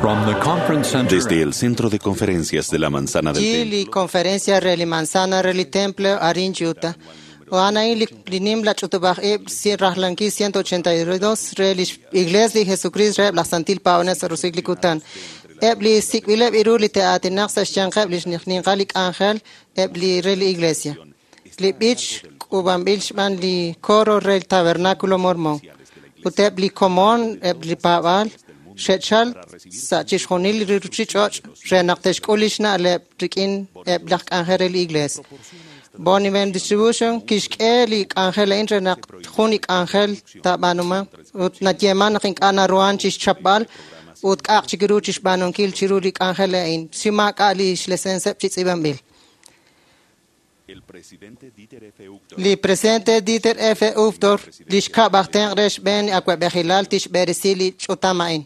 From the conference center Desde el Centro de Conferencias de la Manzana del Chi li Templo, conferencia re li manzana re li temple arin Utah. Oana li nim la ch'utub'aj ib' rajlankil 182 re li Iglesia li Jesucristo re laj Santil Paab'anel sa' roso'jik li kutan. Eb' li sik'b'ileb' iru li te'aatinaq sa' xyanqeb' li xninqal li k'anjel eb' li re li Iglesia. Li b'ich k'uub'anb'il xb'aan li coro re el Tabernáculo Mormón. Ut eb' li komon eb' li paab'aal xe'chal sa' chixjunil li ruchich'och' re naq te'xk'ul lix na'leb' rik'in eb' laj k'anjel re li Iglesia. Bonneville Distribution kixk'e li k'anjel a'in re naq jun li k'anjel taab'aanuman ut nayeeman naq ink'a' naruhan chixchapb'al ut k'a'aq chik ru chixb'aanunkil chiru li k'anjel a'in si maak'a' li xlesenseb' chi tz'iib'anb'il. el presidente Dieter F. Uchtdorf Li presidente Dieter F. Uchtdorf li xkab' aj tenq' re xb'een awa'b'ejilal tixb'eresi li ch'utam a'in.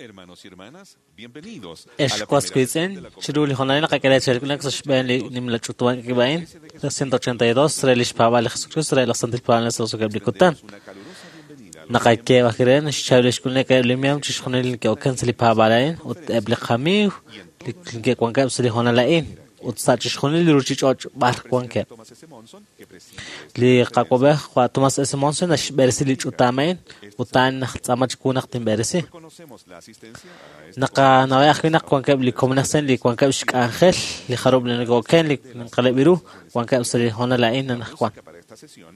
Hermanos y hermanas, bienvenidos a Ex la was primera wiitz'in, sesión de la chiru li jonalil naqak'e chelk'ulek sa' xb'een li nimla ch'utuban k'ib'a'in, 182 re li xpaab'al li Jesucristo re laj Santil Paab'anel sa' roso'jikeb' li kutan. Una calurosa bienvenida a los Naqak'e b'aj xchaab'il xk'ulek eb' li miam chixjunil li ke'oken sa' li paab'aal a'in ut eb' li qamiiw li ke'wankeb' sa' li honal a'in ut sa' chixjunil li ruchich'och' b'ar wankeb'. Thomas S. Monson, que preside Li qak'ob'ej Juan Tomás S. Monson naxb'eresi li ch'utam a'in ut a'an najtz'aama chiwu naq tinb'eresi. Reconocemos la asistencia a esta Naqanawej ajwi' naq wankeb' li komonajsen li wankeb' xk'anjel li jarub' li neke'oken li ninqaleb' iru wankeb' sa' li honal a'in anaqwan. música para esta sesión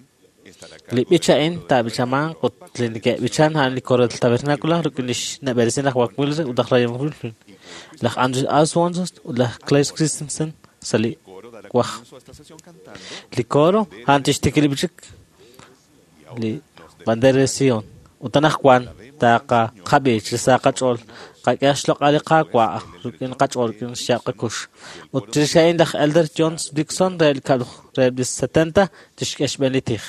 estará a Li cargo b'ich del a'in coro del taab'ichamanq ut li neke'b'ichan a'an li coro del tabernáculo rik'in li xneb'eresi laj Walt Wilson ut laj Ryan Wilson, laj Andrew Oswald ut laj Clay Christensen sa' li coro dará waj. comienzo a esta sesión cantando Li coro a'an tixtikib' li b'ich li bandera de Sion. Ut anaqwan taqaqab'ich li sa' qach'ool qak'e xloq'al li Qaawa' rik'in qach'ool rik'in xyaab' qakux. Ut chirix a'in laj Elder John Dixon re li kab'l re li 70 tixk'e xb'een li tij.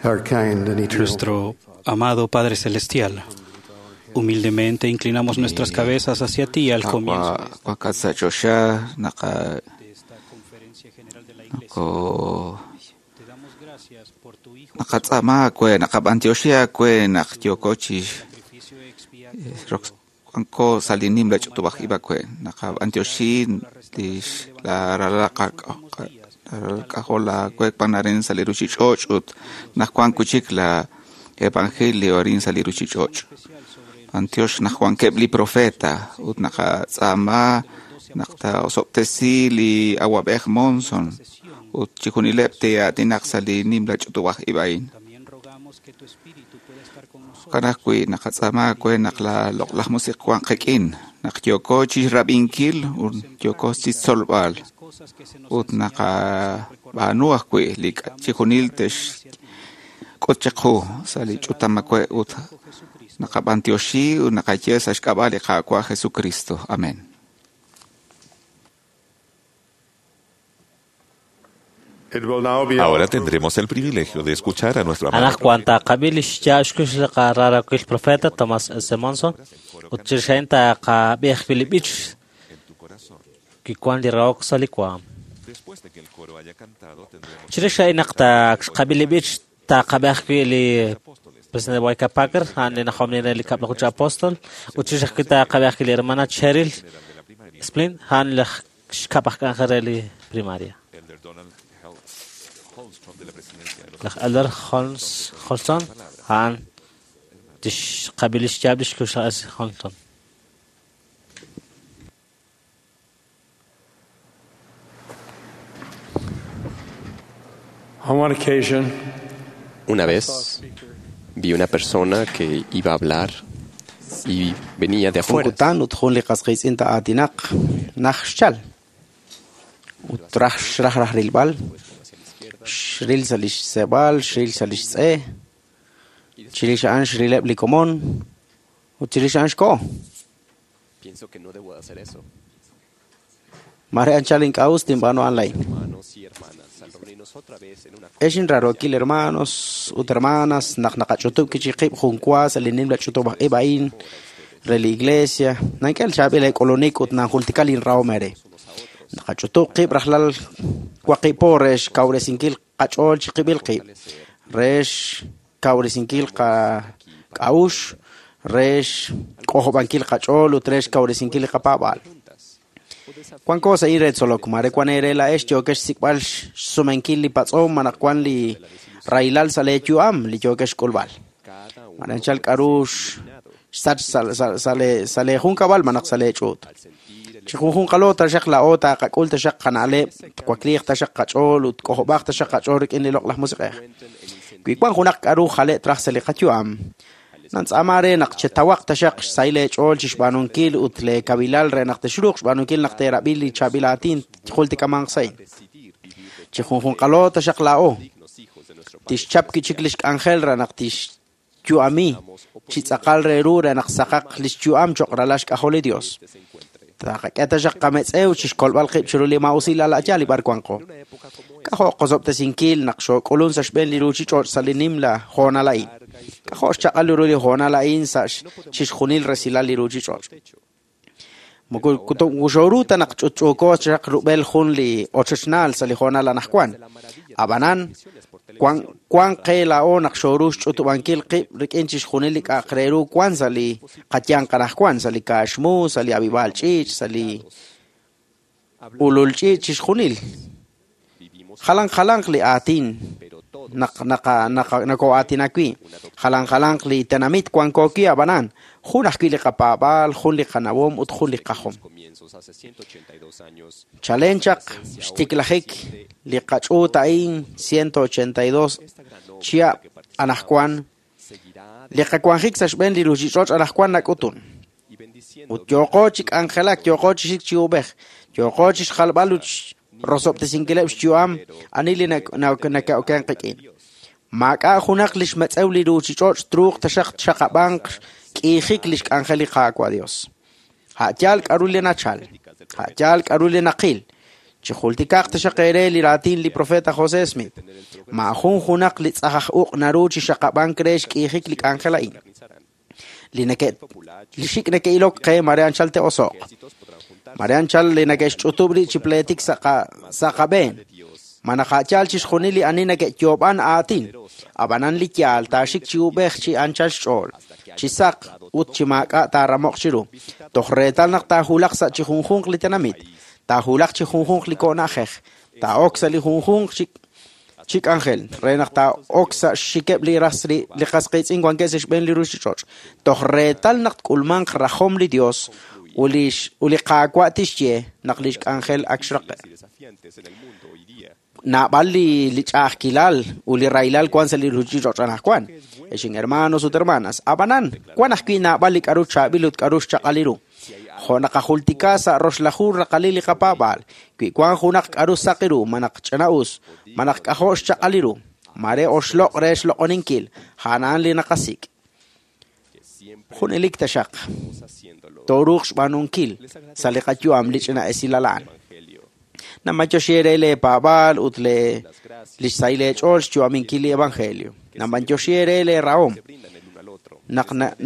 Our kind and eternal Nuestro amado Padre Celestial, humildemente inclinamos nuestras cabezas hacia ti al comienzo Q'a- Q'akatsa naqa de esta conferencia general de la Iglesia. ko Te damos gracias por tu Hijo naqatz'ama akwe naqab'antioxi akwe naq yoko chi sacrificio expiatorio rox wanko salinim la ch'utub'aj ib'akwe naqab'antioxi lix la rala k'ajol la kwe panarin saliruchich'och' ut naq wan kuchik la evangelio arin saliruchich'och' especial sobre Antiox naq wankeb' li profeta ut naqatz'aama Naq taosob'tesi li awab'ej Monson ut chixjunileb' te'aatinaq sa' li nimla ch'utub'aj ib' a'in. Jo'kan ajwi' naqatz'aama aawe naq la loq'laj musiq wanq qik'in, naq yooko chixrab'inkil ut yooko chixtzolb'al ut naqab'aanu ajwi' li chixjunil te'xk'ut chiqu sa' li ch'utam awe' ut naqab'antioxi ut naqaye sa' xk'ab'a' li Qaawa' Jesucristo. Amén. Ahora tendremos el privilegio de escuchar a nuestro amado Anaqwan taqab'i li xyaab' xkux li qaraarookil profeta Thomas S. Monson ut chirix a'in taqab'i ajwi' li b'ich en tu corazón. kiwan li rahok sa' li waam. Después de que el coro haya cantado, tendremos Chirix a'in naq xqab'i li b'ich taqab'i ajwi' li presidente Boyka Packer, a'an li najomni re li kab'laju chi apóstol, ut chirix ajwi' taqab'i ajwi' li hermana Cheryl general de la primaria, Splint, a'an laj xkab' aj k'anjel re li primaria. Elder Donald Holmstrom de la presidencia de los Laj Elder Holmes Holston, a'an tixqab'i li xyaab' li xkux laj S. Holston. On one occasion, Una vez vi una persona que iba a hablar y venía de afuera. Junkutan ut jun li qas qiitz'in ta'aatinaq naj xchal ut raj xraj raj rilb'al xril sa' li xseeb'al xril sa' li xtz'e chirix a'an xrileb' li komon ut chirix a'an xko'o Pienso que no debo de hacer eso. mare anchal ink'a' us tinb'aanu a'an laa'in Hermanos y hermanas, al reunirnos otra vez en una Ex inraarookil hermanos ut hermanas naq naqach'utub' kichiqib' jun wa sa' li nimla ch'utub'aj ib' a'in re li iglesia nank'el chaab'il eek'ulunik ut nanjultika linrahom eere naqach'utub' qib' rajlal waqib' po re xkawresinkil qach'ool chiqib'il qib' re xkawresinkil qak'a'uxl re xk'ojob'ankil qach'ool ut re xkawresinkil li qapaab'aal wanko sa' in re tzolok mare wan eere laa'ex yookex xsik'b'al xsumenkil li patz'om malaj wan li rahilal sa' leeyu'am li yookex xk'ulb'al mare anchal k'a'ru xsach sa' leejunkab'al malaj sa' leech'uut chi junjunqalo taxaq laa'o taqak'ul taxaq qana'leb' twakliiq taxaq qach'ool ut k'ojob'aq taxaq qach'ool rik'in li loq'laj musiq'ej wi wan junaq k'a'ru jale' traj sa' li qayu'am nantz'aama re naq chetawaq taxaq xsahil eech'ool chixb'aanunkil ut leekabilal re naq texruuq xb'aanunkil naq teerab'i li chaab'il aatin jultikamanq sa' a'in chi junjunqalo taxaq laa'o tixchap kichik li xk'anjel re naq tixyu'ami chi tz'aqal re ru re naq saqaq li xyu'am cho'q ralal xk'ajol li Dios taqak'e taxaq qametz'ew chixkolb'al qib' chiru li maa'usilal a'yal li b'ar wanqo k'ajo' qosob'tesinkil naq xook'ulun sa' xb'een li ruuchich'och' sa' li nimla hoonal a'in k'ajo' xchaq'al ru li hoonal a'in sa' chixjunil resilal li ruuchich'och' moko wuxooru ta naq ch'utch'uuko chaq rub'el jun li ochochnaal sa' li hoonal anaqwan ab'anan wan qe laa'o naq xooru xch'utub'ankil qib' rik'in chixjunil li k'a'aq re ru wan sa' li qayanq anaqwan sa' li kaaxmu sa' li ab'ib'aal ch'iich' sa' li ulul ch'iich' chixjunil jalan jalanq li aatin naq nakoo'aatinak wi' jalan jalanq li tenamit wanko wi' ab'anan jun ajwi' li qapaab'aal jun li qanawom ut jun li qajom comienzos hace 182 años. chalen chaq xtiklajik li qach'uut a'in 182 chihab' anaqwan li qawanjik sa' xb'een li ruuchich'och' anaqwan nak'utun ut yooqo chi k'anjelak yooqo chi xik chi ub'ej yooqo chi xjalb'al ut rosob'tesinkileb' xyu'am ani li naka'oken qik'in maak'a' junaq li xmetz'ew li ruuchich'och' truuq taxaq xaqab'anq k'iijik li xk'anjel li Qaawa' Dios a'yaal k'a'ru li nachal a'yaal k'a'ru li naqil chi jultikaq taxaq eere li raatin li profeta José Smith maajun junaq li tz'ajaj uq' naru chi xaqab'ank re xk'iijik li k'anjel a'in li neke li xik' neke'ilok qe mare anchal te'oso'q mare anchal li neke'xch'utub' rib' chi pleetik sa' qab'een malaj a'yaal chixjunil li ani neke'yoob'an aatin ab'anan li yaal taaxik chi ub'ej chi anchal xch'ool chi saq ut chi maak'a' taaramoq chiru toj reetal naq taajulaq sa' chi junjunq li tenamit taajulaq chi junjunq li ko'na'jej taa'ok sa' li junjunq chi k'anjel re naq taa'ok sa' xxikeb' li ras li qas qiitz'in wankeb' sa' xb'een li ruuchich'och' toj reetal naq tk'ulmanq rajom li Dios Ut li Qaawa' tixye naq lix k'anjel ak xraqe'. Naab'al li ch'a'ajkilal ut li rahilal wan sa' li ruuchich'och' anaqwan. Ex hermanos ut hermanas, ab'anan wan ajwi' naab'al li k'aru chaab'il ut k'aru xchaq'al ru. Jo' naqajultika sa' roxlaju raqalil li qapaab'aal, wi wan junaq k'aru saq ru malaj ch'ina'us, malaj k'ajo' xchaq'al ru, mare oxloq' re xloq'oninkil, a'an li naqasik'. Junelik taxaq tooruuq xb'aanunkil sa' li qayu'am li ch'ina esilal a'an. Namanyoxi re leepaab'aal ut lix sahil eech'ool xyu'aminkil li evangelio. Namanyoxi re leerahom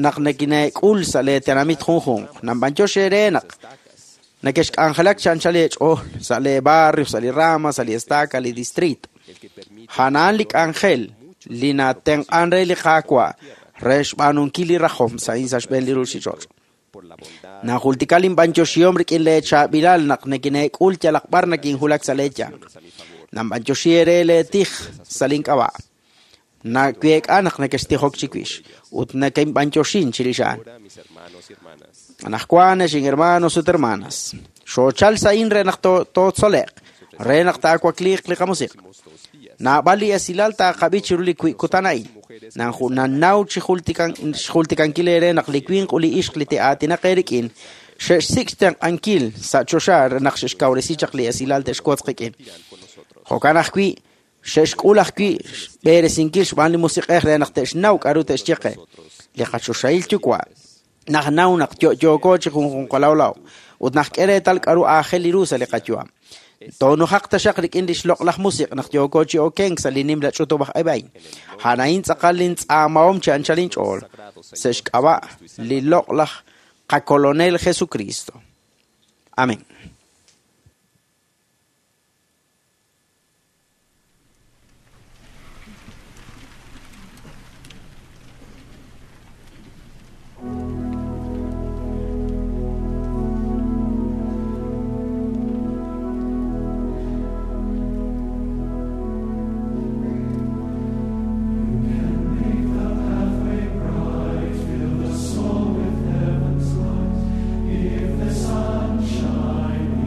naq nekineek'ul sa' leetenamit junjunq. Namanyoxi re naq nakexk'anjelak chi anchal eech'ool sa' leebarrio, sa' li rama, sa' li estaca, li distrito. A'an li k'anjel li natenq'an re li Qaawa' re xb'aanunkil li rajom sa' sa' xb'een li ruuchich'och'. Najultika linb'anyoxihom rik'in leechaab'ilal naq nekineek'ul yalaq b'ar nakinjulak sa' leeyanq. Nanb'anyoxi re leetij sa' link'ab'a'. Naweek'a naq nekextijok chiwix ut nekinb'anyoxin chirix a'an. Anaqwan ex hermanos ut hermanas, xoochal sa'in re naq tootzole'q, re naq taawakliiq li qamusiq'. Naab'al li esilal taaqab'i chiru li kutan a'in. Nannaw chi xjultikankil eere naq li winq ut li ixq li te'aatinaq eerik'in xe'xsik' xtenq'ankil sa' choxa re naq xe'xkawresi chaq li esilal te'xwotz qik'in. Jo'kan ajwi' xe'xk'ul ajwi' xb'eresinkil xb'aan li musiq'ej re naq te'xnaw k'aru te'xye qe. Li qachoxahil yuwa' naq naw naq yo'yooko chi junjunqalawlaw ut naq k'e reetal k'aru aajel li ru sa' li qayu'am. Toonujaq taxaq rik'in li xloq'laj musiq' naq yooko chi okenk sa' li nimla ch'utub'aj ib' a'in. A'an a'in tz'aqal lintz'aamahom chi anchal inch'ool sa' xk'ab'a' li loq'laj qakolonel Jesucristo. Amén. If the sunshine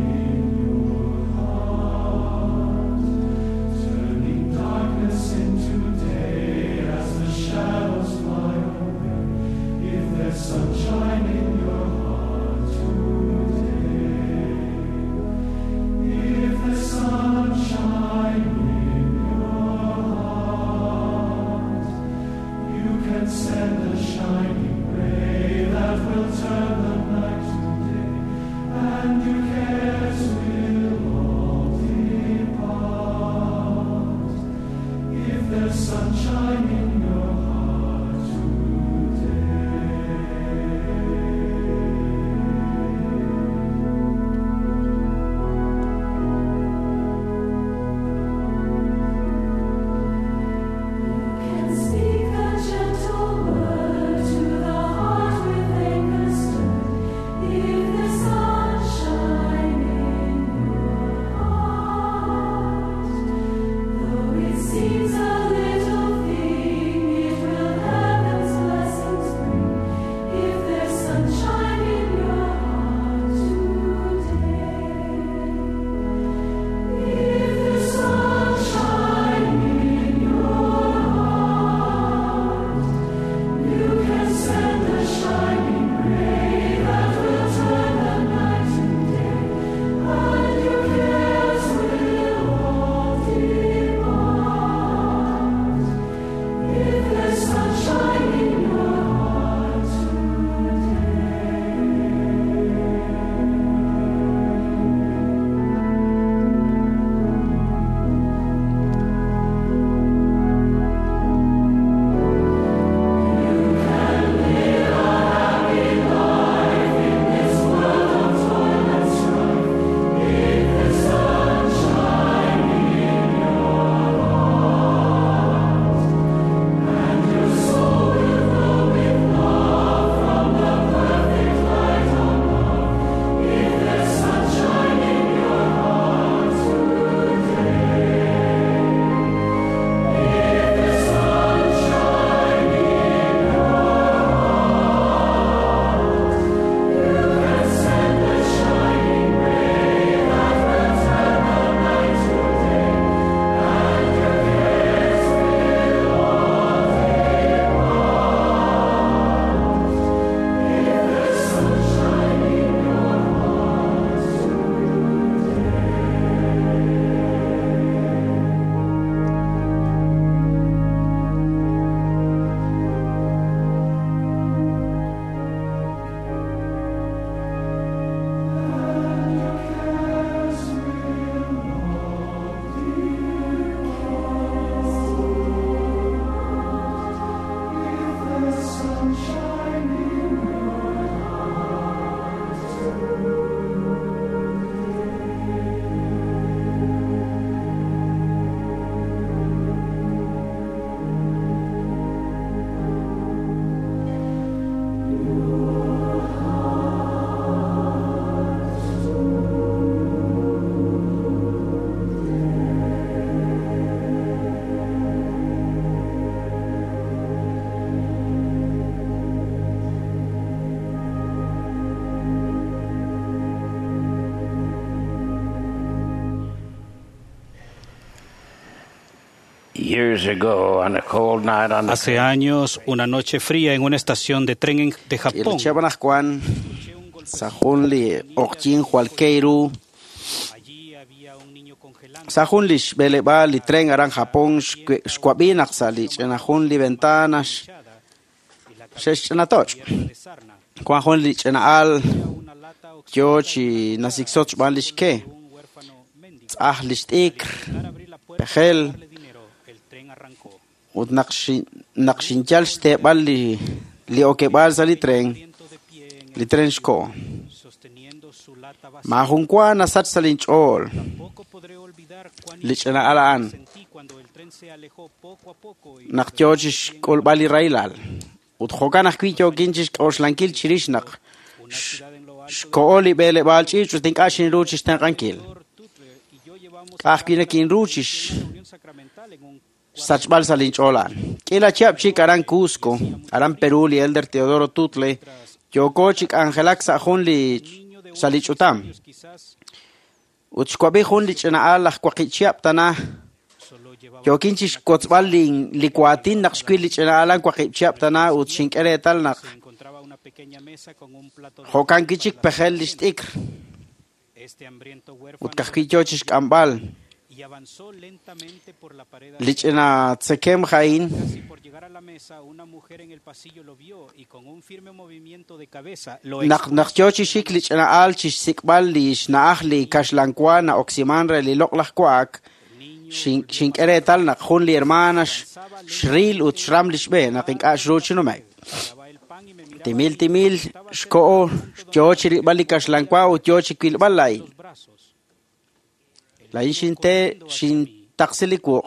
Hace años, una noche fría en una estación de tren de Japón. Sa jun li xb'eleb'aal li tren aran Japón xwab'i naq sa' li ch'ina jun li ventana xe'xch'inatoch'. Wan jun li ch'ina'al yo chi nasiksot xb'aan li xke, tz'aj li xt'ikr, pejel, ut naq xinyal xteeb'al li okeb'aal sa' li tren xko'o. Maajun wa nasach sa' linch'ool li ch'ina'al a'an naq yo chi xk'ulb'al li rahilal. Ut jo'kan ajwi' yookin chi xk'oxlankil chirix naq xko'o li b'eleb'aal ch'iich' ut ink'a' xinru chi xtenq'ankil. Ka'ajwi' nakinru chi xsachb'al sa' linch'ool a'an. K'iila chihab' chik aran Cusco, aran Perú li Elder Teodoro Tutle yooko chi k'anjelak sa' jun li sa' li ch'utam. Ut xwab'i jun li ch'ina'al aj waqib' chihab' tana yookin chi xkotzb'al li waatin naq xwil li ch'ina'al an waqib' chihab' tana ut xink'e reetal naq jo'kan wi' chik pejel li xt'ikr. Ut ka'ajwi' yo chi xk'amb'al li ch'ina tzekemj a'in naq yo chi xik li ch'ina'al chi xsik'b'al li xna'aj li kaxlanwa na'oksiman re li loq'laj wa'ak, xink'e reetal naq jun li hermana xril ut xram li xb'e naq ink'a' xru chi nume'k. Timil timil xko'o yo chi rilb'al li kaxlanwa ut yo chi wilb'al laa'in. Laa'in xinte xintaqsi li wuq'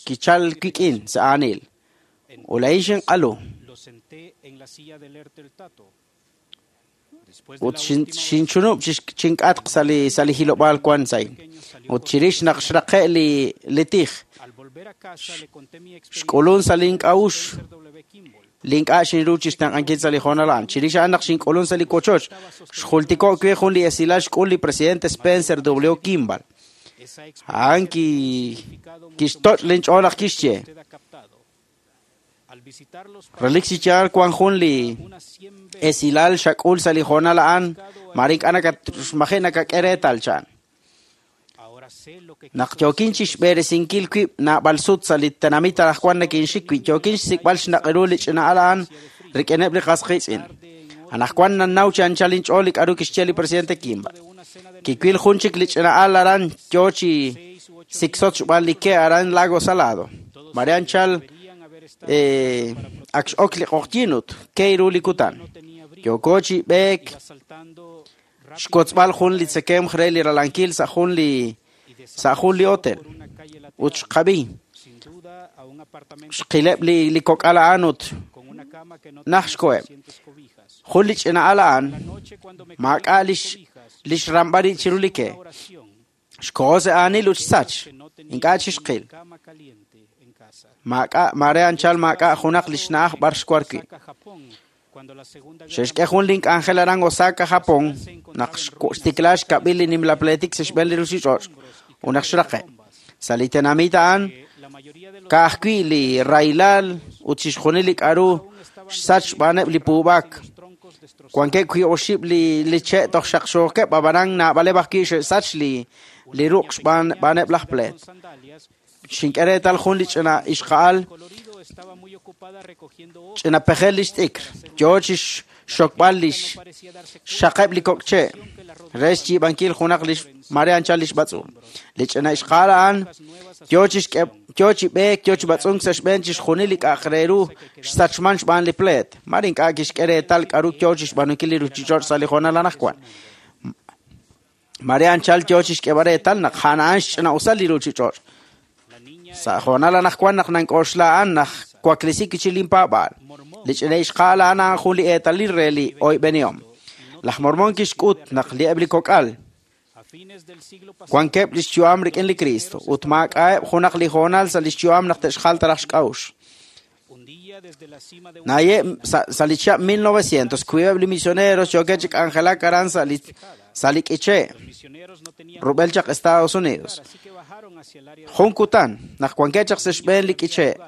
kichal wik'in sa' aanil. Ut laa'in xinq'alu. Ut xinchunub' chink'atq sa' li hilob'aal wan sa'in. Ut chirix naq xraqe' li tij, xk'ulun sa' link'a'uxl li ink'a' xinru chi xtenq'ankil sa' li hoonal a'an. Chirix a'an naq xink'ulun sa' li wochoch, xjultiko' we jun li esilal xk'ul li presidente Spencer W. Kimball. A'an kixtoch' linch'ool naq kixye. Relik chi yaal wan jun li esilal xak'ul sa' li hoonal a'an, mare ink'a' maji' nakak'e reetal chan. Naq yookin chi xb'eresinkil wib' naab'al sut sa' li tenamit anaqwan nakinxik wi' yookin xsik'b'al xnaq'ru li ch'ina'al a'an rik'ineb' li qas qiitz'in. Anaqwan nannaw chi anchal inch'ool li k'aru kixye li presidente Kimball. Kiwil jun chik li ch'ina'al aran yo chi siksot xb'aan li ke aran Lago Salado. Mare anchal ak x'ok li q'oqyin ut ke ru li kutan. Yooko chi b'eek xkotzb'al jun li tzekemj re li ralankil sa' jun li hotel. Ut xqab'i xqileb' li kok'al a'an ut naj xkoheb'. Jun li ch'ina'al a'an maak'a' li xramb'al rib' chiru li ke. Xko'o sa' aanil ut xsach, ink'a' chi xqil. Mare anchal maak'a' junaq li xna'aj b'ar xwar wi'. Xe'xk'e jun link'anjel aran Osaka, Japón, naq xtikla xkab'il li nimla pletik sa' xb'een li ruuchich'och' ut naq xraqe'. Sa' li tenamit a'an ka'ajwi' li rahilal ut chixjunil li k'aru xsach xb'aaneb' li puub'ak. Wankeb' wi' oxib' li che' toj xaqxookeb' ab'anan naab'aleb' ajwi' xe'sach li ruq' xb'aaneb' laj pleet. Xink'e reetal jun li ch'ina ixqa'al ch'ina pejel li xt'ikr, yo chi xxokb'al li xxaqeb' li kok' che' re xyiib'ankil junaq li mare anchal li xb'atz'unk. Li ch'ina ixqa'al a'an yo chi b'eek, yo chi b'atz'unk sa' xb'een chixjunil li k'a'aq re ru xsachman xb'aan li pleet. Mare ink'a' kixk'e reetal k'aru yo chi xb'aanunkil li ruuchich'och' sa' li hoonal anaqwan. Mare anchal yo chi xk'eb'al reetal naq a'an a'an xch'ina'usal li ruuchich'och'. Sa' hoonal anaqwan naq nank'oxla a'an naq waklisi kichi linpaab'aal. Li ch'ina ixqa'al a'an a'an jun li eetalil re li oyb'enihom. Laj Mormon kixk'ut naq li eb' li kok'al wankeb' li xyu'am rik'in li Cristo ut maak'a'eb' junaq li hoonal sa' li xyu'am naq te'xjal taraj xk'a'uxl. Naye sa li chihab' 1900 wiib'eb' li misioneros yookeb' chi k'anjelak aran sa' li k'iche' rub'el chaq Estados Unidos. Jun kutan naq wankeb' chaq sa' xb'een li k'iche'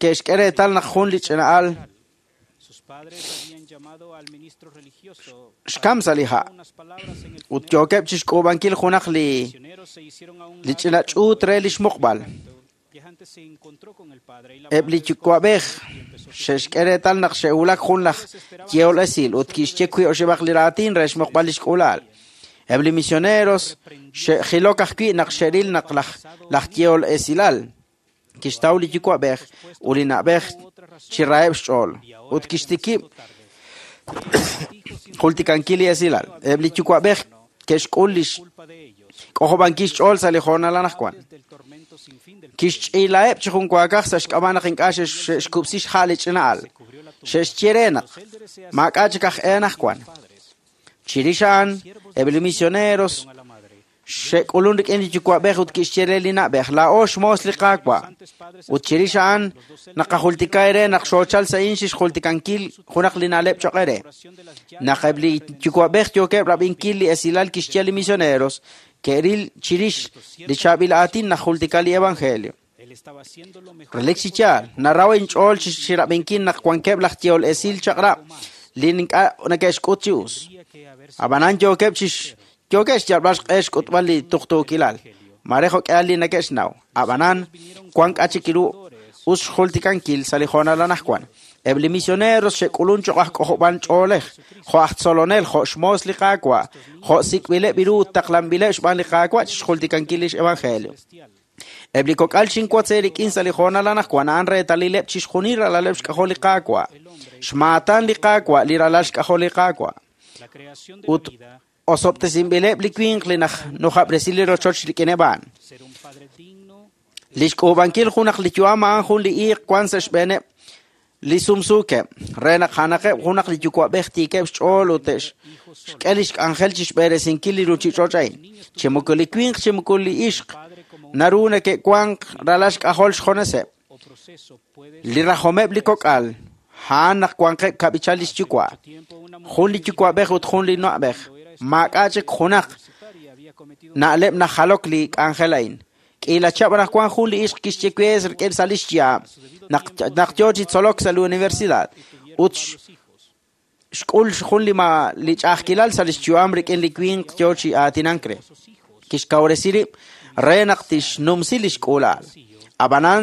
ke'xk'e reetal naq jun li ch'ina'al xkam sa' li ha' ut yookeb' chixk'uub'ankil junaq li ch'ina ch'uut re li xmuqb'al. Eb' li yuwa'b'ej xe'xk'e reetal naq xe'wulak jun laj yehol esil ut kixye wiib' oxib'aq li raatin re xmuqb'al li xk'uula'al. Eb' li misioneros xe'jilok ajwi' naq xe'ril naq laj yehol esilal kixtaw li yuwa'b'ej ut li na'b'ej chi raheb' xch'ool ut kixtikib' jultikankil li esilal. Eb' li yuwa'b'ej ke'xk'ul li k'ojob'ankil xch'ool sa' li hoonal anaqwan. Kixch'iilaheb' chi junwaakaj sa' xk'ab'a' naq ink'a' xe'xkub'si xha' li ch'ina'al. Xe'xye re naq maak'a' chik aj e anaqwan. Chirix a'an, eb' li misioneros xe'k'ulun rik'in li yuwa'b'ej ut kixye re li na'b'ej, laa'o xmoos li Qaawa'. Ut chirix a'an naqajultika eere naq xoochal sa' a'in xixjultikankil junaq li na'leb' choq' eere. Naq eb' li yuwa'b'ej yookeb' rab'inkil li esilal kixye li misioneros, ke'ril chirix li chaab'il aatin najultika li evangelio. Relik chi yaal, naraw inch'ool chirab'inkil naq wankeb' laj yehol esil chaq'rab' li ink'a' neke'xk'ut chi us. Ab'anan yookeb' xyalb'al xq'e xk'utb'al li tuqtuukilal, mare jo'k'ihal li neke'xnaw. Ab'anan wan k'a chik ru us xjultikankil sa' li hoonal anaqwan. Eb' li misioneros xe'k'ulun choq' aj k'ojob'an ch'oolej, jo' aj tzolonel, jo' xmoos li Qaawa', jo' sik'b'ileb' ru ut taqlanb'ileb' xb'aan li Qaawa' chixjultikankil lix evangelio. Eb' li kok'al xinwotz eerik'in sa' li hoonal anaqwan a'an reetalileb' chixjunil ralaleb' xk'ajol li Qaawa', xmaatan li Qaawa' li ralal xk'ajol li Qaawa'. Ut osob'tesinb'ileb' li winq li nujab'resi li rochoch rik'ineb' a'an. Li xk'uub'ankil junaq li yu'am a'an jun li iiq wan sa' xb'eeneb' li sumsuukeb' re naq a'anaqeb' junaq li yuwa'b'ej tiikeb' xch'ool ut te'xk'e li xk'anjel chixb'eresinkil li ruuchich'och' a'in. Chi moko li winq chi moko li ixq naru neke'wanq ralal xk'ajol xjoneseb'. Li rajomeb' li kok'al a'an naq wanqeb' kab'ichal li xyuwa', jun li yuwa'b'ej ut jun li na'b'ej. Maak'a' chik junaq na'leb' najalok li k'anjel a'in. K'iila chihab' anaqwan jun li ixq kixye we rik'in sa' li xyaab' naq yoo chi tzolok sa' li universidad ut xk'ul jun li ch'a'ajkilal sa' li xyu'am rik'in li winq yoo chi aatinank re. Kixkawresi rib' re naq tixnumsi li xk'uula'al. Ab'anan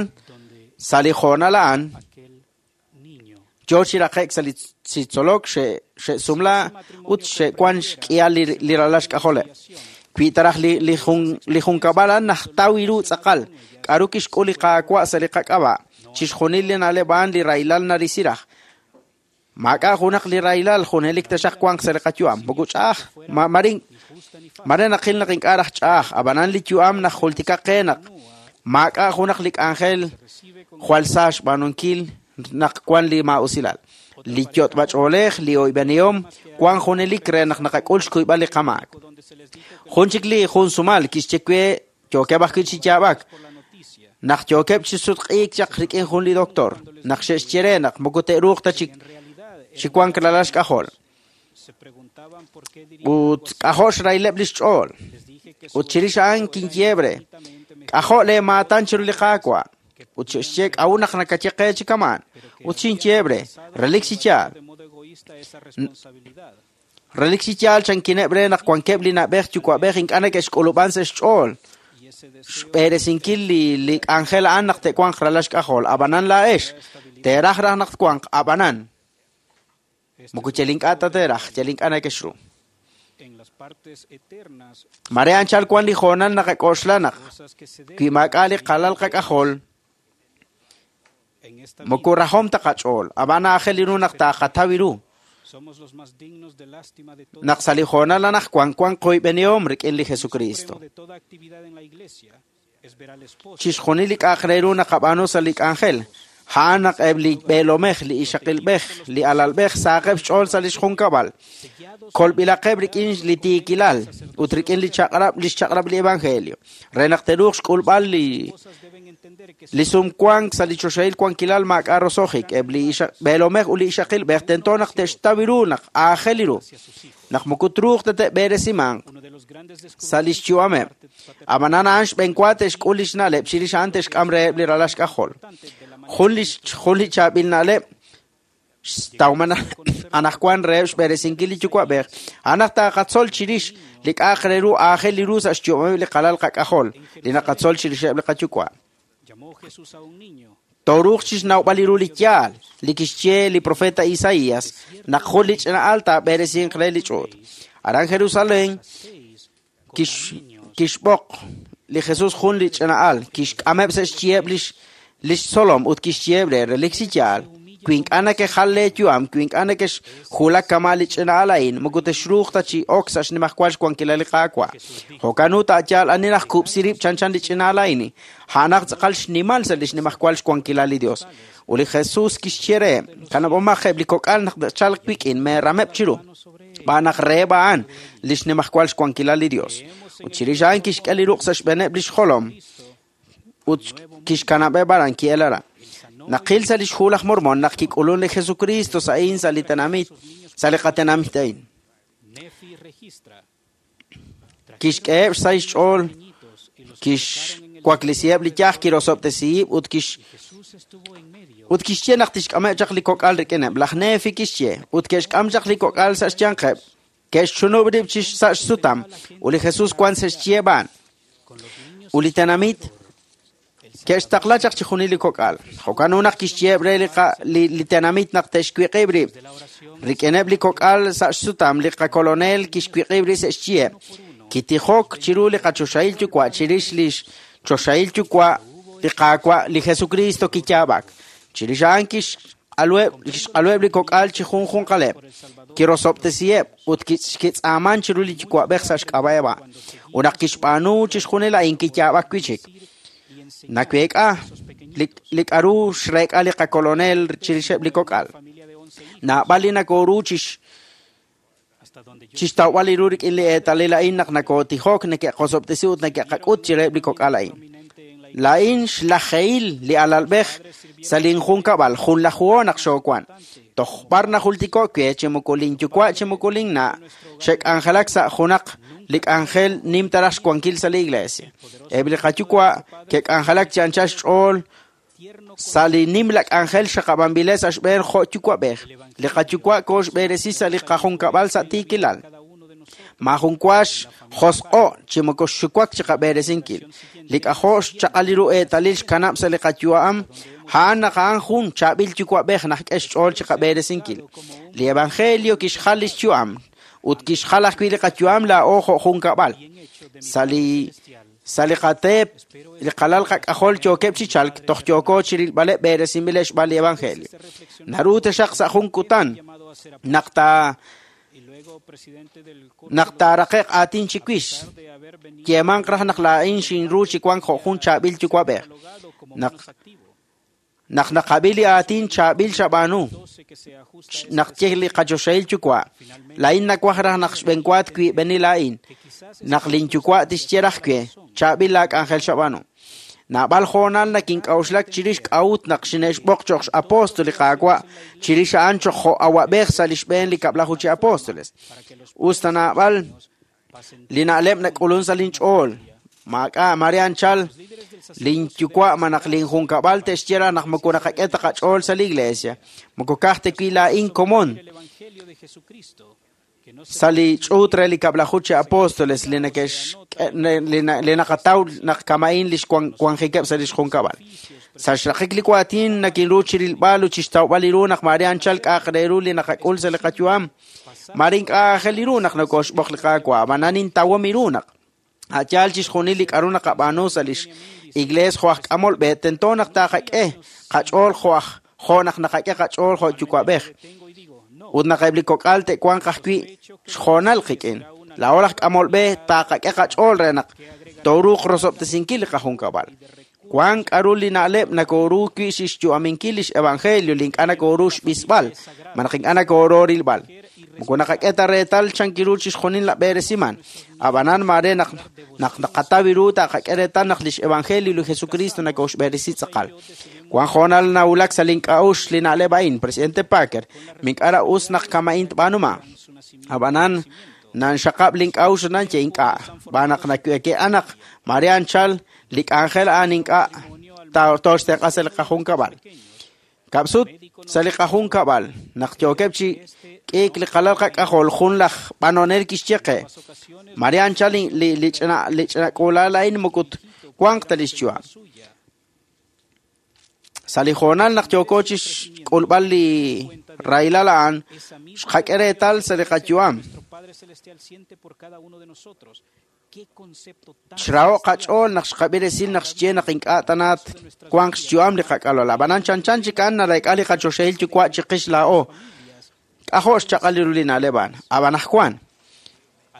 sa' li hoonal a'an yoo chi raqe'k sa' li tzolok xe'sumla ut xe'wan xk'ihal li ralal xk'ajoleb'. Wi taraj li junkab'al a'an najtaw ru tz'aqal k'aru kixk'ul li Qaawa' sa' li qak'ab'a', chixjunil li na'leb' a'an li rahilal narisi raj. Maak'a' junaq li rahilal junelik taxaq wanq sa' li qayu'am. Moko ch'a'aj, mare naqil naq ink'a' raj ch'a'aj, ab'anan li yu'am najultika qe naq maak'a' junaq li k'anjel jwal sa xb'aanunkil naq wan li maa'usilal. Li yot'b'ach'oolej, li oyb'enihom wan junelik re naq naqak'ul xkuyb'al li qamaak. Jun chik li jun sumal kixye we yookeb' ajwi' chi yaab'ak naq yookeb' chi sutq'iik chaq rik'in jun li doctor, naq xe'xye re naq moko te'ruuq ta chi wank ralal xk'ajol. Ut k'ajo' xrayleb' li xch'ool. Ut chirix a'an kinyeebre, k'ajo' leemaatan chiru li Qaawa'. Ut xe'xye k'a'ut naq nakaye qe chi kamaan. Ut xinyeebre, relik chi yaal. Relik chi yaal chankineb' re naq wankeb' li na'b'ej yuwa'b'ej ink'a' neke'xk'ulub'an sa' xch'ool. Xb'eresinkil li k'anjel a'an naq te'wanq ralal xk'ajol. Ab'anan laa'ex, teeraj raj naq twanq, ab'anan. Moko yal ink'a' ta teeraj, yal ink'a' neke'xru. Mare anchal wan li hoonal naqak'oxla naq wi maak'a' li qalal qak'ajol, moko rajom ta qach'ool, ab'an aajel ru naq taaqataw ru. Naq sa' li hoonal anaqwan wan qoyb'enihom rik'in li Jesucristo. Chixjunil li k'a'aq re ru naqab'aanu sa' li k'anjel, a'an naq eb' li b'eelomej, li ixaqilb'ej, li alalb'ej saaqeb' xch'ool sa' li xjunkab'al. Kolb'ilaqeb' rik'in li tiikilal ut rik'in li chaq'rab' li xchaq'rab' li evangelio, re naq te'ruuq xk'ulb'al li Li sumwank sa' li choxahil wankilal maak'a' roso'jik. Eb' li b'eelomej ut li ixaqilb'ej tento naq te'xtaw ru naq aajel ru, naq moko truuq ta te'b'eresimanq sa' li xyu'ameb'. Ab'anan a'an xb'enwa te'xk'ul li xna'leb' chirix a'an te'xk'am reheb' li ralal xk'ajol. Jun li chaab'il na'leb' xtawman anaqwan reheb' xb'eresinkil li yuwa'b'ej, a'an naq taqatzol chirix li k'a'aq re ru aajel li ru sa' xyu'ameb' li qalal qak'ajol, li naqatzol chirixeb' li qayuwa'. Tooruuq chixnawb'al li ru li yaal li kixye li profeta Isaías naq jun li ch'ina'al taab'eresinq re li ch'uut. Aran Jerusalén kixb'oq li Jesús jun li ch'ina'al, kixk'ameb' sa' xyiheb' li xtzolom ut kixyeheb' re relik chi yaal. Wi ink'a' nakejal leeyu'am, wi ink'a' nakexjulak kama' li ch'ina'al a'in, moko texruuq ta chi ok sa' xnimajwal xwankilal li Qaawa'. Jo'kan ut a'yaal ani najkub'si rib' chanchan li ch'ina'al a'in, a'anaq tz'aqal xnimal sa' li xnimajwal xwankilal li Dios. Ut li Jesús kixye reheb', kanab'omaq eb' li kok'al naq te'chalq wik'in, meerameb' chiru, xb'aan naq reheb' a'an li xnimajwal xwankilal li Dios. Ut chirix a'an kixk'e li ruq' sa' xb'eeneb' li xjolom ut kixkanab'eb' aran ki'el aran. Naqil sa' li xhu laj Mormón naq kik'ulun li Jesucristo sa'in sa' li tenamit, sa' li qatenamit a'in. Kixk'eheb' xsahil xch'ool, kixwaklisiheb' li yaj, kirosob'tesihib' ut kixye naq tixk'ameb' chaq li kok'al rik'ineb'. Laj Nefi kixye ut ke'xk'am chaq li kok'al sa' xyanqeb', ke'xchunub' rib' sa' xsutam ut li Jesús wan sa' xyeheb' a'an. Ut li tenamit ke'xtaqla chaq chi junil li kok'al. Jo'kan ut naq kixyeheb' re li tenamit naq te'xwiq'ib' rib'. Rik'ineb' li kok'al sa' xsutam li qakolonel kixwiq'ib' rib' sa' xyeheb'. Kitijok chiru li qachoxahil yuwa' chirix li choxahil yuwa' li Qaawa' li Jesucristo kiyaab'ak. Chirix a'an kixq'aluheb' li kok'al chi junjunqaleb', kirosob'tesiheb' ut kitz'aaman chiru li yuwa'b'ej sa' xk'ab'a'eb' a'an. Ut naq kixb'aanu chixjunil a'in kiyaab'ak wi'chik. Naweek'a li k'a'ru xreek'a li qakolonel chirixeb' li kok'al. Naab'al li nakooru chixtawb'al li ru rik'in li eetalil a'in naq nakootijok, neke'qosob'tesi ut neke'qak'ut chireheb' li kok'al a'in. Laa'in xlajehil li alalb'ej sa' linjunkab'al, junlajuho naq xoowan. Toj b'ar najultiko' we chi moko linyuwa' chi moko linna' xe'k'anjelak sa' junaq li k'anjel nim taraj xwankil sa' li iglesia. Eb' li qayuwa' ke'k'anjelak chi anchal xch'ool sa' li nimla k'anjel xaqab'anb'ileb' sa' xb'een jo' yuwa'b'ej. Li qayuwa' kooxb'eresi sa' li qajunkab'al sa' tiikilal. Maajun wa xjosq'o' chi moko xxuwak chi qab'eresinkil. Li k'ajo' xchaq'al li ru eetalil xkanab' sa' li qayu'am, a'an naq a'an jun chaab'il yuwa'b'ej naq k'e xch'ool chi qab'eresinkil. Li evangelio kixjal li xyu'am ut kixjal ajwi' li qayu'am laa'o jo' junkab'al. Sa' li qateep, li qalal qak'ajol yookeb' chi chalk, toj yooko chirilb'aleb' b'eresinb'ileb' xb'aan li evangelio. Naru taxaq sa' jun kutan naq taaraqe'q aatin chiwix, yeemanq raj naq laa'in xinru chi wank jo' jun chaab'il yuwa'b'ej. Naq naqab'i li aatin chaab'il xab'aanu, naq ye li qachoxahil yuwa', laa'in nawaj raj naq xb'enwa twiib'eni laa'in, naq linyuwa' tixye raj we, chaab'il laak'anjel xab'aanu. Naab'al hoonal nakink'a'uxlak chirix k'a'ut naq xine'xb'oq cho'q x'apóstol li Qaawa' chirix a'an cho'q jo' awa'b'ej sa' li xb'een li kab'laju chi apóstoles. Us ta naab'al li na'leb' nak'ulun sa' linch'ool, maak'a' mare anchal linyuwa' malaj linjunkab'al te'xye raj naq moko naqak'e ta qach'ool sa' li iglesia, moko ka'aj ta wi laa'in komon sa' li ch'uut re li kab'laju chi apóstoles li naqataw naq kama'in li xwanjikeb' sa' li xjunkab'al. Sa' xraqik li waatin nakinru chirilb'al ut chixtawb'al li ru naq mare anchal k'a'aq re ru li naqak'ul sa' li qayu'am. Mare ink'a' aajel li ru naq nokooxb'oq li Qaawa', ab'anan intawom ru naq a'yaal chixjunil li k'a'ru naqab'aanu sa' li iglees jo' aj k'amol b'e, tento naq taqak'e qach'ool jo' naq naqak'e qach'ool jo' yuwa'b'ej. Ut naq eb' li kok'al te'wanq ajwi' xjoonal qik'in. Laa'o laj k'amol b'e taqak'e qach'ool re naq tooruuq rosob'tesinkil li qajunkab'al. Wank k'a'ru li na'leb' nakooru wi' xyu'aminkil li xevangelio li ink'a' nakooru xb'isb'al, malaj ink'a' nakooru rilb'al. Moko naqak'e ta reetal chankiru chixjunil la b'eresiman. Ab'anan mare naq naq naqataw ru taqak'e reetal naq lix evangelio li Jesucristo nakoxb'eresi tz'aqal. Wan hoonal nawulak sa' link'a'uxl li na'leb' a'in, Presidente Packer, mink'ara us naq kama'in tb'aanuma. Ab'anan nanxaqab' link'a'uxl nan ye ink'a'. B'anaq nake'anaq mare anchal li k'anjel a'an ink'a' toxtenq'a sa' li qajunkab'al. Kab'sut sa' li qajunkab'al naq yookeb' chi k'iik li qalal qak'ajol jun laj b'anonel kixye qe. Mare anchal li li ch'ina li ch'ina k'uula'al a'in mokut wanq ta lix yu'am. Sa' li hoonal naq yooko chi xk'ulb'al li rahilal a'an, xqak'e reetal sa' li qayu'am. Xraho' qach'ool naq xqab'i resil naq xye naq ink'a' tanaat wanq xyu'am li qak'alol. Ab'anan chanchan chik a'an narayk'a li qachoxahil yuwa' chiqix laa'o. K'ajo' xchaq'al ru li na'leb' a'an. Ab'an ajwan,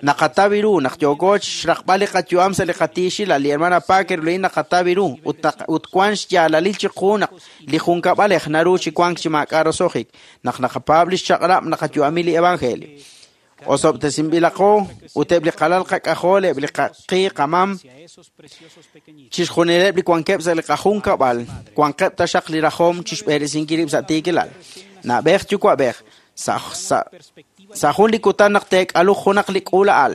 naqataw ru naq yooko xraqb'al li qayu'am sa' li qatiixilal. Li hermana Packer li naqataw ru ut wan xyaalalil chiqu naq li junkab'alej naru chi wank chi maak'a' roso'jik. Naq naqapaab' li xchaq'rab' naqayu'ami li evangelio. Osob'tesinb'ilaqo ut eb' li qalal qak'ajol, eb' li qaqi qamam, chixjunileb' li wankeb' sa' li qajunkab'al, wanqeb' taxaq li rajom chixb'eresinkil rib' sa' tiikilal. Na'b'ej yuwa'b'ej, sa' jun li kutan naq teek'aluq junaq li k'uula'al.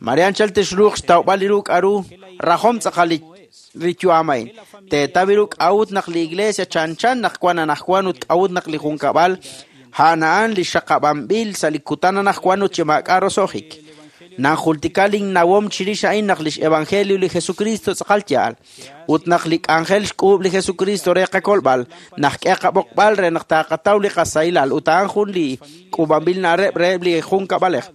Mare anchal texruuq xtawb'al li ru k'aru rajom tz'aqal li yu'am a'in. Teetaw ru k'a'ut naq li iglesia chanchan naq wan anajwan ut k'a'ut naq li junkab'al a'an li xaqab'anb'il sa' li kutan anajwan ut chi maak'a' roso'jik. Nanjultika linnawom chirix a'in naq lix evangelio li Jesucristo tz'aqal yaal. Ut naq li k'anjel xk'uub' li Jesucristo re qakolb'al, naq k'e qab'oqb'al re naq taqataw li qasahilal ut a'an jun li k'uub'anb'il na'leb' reheb' li junkab'alej.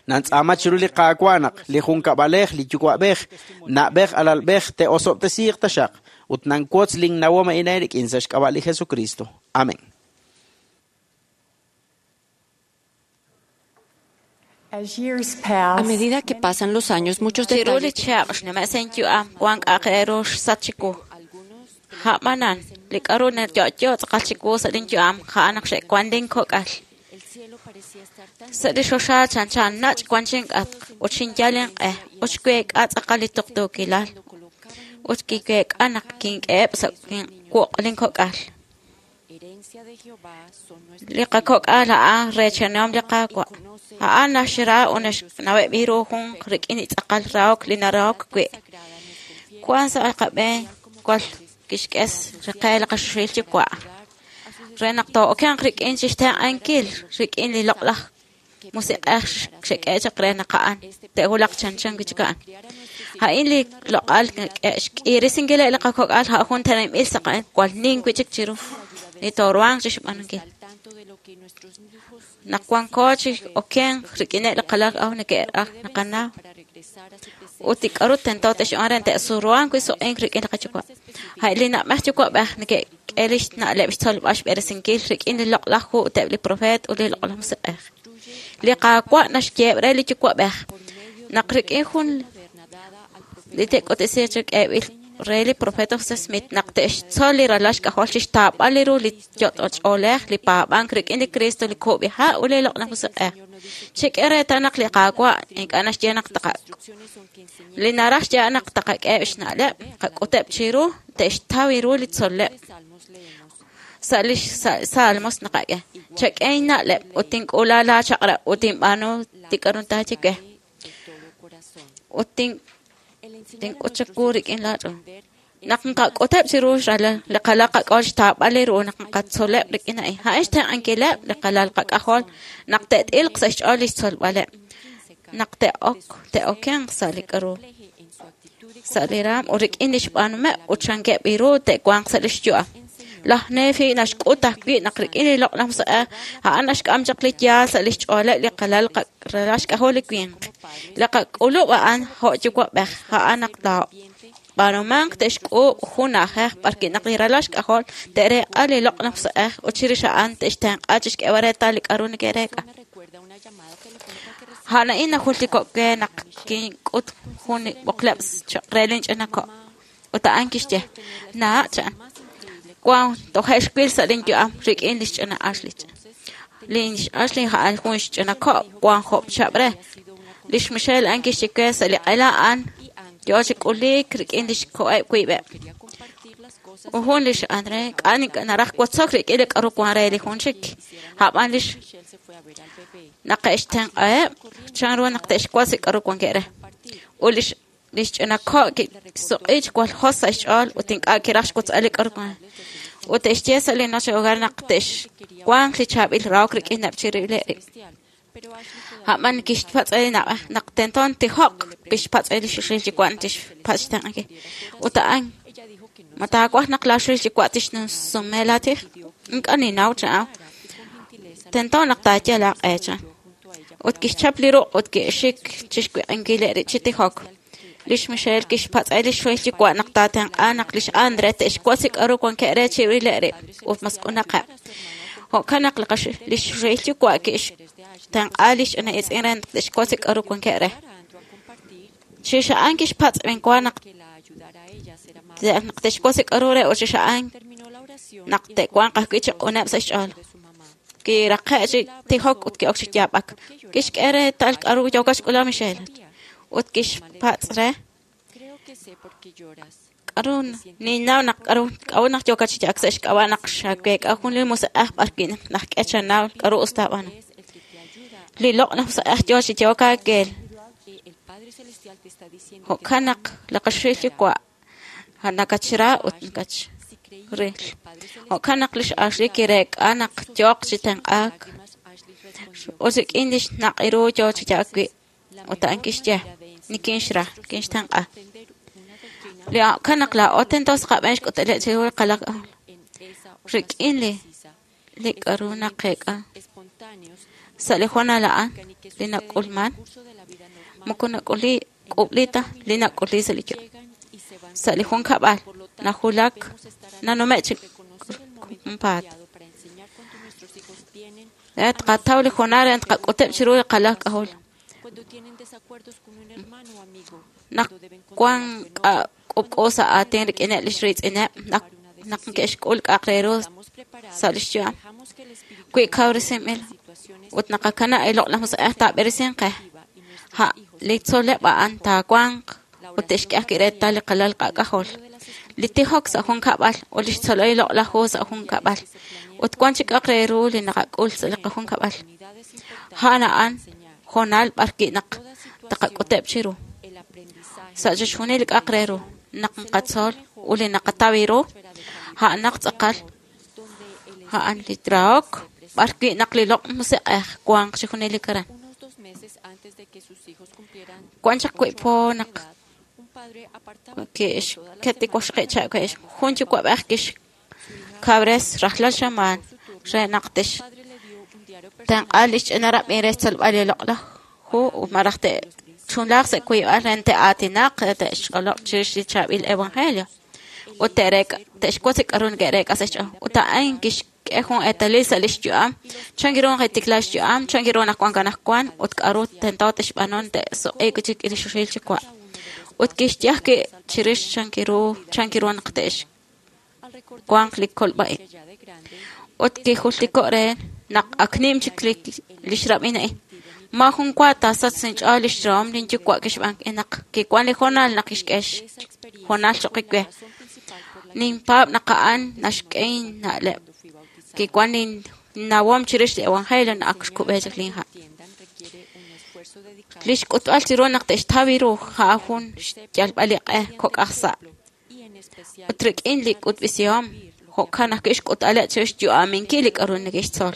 Nantz'aama chiru li Qaawa' naq li junkab'alej, li yuwa'b'ej, na'b'ej alalb'ej te'osob'tesiiq taxaq ut nanwotz linnawom a'in eerik'in sa' xk'ab'a' li Jesucristo. Amén. A medida que pasan los años, muchos Chiru li detalles chihab' xnume' yu'am wan k'a'aq re ru xsach chiwu. A'b'anan, li k'aru nayo'yo tz'aqal chiwu sa' linyu'am a'an naq xe'wan linkok'al. Sa' li xoxa chanchan nach' wan chink'atq ut xinyal inq'e ut xweek'a tz'aqal li tuqtuukilal ut kiweek'a naq kink'eheb' sa' wuq' linkok'al. Li qakok'al a'an reechanihom li Qaawa'. A'an naxra ut naxnaweb' ru jun rik'in li tz'aqal rahok li narahok wi'. Wan sa' qab'een wal kixk'e qe li qaxuxil yuwa' re naq too'okenq rik'in chixtenq'ankil rik'in li loq'laj musiq'ej xek'e chaq re naq a'an te'wulaq chanchan wi' chik a'an. A'in li loq'al xk'irisinkileb' li qakok'al a' jun teneb'il sa' qa'an wal nin wi' chik chiru li tooruhanq chixb'aanunkil. Naq wanko chi okenq rik'ineb' li qalal k'ajol neke'raj naqanaw ut li k'aru tento te'xb'aan re te'suruhanq wi' suq'ink rik'in li qayuwa'. A' li na'b'ej yuwa'b'ej neke'k'e lix na'leb' xtzolb'al xb'eresinkil rik'in li loq'laj hu ut eb' li profeet ut li loq'laj musiq'ej. Li Qaawa' naxyeeb' re li yuwa'b'ej naq rik'in jun li te'k'utb'esi chi k'eeb'il re li profeta José Smith naq te'xtzol li ralal xk'ajol chixtaab'al li ru li yot'och'oolej li paab'ank rik'in li Cristo li kub'iha' ut li loq'laj musiq'ej. Chek'e reetal naq li Qaawa' ink'a' naxye naq taqa li naraj xye naq taqak'eheb' xna'leb', qak'uteb' chiru, te'xtaw ru li tzol'leb'. Sa' li Salmos naqak'e, chak'e inna'leb' ut tink'uula laa chaq'rab' ut tinb'aanu li k'aru taaye we. Ut tink'ut chawu rik'in laa ch'ool. Naq nqak'uteb' chiru xralal li qalal qak'ajol xtaab'al li ru naq nqatzoleb' rik'in a'in. A'in xtenq'ankileb' li qalal qak'ajol naq te't'ilq sa' xch'ool lix tzolb'aleb'. Naq te'ok te'okenq sa' li k'aru sa' li raam ut rik'in lix b'aanumeb' ut chankeb' ru te'wanq sa' lix yu'am. Laj Nefi naxk'ut ajwi' naq rik'in li loq'laj musiq'ej a'an naxk'am chaq li yaal sa' lix ch'ooleb' li qalal ralal xk'ajol li winq. Li qak'ulub' a'an jo' yuwa'b'ej a'an naq taab'aanumanq te'xk'uub' jun na'ajej b'arwi' naq li ralal xk'ajol te'reek'a li loq'laj musiq'ej ut chirix a'an te'xtenq'a chixk'eeb'al reetal li k'aru neke'reek'a. A'an a'in najultiko' we naq kink'ut jun li b'oqleb' choq' re linch'ina ko'. Ut a'an kixye, naa' chan, wan toje' xwil sa' linyu'am rik'in lix ch'ina Ashley. Lix Ashley a'an jun xch'ina ko' wan job chihab' re. Lix Michelle a'an kixye we sa' li q'ela a'an yoo chi k'uliik rik'in lix ko'eb' wiib'eb'. Ut jun lix Andre k'a' naraj wotzok rik'in li k'aru wan re li jun chik. A'b'an lix naqe'xtenq'aheb' chanru naq te'xwotz li k'aru wankeb' re. Ut lix ch'ina ko' kisuq'i chi jwal jos sa' xch'ool ut ink'a' kiraj xwotzb'al li k'aru wan. Ut te'xye sa' li noche hogar naq te'xwanq li chaab'il rahok rik'ineb' chirib'ileb' rib'. A'b'an kixpatz' re li na'b'ej naq tento tijoq kixpatz' re li xxil yuwa' tixpatz' xtenq'ankil. Ut a'an ma taawaj naq laa xxil yuwa' tixsume laa tij? Ink'a' ninnaw chan. Tento naq taayal aaq'e chan. Ut kixchap li ruq' ut ki'xik chixwiq'inkil rib' chi tijok. Lix Michelle kixpatz' re lix xxil yuwa' naq taatenq'a naq lix Andre te'xwotz li k'aru wankeb' re chirib'ileb' rib' ut masq'unaqeb'. Jo'kan naq lix xxil yuwa' kixtenq'a lix ch'ina itz'in re naq te'xwotz li k'aru wankeb' re. Chirix a'an kixpatz' b'enwa naq te'xwotz li k'aru re ut chirix a'an naq te'wanq ajwi' chi q'uneb' sa' xch'ool. Kiraqe' chi tijok ut ki'ok chi yaab'ak. Kixk'e reetal k'aru yookat xk'ulal Michelle. Ut kixpatz' re k'aru ninnaw naq k'aru naq yookat chi yaab'ak sa' xk'ab'a' naq xaweek'a jun li musiq'ej b'arwi' najk'e chanaw k'aru us taab'aanu. Li loq'laj musiq'ej yoo chi yehok aakeel. Jo'kan naq li qaxil yuwa' nakatxra ut nakatxril. Jo'kan naq lix Ashley kireek'a naq yooq chi tenq'aak. Ut rik'in lix naq' ru yoo chi yaab'ak wi'. Ut a'an kixye nikinxra, nikinxtenq'a. Li jo'kan naq laa'o tento sa' qab'een xk'utb'aleb' chiru li qalaq rik'in li k'aru naqeek'a. Sa' li hoonal a'an li nak'ulman moko nak'uli k'ub'li ta li nak'uli sa' li yu'am. Sa' li junkab'al najulak nanume' chi junpaat. Re tqataw li hoonal re tqak'uteb' chiru li qalaq k'ajol. Naq wan k'ub'k'u sa' aatin rik'ineb' lix riitz'ineb' naq neke'xk'ul k'a'aq re ru sa' lix yu'am. Wi kawresinb'il ut naqakanab' li loq'laj musiq'ej taab'eresinq qe. Ha' li tzol'leb' a'an taawanq ut te'xk'e ajwi' reetal li qalal qak'ajol. Li tijok sa' junkab'al ut lix tzol'leb' li loq'laj hu sa' junkab'al. Ut wan chik k'a'aq re ru li naqak'ul sa' li qajunkab'al. A'an a'an hoonal b'arwi' naq taqak'uteb' chiru. Sa' chixjunil li k'a'aq re ru naq naqatzol ut li naqataw ru, a'anaq tz'aqal a'an li rahok b'arwi' naq li loq' musiq'ej wanq chi junelik aran. Wan chaq wi' po naq ke'xket li waxaqib' chihab' jun yuwa'b'ej kixkawres rajlal xamaan re naq te'xtenq'a lix ch'ina rab'in re xtzolb'al li loq'laj hu ut malaj te'chunlaaq sa' wiib'al re te'aatinaq re te'xch'olob' chirix li chaab'il evangelio. Ut te'xwotz li k'aru neke'reek'a sa' xch'ool. Ut a'an kixk'e jun eetalil sa' lix yu'am chan ru naq xyu'am, chan ru naq wan anaqwan ut k'aru tento te'xb'aanu te'suq'iik wi' chik li xxil yuwa'. Ut kixye ajwi' chirix chan ru naq te'xwanq li kolb'a-ib'. Ut kijultiko' re naq ak nim chik lix rab'in a'in. Maajun wa taasachq sa' inch'ool lix rahom linyuwa' kixb'aan naq kiwan li hoonal naq kixk'e xhoonal choq' we. Ninpaab' naq a'an naxk'e inna'leb'. Kiwan linnawom chirix li evangelio naq ak xkub'e chik linha'. Lix k'utb'al chiru naq te'xtaw ru a'an jun xyalb'al li q'e kok'aj sa'. Ut rik'in li k'utb'esihom jo'kan ajwi' xk'utb'aleb' chirix xyu'aminkil li k'aru neke'xtzol.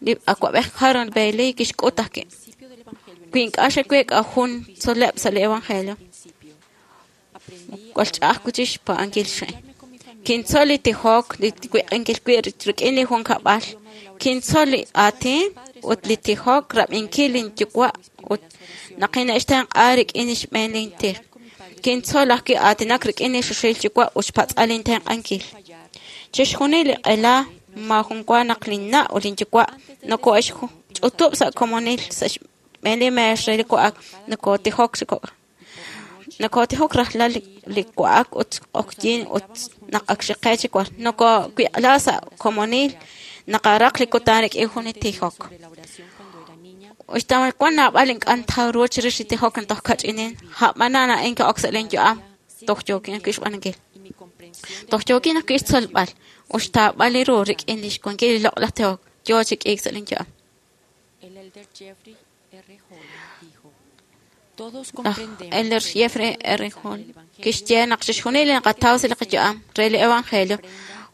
Li awa'b'ej Harold Bailey kixk'ut ajwi'. Wi ink'a' xaweek'a jun tzol'leb' sa' li evangelio, jwal ch'a'aj wi' chik xpaab'ankil xa'in. Kintzol li tijok, li wiq'inkil wi' rik'in li junkab'al. Kintzol li aatin ut li tijok rab'inkil linyuwa' ut naq ine'xtenq'a rik'in xb'een lintij. Kintzol ajwi' aatinak rik'in li xxil yuwa' ut xpatz'al intenq'ankil. Chixjunil li q'ela maajun wa naq linna' ut linyuwa' noko'exch'utub' sa' komonil sa' xb'een li meex re li wa'ak nokotijok chi kok'. Nokotijok rajlal li wa'ak ut q'oqyink ut naq ak xiqe chi war. Nokowiq'la sa' komonil Naqaraq li kutan rik'in jun li tijok. Uxta wan naab'al ink'a' ntaw ru chirix li tijok naq toj kach'inin, a'b'anan a'in ki'ok sa' lin yu'am toj yookin ajwi' xb'aanunkil. Toj yookin ajwi' xtzolb'al ut xtaab'al li ru rik'in lix wankil li loq'laj tijok yoo chi k'iik sa' lin yu'am. Laj Elder Jeffrey R. Hall kixye naq chixjunil li naqataw sa' li qayu'am re li evangelio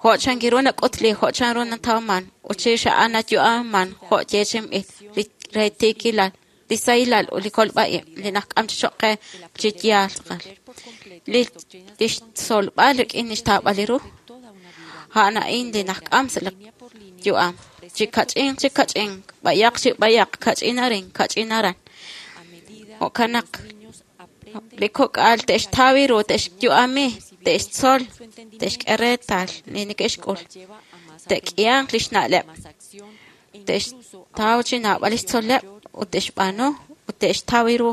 jo' chankiru nak'utli, jo' chanru natawman, ut chirix a'an nayu'aman jo' yeechi'inb'il li re tiikilal, li sahilal ut li kolb'a-ib' li najk'am chi choq' qe chi yaal tz'aqal. Li xtzolb'al rik'in li xtaab'al li ru, a'an a'in li najk'am sa' li yu'am. Chi kach'in, chi kach'in, b'ayaq chi b'ayaq, kach'in arin, kach'in aran. Jo'kan naq li kok'al te'xtaw ru, te'xyu'ami, te'xtzol, te'xk'e reetal li neke'xk'ul, te'k'ihanq lix na'leb', te'xtaw chi naab'al lix tzol'leb' ut te'xb'aanu ut te'xtaw ru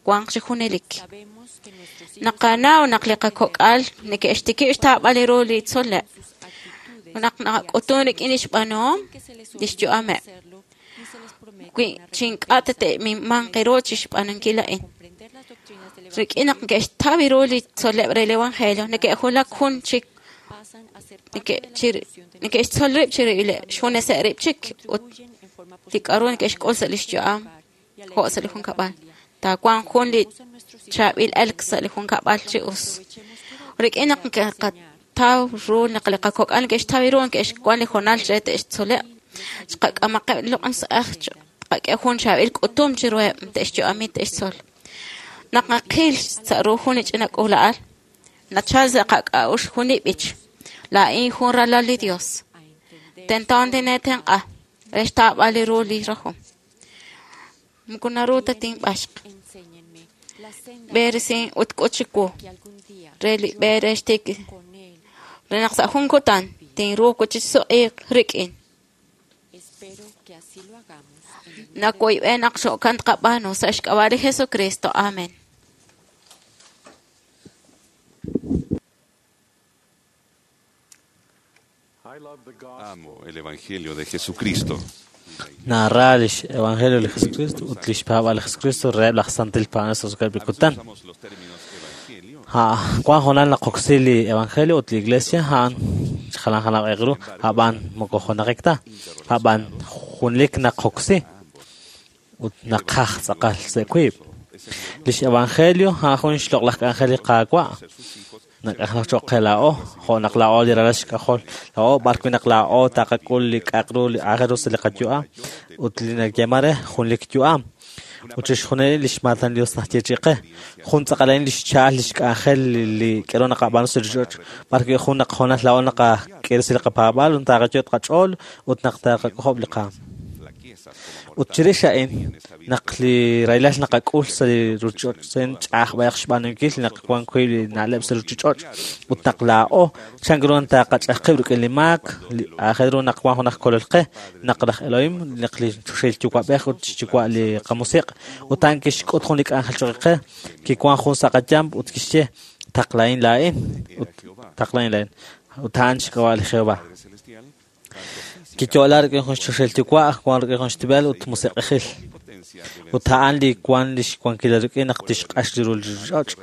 wanq chi junelik. Naqanaw naq li qakok'al neke'xtikib' xtaab'al ru li tzol'leb', naq naqak'utun rik'in lix b'aanuhom, lix yu'ameb'. Wi chi ink'a' te'minmanq ru chixb'aanunkil a'in. Rik'in naq neke'xtaw ru li tzol'leb' re li evangelio, neke'julak jun chik neke'xtzol rib' xjuneseb' rib' chik ut li k'a'ru neke'xk'ul sa' lix yu'am jo' sa' li junkab'al. Taawanq jun li chaab'il elk sa' li junkab'al chi us. Rik'in naq neke'qataw ru naq li qakok'al neke'xtaw ru neke'xwan li hoonal re te'xtzoleb', chiqak'amaqeb' li loq'laj sa'aj, chiqak'e jun chaab'il k'utum chiruheb' te'xyu'ami te'xtzol. Naq naqil sa' ru jun li ch'ina k'uula'al, nachal sa' qak'a'uxl jun li b'ich. Laa'in jun ralal li Dios. Tento tineetenq'a re xtaab'al li ru li rajom. Moko naru ta tinb'axq. B'eresin ut k'ut chiwu re li b'e re xtik re naq sa' jun kutan tinruuq chi suq'iiq rik'in. Nawoyb'e naq xo'kan tqab'aanu sa' xk'ab'a' li Jesucristo. Amen. Amo el Evangelio de Jesucristo. Nara lix Evangelio li Jesucristo ut lix paab'al li Jesucristo reheb' laj Santil Paab'anel sa' li kutan. Wan hoonal naqoksi li Evangelio ut li Iglesia a'an jalan jalan q'eq ru, a'b'an moko junaqik ta, a'b'an junelik naqoksi ut naqaj tz'aqal sa' wiib'. Lix Evangelio a'an jun xloq'laj k'anjel li Qaawa' nak'anjelak choq' qe laa'o, jo' naq laa'o li ralal xk'ajol laa'o, b'ar wi' naq laa'o taqak'ul li k'a'aq ru li aajel ru sa' li qayu'am ut li nayeeman re junelik yu'am. Ut chixjunil lix maatan li Dios najyeechi qe. Jun tz'aqal a'in lix cha'al lix k'anjel li k'a'ru naqab'aanu sa' li ruuchich'och', b'ar wi' jun naq hoonal laa'o naqak'e sa' li qapaab'aal ut taqayo' qach'ool ut naq taqak'ojob' li qaam. Ut chirix a'in, naq li rahilal naqak'ul sa' li ruuchich'och' ch'a'aj b'ayaq xb'aanunkil naq wan wiib' li na'leb' sa' ruuchich'och' ut naq laa'o chan ru taqach'aj qib' rik'in li maak, li aajel ru naq wan jun aj kolol qe, naq laj Elohim, naq li choxahil yuwa'b'ej ut xyuwa' li qamusiq', ut a'an kixk'ut jun li k'anjel choq' qe, kiwan jun sa' qayamp ut kixye, taqlahin laa'in, ut taqlahin laa'in, ut a'an xk'ab'a' li Jehova. Kiyo'la rik'in jun xchoxahil yuwa', wan rik'in jun xtib'el ut musiq'ejil. Ut a'an li wan lix wankil rik'in naq tixq'ax li ru li ruuchich'och'.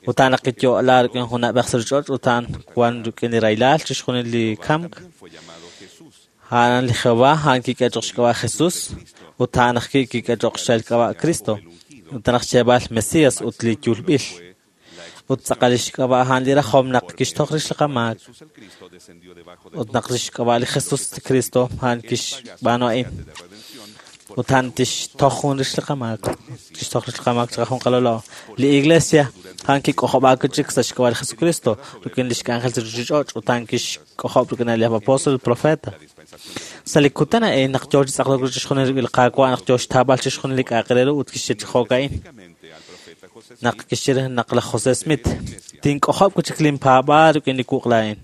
Ut a'an naq kiyo'la rik'in jun na'b'ej sa' ruuchich'och' ut a'an wan rik'in li rahilal chixjunil li kamk. A'an li Jehova, a'an kik'e choq' xk'ab'a' Jesus, ut a'an ajwi' kik'e choq' xk'ab'a' Cristo, ut a'an xyeeb'al Mesias ut li yulb'il. Ut tz'aqal lix k'ab'a' a'an li rajom naq kixtoj rix li qamaak. Ut naq lix k'ab'a' li Jesus Cristo a'an kixb'aanu a'in. Ut a'an tixtoj jun rix li qamaak. Kixtoj rix li qamaak chiqajunqalolo. Li Iglesia a'an kik'ojob'aak chik sa' xk'ab'a' li Jesucristo rik'in lix k'anjel sa' ruuchich'och' ut a'an kixk'ojob' rik'in li apóstol profeta. Sa' li kutan a'in naq yoo chi tz'aqlok ru chixjunil rik'in li Qaawa' naq yoo xtaab'al chixjunil li k'a'aq re ru ut kixye chi jo'ka'in. Naq kixye naq laj José Smith tink'ojob' wi' chik linpaab'aal rik'in li wuq' laa'in.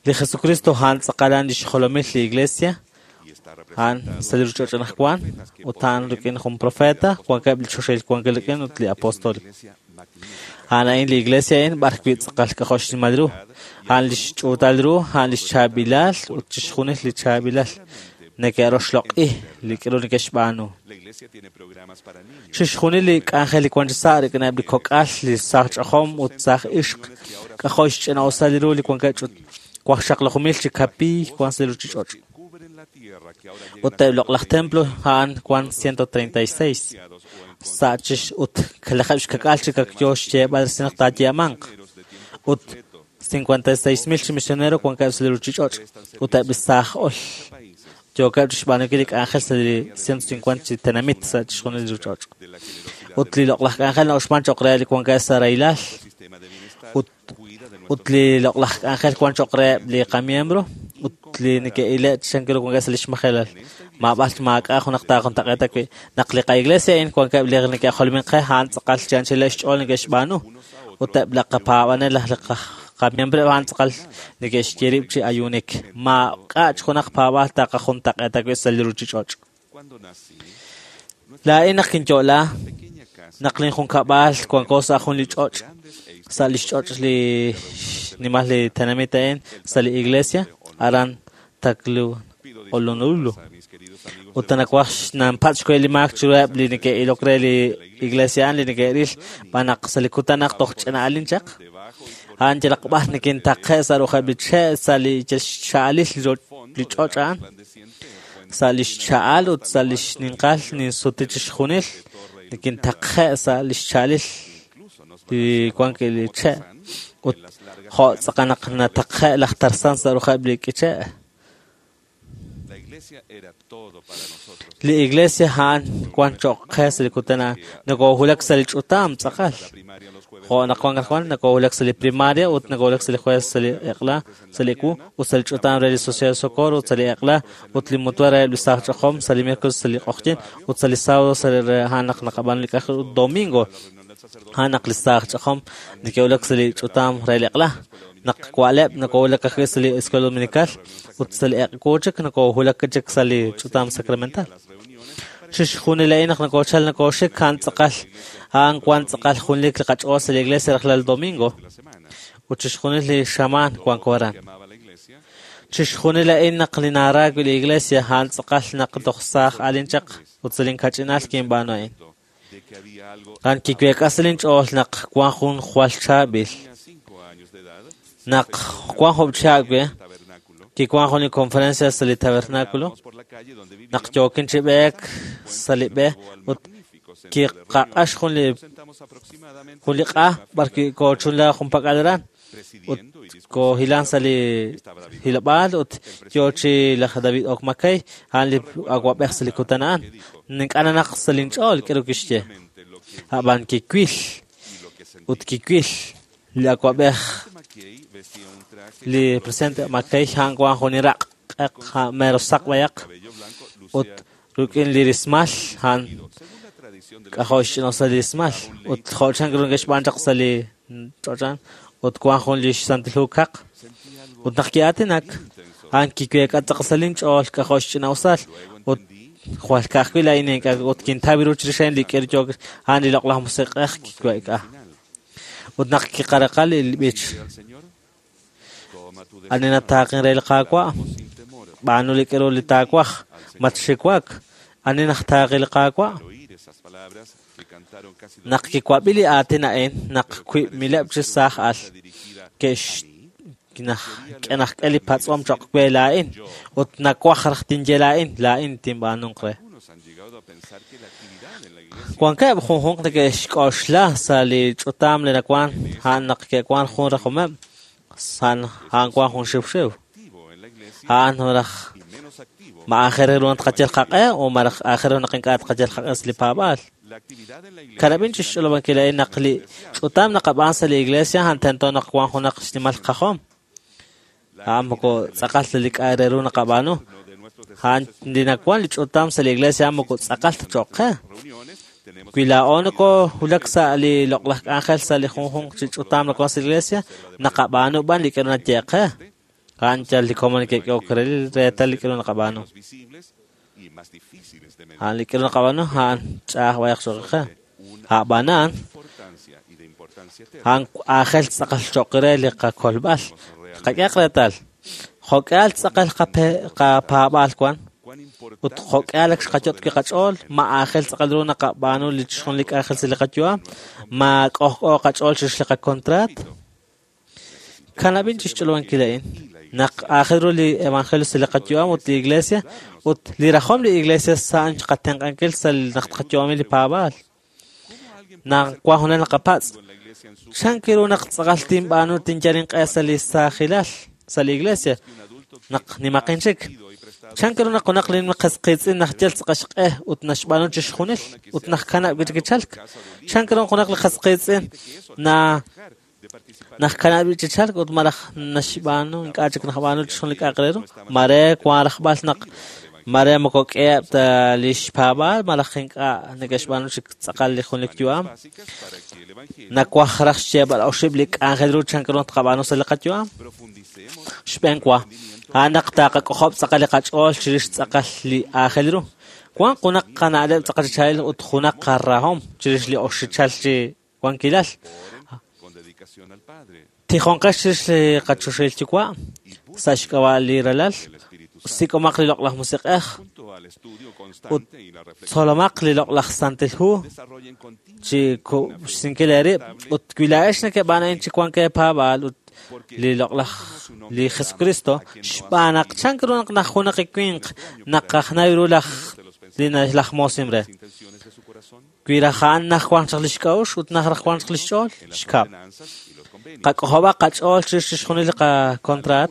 Li Jesucristo a'an tz'aqal a'an lix jolomil li Iglesia, a'an sa' li ruuchich'och' anaqwan, ut a'an rik'in jun profeta, wankeb' li choxahil wankil rik'in ut li apóstol. A'an a'in li iglesia a'in b'ar wi' tz'aqal k'ajo' xnimal ru. A'an li xch'uutal ru, a'an li xchaab'ilal ut chixjunil li chaab'ilal neke'roxloq'i li k'aru neke'xb'aanu. Chixjunil li k'anjel li wank chi sa' rik'ineb' li kok'al, li saaj ch'ajom ut saaj ixq, k'ajo' xch'ina'usal ru li wankeb' ch'ut waqxaqlajumil chi kapiiy wank sa' li ruuchich'och'. Ut eb' loq'laj templo a'an wank 136 sa' chix ut kalajeb' xkak'al chi kakyo xyeeb'al resil naq taayeemanq. Ut 56,000 chi misionero wankeb' sa' li ruuchich'och' ut eb' li saaj ol yookeb' chixb'aanunkil li k'anjel sa' li 150 chi tenamit sa' chixjunil li ruuchich'och'. Ut li loq'laj k'anjel na'uxman cho'q re li wankeb' sa' rahilal ut li loq'laj k'anjel wank cho'q reheb' li qamiembro ut li neke'ile' chankiru wankeb' sa' li xmajelal. Maab'al maak'a' junaq taajuntaq'eeta wi' naq li qa'iglesia a'in wankeb' li neke'jolomin qe a'an tz'aqal chi anchaleb' xch'ool neke'xb'aanu ut eb' li qapaab'anel li qamiembro a'an tz'aqal neke'xye rib' chi ayuunik. Maak'a' junaq paab'aal taqajuntaq'eeta wi' sa' li ruuchich'och'. Laa'in naq kinyo'la naq linjunkab'al wanko sa' jun li ch'och' sa' li xch'och' li xnimal li tenamit a'in sa' li iglesia aran Taklu Honolulu. Ut nawaj xnanpatz' xwe li maak chiruheb' li neke'ilok re li iglesia a'an li neke'ril b'an naq sa' li kutan naq toj ch'ina'alin chaq. A'an yalaq b'ar nekintaqe' sa' ru'ujeb' li che' sa' li xcha'alil li ch'och' a'an. Sa' li xcha'al ut sa' li xninqal ninsuti chixjunil nekintaqe' sa' li xcha'alil li wank li che' ut jo' tz'aqal naq nataqe' laj Tarzán sa' ru'ujeb' li k'iche'. Li iglesia a'an wank cho'q qe sa' li kutan a'an. Nokowulak sa' li ch'utam tz'aqal. Jo' naq wank anaqwan nokowulak sa' li primaria ut nokowulak sa' li jueves sa' li eq'la, sa' li ewu ut sa' li ch'utam re li Sociedad de Socorro ut sa' li eq'la ut li mutua reheb' li saaj ch'ajom sa' li miércoles sa' li q'oqyink ut sa' li sábado sa' li a'an naq naqab'aanu li k'anjel ut domingo a'an naq li saaj ch'ajom neke'wulak sa' li ch'utam re li eq'la. Naq wa'leb' nokowulak ajwi' sa' li Escuela Dominical ut sa' li eq'wu chik nokowulak chik sa' li ch'utam sacramental. Chixjunil a'in naq nokochal nokoxik a'an tz'aqal a'an wank tz'aqal junlik li qach'ool sa' li iglesia rajlal domingo ut chixjunil li xamaan wanko aran. Chixjunil a'in naq li naara wi' li iglesia a'an tz'aqal naq toj saaj alin chaq ut sa' linkach'inal kinb'aanu a'in. A'an kiweek'a sa' linch'ool naq wank jun jwal chaab'il. Naq wank job' chihab' we, kiwank jun li conferencia sa' li tabernáculo, naq yookin chi b'eek sa' li b'e ut kiqaq'ax jun li q'a b'ar wi' koochunla junpak'al aran ut koohilan sa' li hilob'aal ut yoo chi laj David Oak McKay a'an li awab'ej sa' li kutan a'an. Ink'a' nanaq sa' linch'ool k'aru kixye. Ab'an kiwil ut kiwil li awab'ej li presidente McKay a'an wank jun li raq' q'eq mero saq b'ayaq ut rik'in li rismal a'an k'ajo' xch'ina'usal li rismal ut jo' chan ru neke'xb'aan chaq sa' li ch'och' a'an ut wank jun li xsantil hu kaq ut naq ki'aatinak a'an kiweek'a tz'aqal sa' linch'ool k'ajo' xch'ina'usal ut jwal ka'ajwi' laa'in ink'a' ut kintaw ru chirix a'in li k'aru yook a'an li loq'laj musiq'ej kiweek'a. Ut naq kiqaraqa li b'ich ani nataaqin re li Qaawa' b'aanu li k'aru li taawaj matxiwak ani najtaaqi li Qaawa'. Naq kiwab'i li aatin a'in naq wiib'mileb' chi saaj al ke'xk'e li patz'om cho'q we laa'in ut nawaj raj tinye laa'in laa'in tinb'aanunq re. Wankeb' junjunq neke'xk'oxla sa' li ch'utam li nawank a'an naq ke'wank jun rajomeb' a'an wank jun xiwxiw. A'an raj ma aajel ru naq tqayal qaq'e o malaj aajel ru naq ink'a' tqayal qaq'e sa' li paab'aal. Kanab'in chi xch'olob'ankil a'in naq li ch'utam naqab'aan sa' li iglesia a'an tento naq wank junaq xnimal qajom. A'an moko tz'aqal ta li k'a' re ru naqab'aanu. A'an li nawank li ch'utam sa' li iglesia a'an moko tz'aqal ta cho'q qe. Wi laa'o nokowulak sa' li loq'laj k'anjel sa' li junjunq chi ch'utam nawank sa' li iglesia, naqab'aanu b'an li k'aru nayeeq qe. A'an yal li komon neke'k'ehok re reetal li k'aru naqab'aanu. A'an li k'aru naqab'aanu a'an ch'a'aj b'ayaq cho'q qe. A'b'anan, a'an aajel tz'aqal cho'q re li qakolb'al. Qak'ehaq reetal, jo'k'ihal tz'aqal qapaab'aal wan, ut jo'k'ihal ak xqayot' wi' qach'ool, ma aajel tz'aqal ru naqab'aanu li chixjunil li k'anjel sa' li qayu'am, ma k'ojk'o qach'ool chirix li qakontraat. Kanab'in chixch'olob'ankil a'in, naq aajel ru li evangelio sa' li qayu'am ut li iglesia, ut li rajom li iglesia sa'an qatenq'ankil sa' naq tqayu'ami li paab'aal. Naq wan junaq naqapatz', chan ru naq tz'aqal tinb'aanu tinyal inq'e sa' li saajilal sa' li iglesia, naq nimaqin chik. Chan ru naq junaq li qas qiitz'in naq yal tz'aqal xq'e ut naxb'aanu chixjunil ut naq kanab' kichalk. Chan ru junaq li qas qiitz'in na naq kanab' chichalk ut malaj naxb'aanu ink'a' chik naqb'aanu chixjunil li k'a'aq re ru. Mare wan rajb'al naq mare moko k'eheb' ta lix paab'aal malaj ink'a' neke'xb'aanu chik tz'aqal li jun li yu'am. Nawaj raj xyeeb'al oxib' li k'anjel ru chan ru tqab'aanu sa' li qayu'am. Xb'een wa, a'an naq taqak'ojob' tz'aqal li qach'ool chirix tz'aqal li aajel ru. Wan junaq qana'leb' tz'aqal chichal ut junaq qarahom chirix li oxichal chi wankilal. Tijonqex chirix li qachoxahil yuwa' sa' xk'ab'a' li ralal, sik'omaq li loq'laj musiq'ej ut tzolomaq li loq'laj Santil Hu chi xsinkil eerib' ut wi laa'ex nekeb'aan a'in chi wank eepaab'aal ut li loq'laj li Jesucristo xb'aan naq chan ru naq naj junaq li winq naqajnaw ru laj li laj moosim re. Wi raj a'an naj wank chaq lix k'a'uxl ut naj raj wank chaq lix ch'ool, xkab'. Qak'ojob'aq qach'ool chirix chixjunil li qakontraat.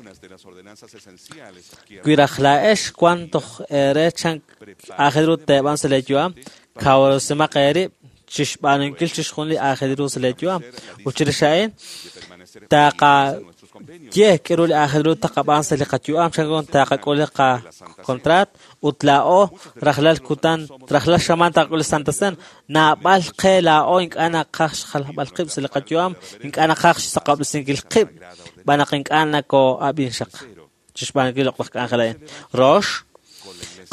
Wi raj laa'ex wan toj eere chan aajel ru teeb'an sa' lee yu'am, kawresimaq eerib' chixb'aanunkil chixjunil li aajel ru sa' lee yu'am. Ut chirix a'in, taqaye k'aru li aajel ru taqab'aan sa' li qayu'am chan ru taqak'ul li qakontraat ut laa'o rajlal kutan, rajlal xamaan taqak'ul li Santa Cena. Naab'al qe laa'o ink'a' naqaj xjalb'al qib' sa' li qayu'am, ink'a' naqaj xsaqob'resinkil qib', b'an naq ink'a' nako'ab'in xaq chixb'aanunkil loq'laj k'anjel a'in. Rox,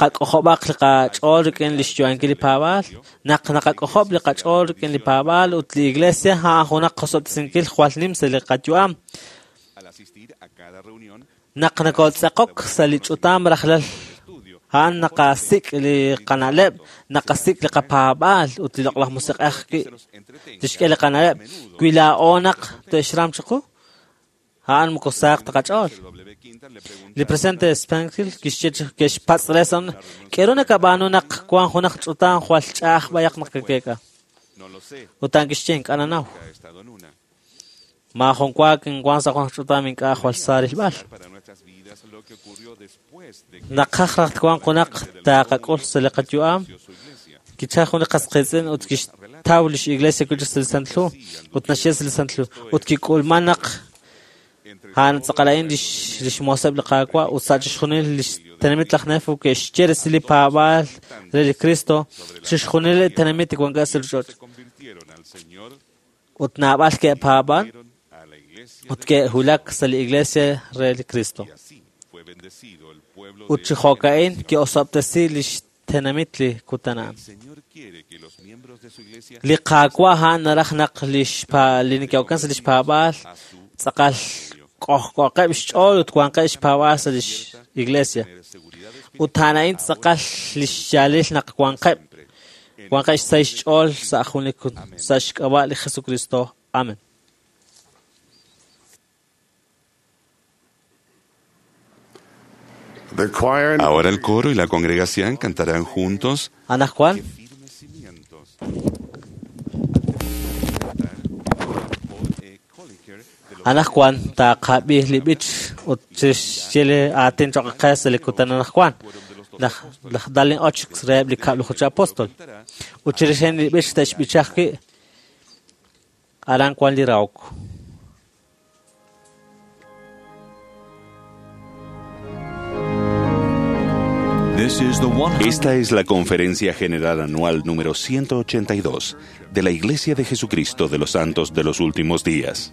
qak'ojob'aq li qach'ool rik'in li xyu'ankil li paab'aal. Naq naqak'ojob' li qach'ool rik'in li paab'aal ut li iglesia a'an junaq qosob'tesinkil jwal nim sa' li qayu'am. Naq nakotz'aqok sa' li ch'utam rajlal a'an naqasik' li qana'leb', naqasik' li qapaab'aal ut li loq'laj musiq'ej wi' tixk'e li qana'leb'. Wi laa'o naq te'xram chiqu, a'an moko saaq ta qach'ool. Li presidente Springfield kixye ke'xpatz' re sa' k'aru nakab'aanu naq wan junaq ch'utam jwal ch'a'aj b'ayaq naq kakeek'a. Ut a'an kixye ink'a' nanaw. Maajun wa kinwan sa' junaq ch'utam ink'a' jwal sa rilb'al. Naqaj raj twanq junaq taqak'ul sa' li qayu'am, kichal jun li qas qiitz'in ut kixtaw lix iglesia wi' chik sa' li Santil Hu ut naxye sa' li Santil Hu ut kik'ulman naq a'an tz'aqal a'in lix mooseb' li Qaawa' ut sa' chixjunil lix tenamit laj Nefo ke'xye resil li paab'aal re li Cristo chixjunil li tenamit li wankeb' sa' li ch'och'. Ut naab'al ke'paab'an ut ke'wulak sa' li iglesia re li Cristo. Ut chi jo'ka'in ke'osob'tesi lix tenamit li kutan a'an. Li Qaawa' a'an naraj naq li neke'oken sa' lix paab'aal tz'aqal k'ojk'oqeb' xch'ool ut wanqeb' xpaab'aal sa' lix iglesia. Ut a'an a'in tz'aqal lix yaalil naq wanqeb' xsahil xch'ool sa' jun li sa' xk'ab'a' li Jesucristo. Amen. Ahora el coro y la congregación cantarán juntos. Anajwan. Anajwan taqab'ij li b'ich ut chixye li aatin choq' qe sa' li kutan anajwan. Laj Dallin Ox reheb' li kab'laju chi apóstol. Ut chirix li b'ich te'xb'ichaj wi' aran wan li rahok. Esta es la Conferencia General Anual número 182 de la Iglesia de Jesucristo de los Santos de los Últimos Días.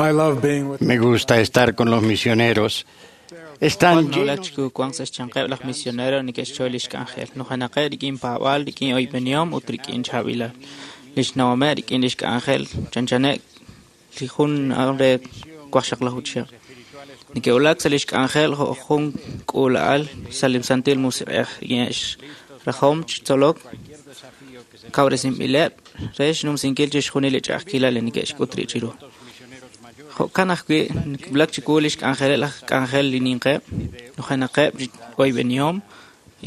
Me gusta estar con los misioneros. Están nawulak chiku wank sa' xyanqeb' laj misionero neke'xchoy lix k'anjel. Nujenaqeb' rik'in paab'aal, rik'in oyb'enihom ut rik'in chaab'ilal. Lix nawomeb' rik'in lix k'anjel chanchaneb' li jun re waqxaqlaju chihab'. Neke'wulak sa' lix k'anjel jo' jun k'uula'al sa' li Santil Musiq'ej rik'in rajom chi tzolok kawresinb'ileb' re xnumsinkil chixjunil li ch'a'ajkilal li neke'xk'ut rib' chiru. Jo'kan ajwi' nawulak chiwu lix k'anjeleb' laj k'anjel li ninqeb', nujenaqeb' oyb'enihom,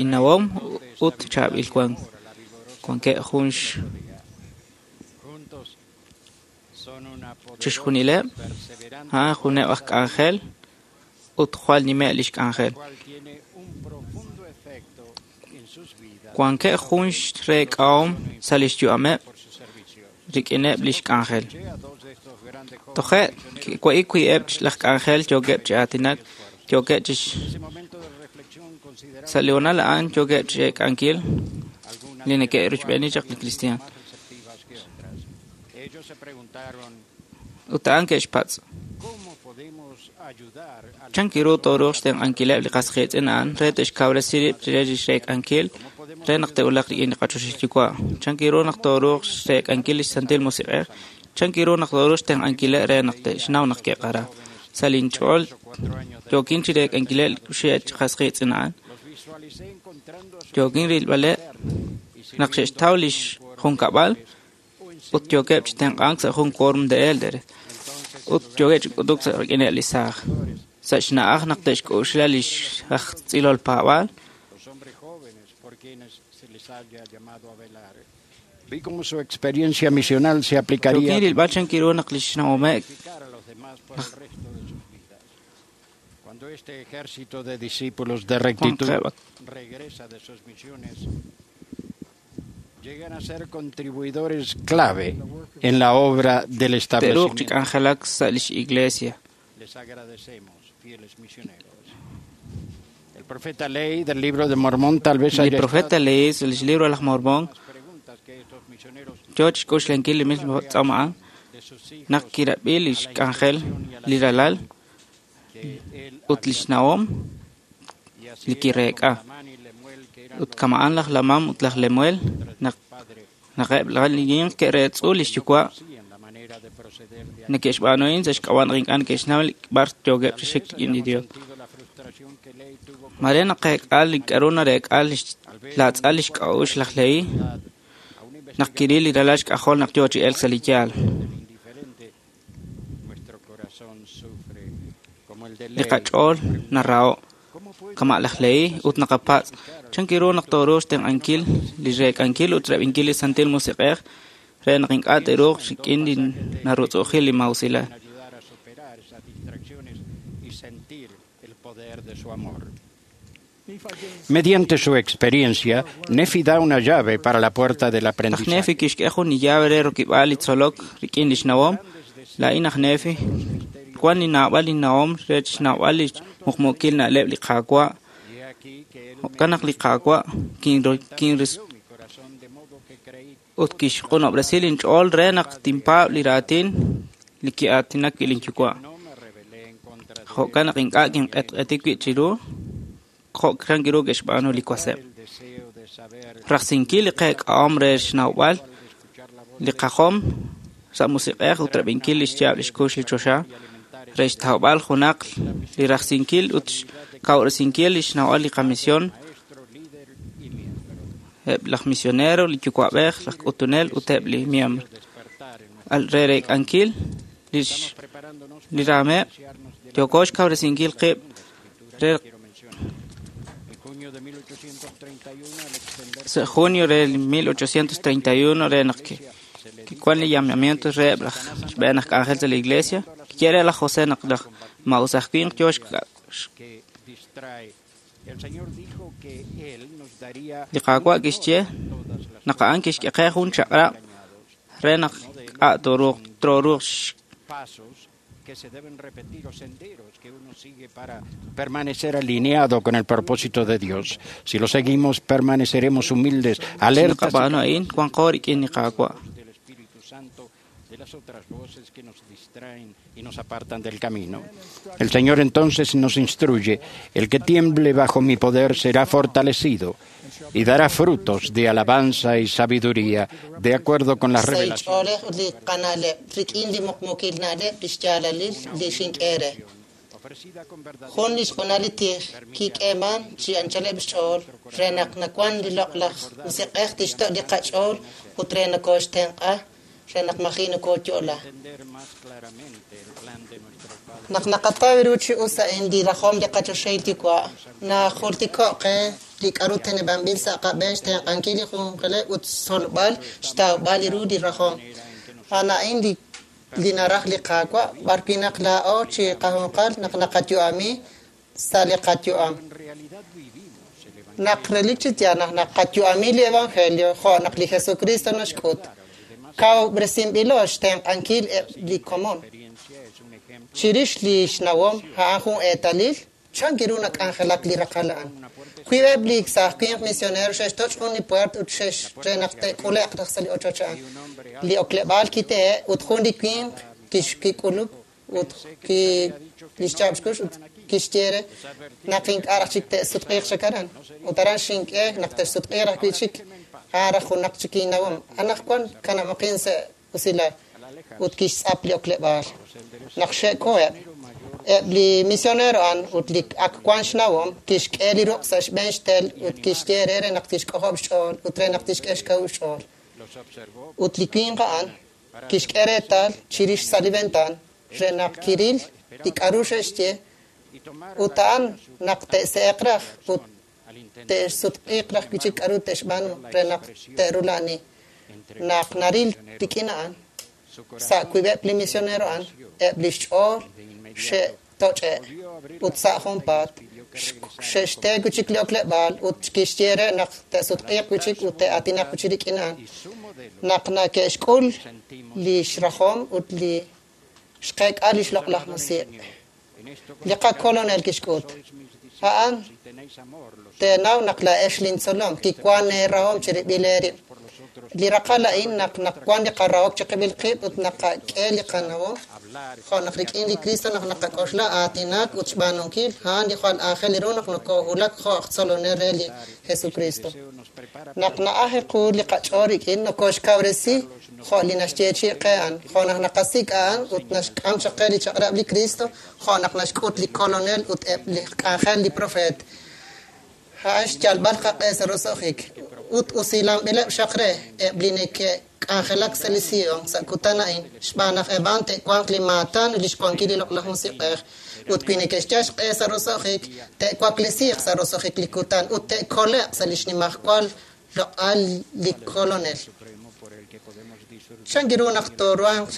innawom ut chaab'il wank. Wankeb' jun chixjunileb' a'an juneb' aj k'anjel ut jwal nimeb' lix k'anjel. Wankeb' jun xreek'ahom sa' lix yu'ameb' rik'ineb' lix k'anjel. Toje' wa'ik wi'eb' laj k'anjel yookeb' chi aatinak, yookeb' chi sa' li hoonal a'an yookeb' chi eek'ankil li neke'rochb'eeni chaq li kristiaan. Ut a'an ke'xpatz': Chan ru tooruuq xtenq'ankileb' li qas qiitz'in a'an re te'xkawresi rib' re lix reek'ankil re naq te'wulaq rik'in li qaChoxahil Yuwa'? Chan ru naq tooruuq xreek'ankil lix Santil Musiq'ej? Chan ru naq tooruuq xtenq'ankileb' re naq te'xnaw naq ke'qara? Sa' lin ch'ool yookin chi reek'ankileb' li qas qiitz'in a'an. Yookin rilb'aleb' naq xe'xtaw lix junkab'al ut yookeb' chi tenq'ank sa' jun quórum de élderes ut yookeb' chi k'utuk sa' rik'ineb' li saaj. Sa' xna'aj naq te'xk'oxla lix aj tz'ilol paab'aal, Vi cómo su experiencia misional se aplicaría yookin rilb'al chan ru naq lix nawomeb' cuando este ejército de discípulos de rectitud regresa de sus misiones. Llegan a ser contribuidores clave en la obra del te'ruuq chi establecimiento. k'anjelak sa' lix iglesia. Les agradecemos, fieles misioneros. El profeta Ley del libro de Mormón tal vez Li haya profeta Lehi sa' lix libro laj Mormón yoo chi xk'oxlankil li mismo tz'aam a'an naq kirab'i lix k'anjel li ralal ut lix nawom li kireek'a. Ut kama'an laj Lamam ut laj Lemuel naq eb' li ninq ke'reetz'u lix yuwa' neke'xb'aanuhin sa' xk'ab'a' naq ink'a' neke'xnaw b'ar yookeb' chi xik rik'in li Dios. Mare naqeek'a li k'a'ru nareek'a laatz'al lix k'a'uxl laj Lehi naq kiril li ralal xk'ajol naq yoo chi elk sa' li yaal. Li qach'ool naraho' kama' laj Lehi ut naqapatz' chan ru naq tooruuq xtenq'ankil li reek'ankil ut rab'inkil li Santil Musiq'ej re naq ink'a' te'ruuq rik'in li narutz'u'ujil li maa'usilal. ayudar a superar esas distracciones y sentir el poder de su amor. Mediante su experiencia, Nefi da una llave para la puerta del Laj aprendizaje. Nefi kixk'e jun li llave re rokib'aal li tzolok rik'in lix nawom. Laa'in aj Nefi wan li naab'al li nawom re xnawb'al li muqmuukil na'leb' li Qaawa'. Jo'kan naq li Qaawa' kinris ut kixq'unob'resi linch'ool re naq tinpaab' li raatin li ki'aatinak wi' linyuwa'. Jo'kan naq ink'a' kinq'etq'eti wib' chiru jo' chan ru ke'xb'aanu li waseb'. Rajsinkil li qeek'ahom re xnawb'al li qajom sa' musiq'ej ut rab'inkil lix yaab' lix kux li choxa re xtawb'al junaq li rajsinkil ut xkawresinkil lix nawb'al li qamision eb' laj misionero, li yuwa'b'ej, laj k'utunel ut eb' li miembro. Re reek'ankil li raameb', yooko xkawresinkil qib' re sa' junio re 1831 re naq kiwan li llamamiento re eb' laj xb'een aj k'anjel sa' la iglesia, kiye re laj José naq laj maa'us aj winq yoo li Qaawa' kixye naq a'an kixk'e qe jun chaq'rab' re naq k'a' tooruuq que se deben repetir o senderos que uno sigue para permanecer alineado con el propósito de Dios. Si lo seguimos, permaneceremos humildes, alertas naqab'aanu a'in wanqo rik'in li Qaawa'. del Espíritu Santo de las otras voces que nos distraen y nos apartan del camino. El Señor entonces nos instruye, el que tiemble bajo mi poder será fortalecido y dará frutos de alabanza y sabiduría, de acuerdo con la revelación. Jun li xq'unal li tij kik'eeman chi anchaleb' xch'ool re naq nawan li loq'laj musiq'ej tixto' li qach'ool ut re nakooxtenq'a re naq maji' nakooyo'la. Naq naqataw ru chi us a'in li rajom li qachoxahil yuwa' najultiko' qe li k'aru teneb'anb'il sa' qab'een xtenq'ankil li junqaleb' ut xtzolb'al xtawb'al ru li rajom. A'an a'in li naraj li Qaawa' b'arwi' naq laa'o chi qajunqal naq naqayu'ami sa' li qayu'am. Naq relik chi yaal naq naqayu'ami li evangelio jo' naq li Jesucristo naxk'ut, kawub'resinb'ilo xtenq'ankil eb' li komon. Chirix li xnawom a'an jun eetalil chan ru nak'anjelak li raqal a'an. Wiib'eb' li saaj winq misionero xe'xtoch' jun li puert ut re naq te'k'ule'q raj sa' li ochoch a'an. Li okleb'aal kitehe' ut jun li winq kik'uluk ut lix chaab' xkux ut kixye re naq ink'a' raj chik te'sutq'iiq chaq aran. Ut aran xink'e naq te'sutq'iiq raj wi' chik a'an raj junaq chik innawom. Anaqwan kanab'aqin sa' usilal ut kixtz'ap li okleb'aal. Naq xe'koheb', eb' li misionero a'an ut li ak wan xnawom kixk'e li ruq' sa' xb'een xtel ut kixye re naq tixk'ojob' xch'ool ut re naq tixk'e xkawub' xch'ool. Ut li winq a'an kixk'e reetal chirix sa' li ventaan re naq kiril li k'aru xe'xye ut a'an naq te'se'eq raj ut te'sutq'iiq raj wi' chik k'aru te'xb'aanu re naq te'rula'ani. Naq naril rik'in a'an, sa' wiib'eb' li misionero a'an, eb' li xch'ool xe'toch'e' ut sa' junpaat xe'xte wi' chik li okleb'aal ut kixye re naq te'sutq'iiq wi' chik ut te'aatinaq wi' chik rik'in a'an. Naq nake'xk'ul li xrajom ut li xqeek'a li xloq'laj musiq'. Li qakolonel kixk'ut. A'an teenaw naq laa'ex lintzolom kiwan eerahom chirib'il eerib'. Li raqal a'in naq naqwan li qarahok chiqib'il qib' ut naqak'e li qanawom jo' naq rik'in li Cristo naq naqak'oxla aatinak ut xb'aanunkil a'an li jwal aajel ru naq nokoohulak jo' aj tzolonel re li Jesucristo. Naq na'ajel qu li qach'ool rik'in nokooxkawresi jo' li naxyeechi'i qe a'an, jo' naq naqasik' a'an ut naxk'am chaq qe li chaq'rab' li Cristo, jo' naq naxk'ut li kolonel ut eb' li k'anjel li profeet. A'an xyalb'al qaq'e sa' roso'jik ut usilanb'ileb' xaq re eb' li neke'k'anjelak sa' li Sion sa' kutan a'in xb'aan naq eb' a'an te'wanq li maatan ut lix wankil li loq'laj musiq'ej ut wi neke'xyal xq'e sa' roso'jik te'waklesiiq sa' roso'jik li kutan ut te'kole'q sa' li xnimajwal loq'al li kolonel. Chan ru naq tooruhanq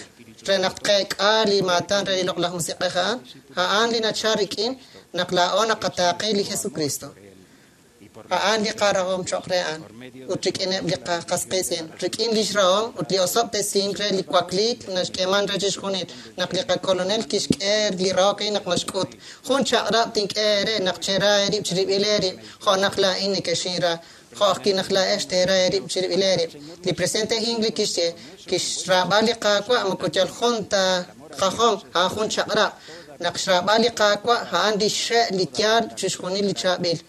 re naq tqeek'a li maatan re li loq'laj musiq'ej a'an? A'an li nachal rik'in naq laa'o naqataaqe li Jesucristo. A'an li qarahom cho'q re a'an ut rik'ineb' li qas qiitz'in, rik'in lix rahom ut li osob'tesink re li wakliik naxk'eeman re chixjunil naq li qakolonel kixk'e li rahok a'in naq naxk'ut. Jun chaq'rab' tink'e eere naq chera eerib' chirib'il eerib' jo' naq laa'in nekexinra, jo' ajwi' naq laa'ex teera eerib' chirib'il eerib'. Li presidente Hinckley kixye kixraab'al li Qaawa' moko yal jun ta qajom, a'an jun chaq'rab'. Naq xraab'al li Qaawa' a'an li xxe' li yaal chixjunil li chaab'il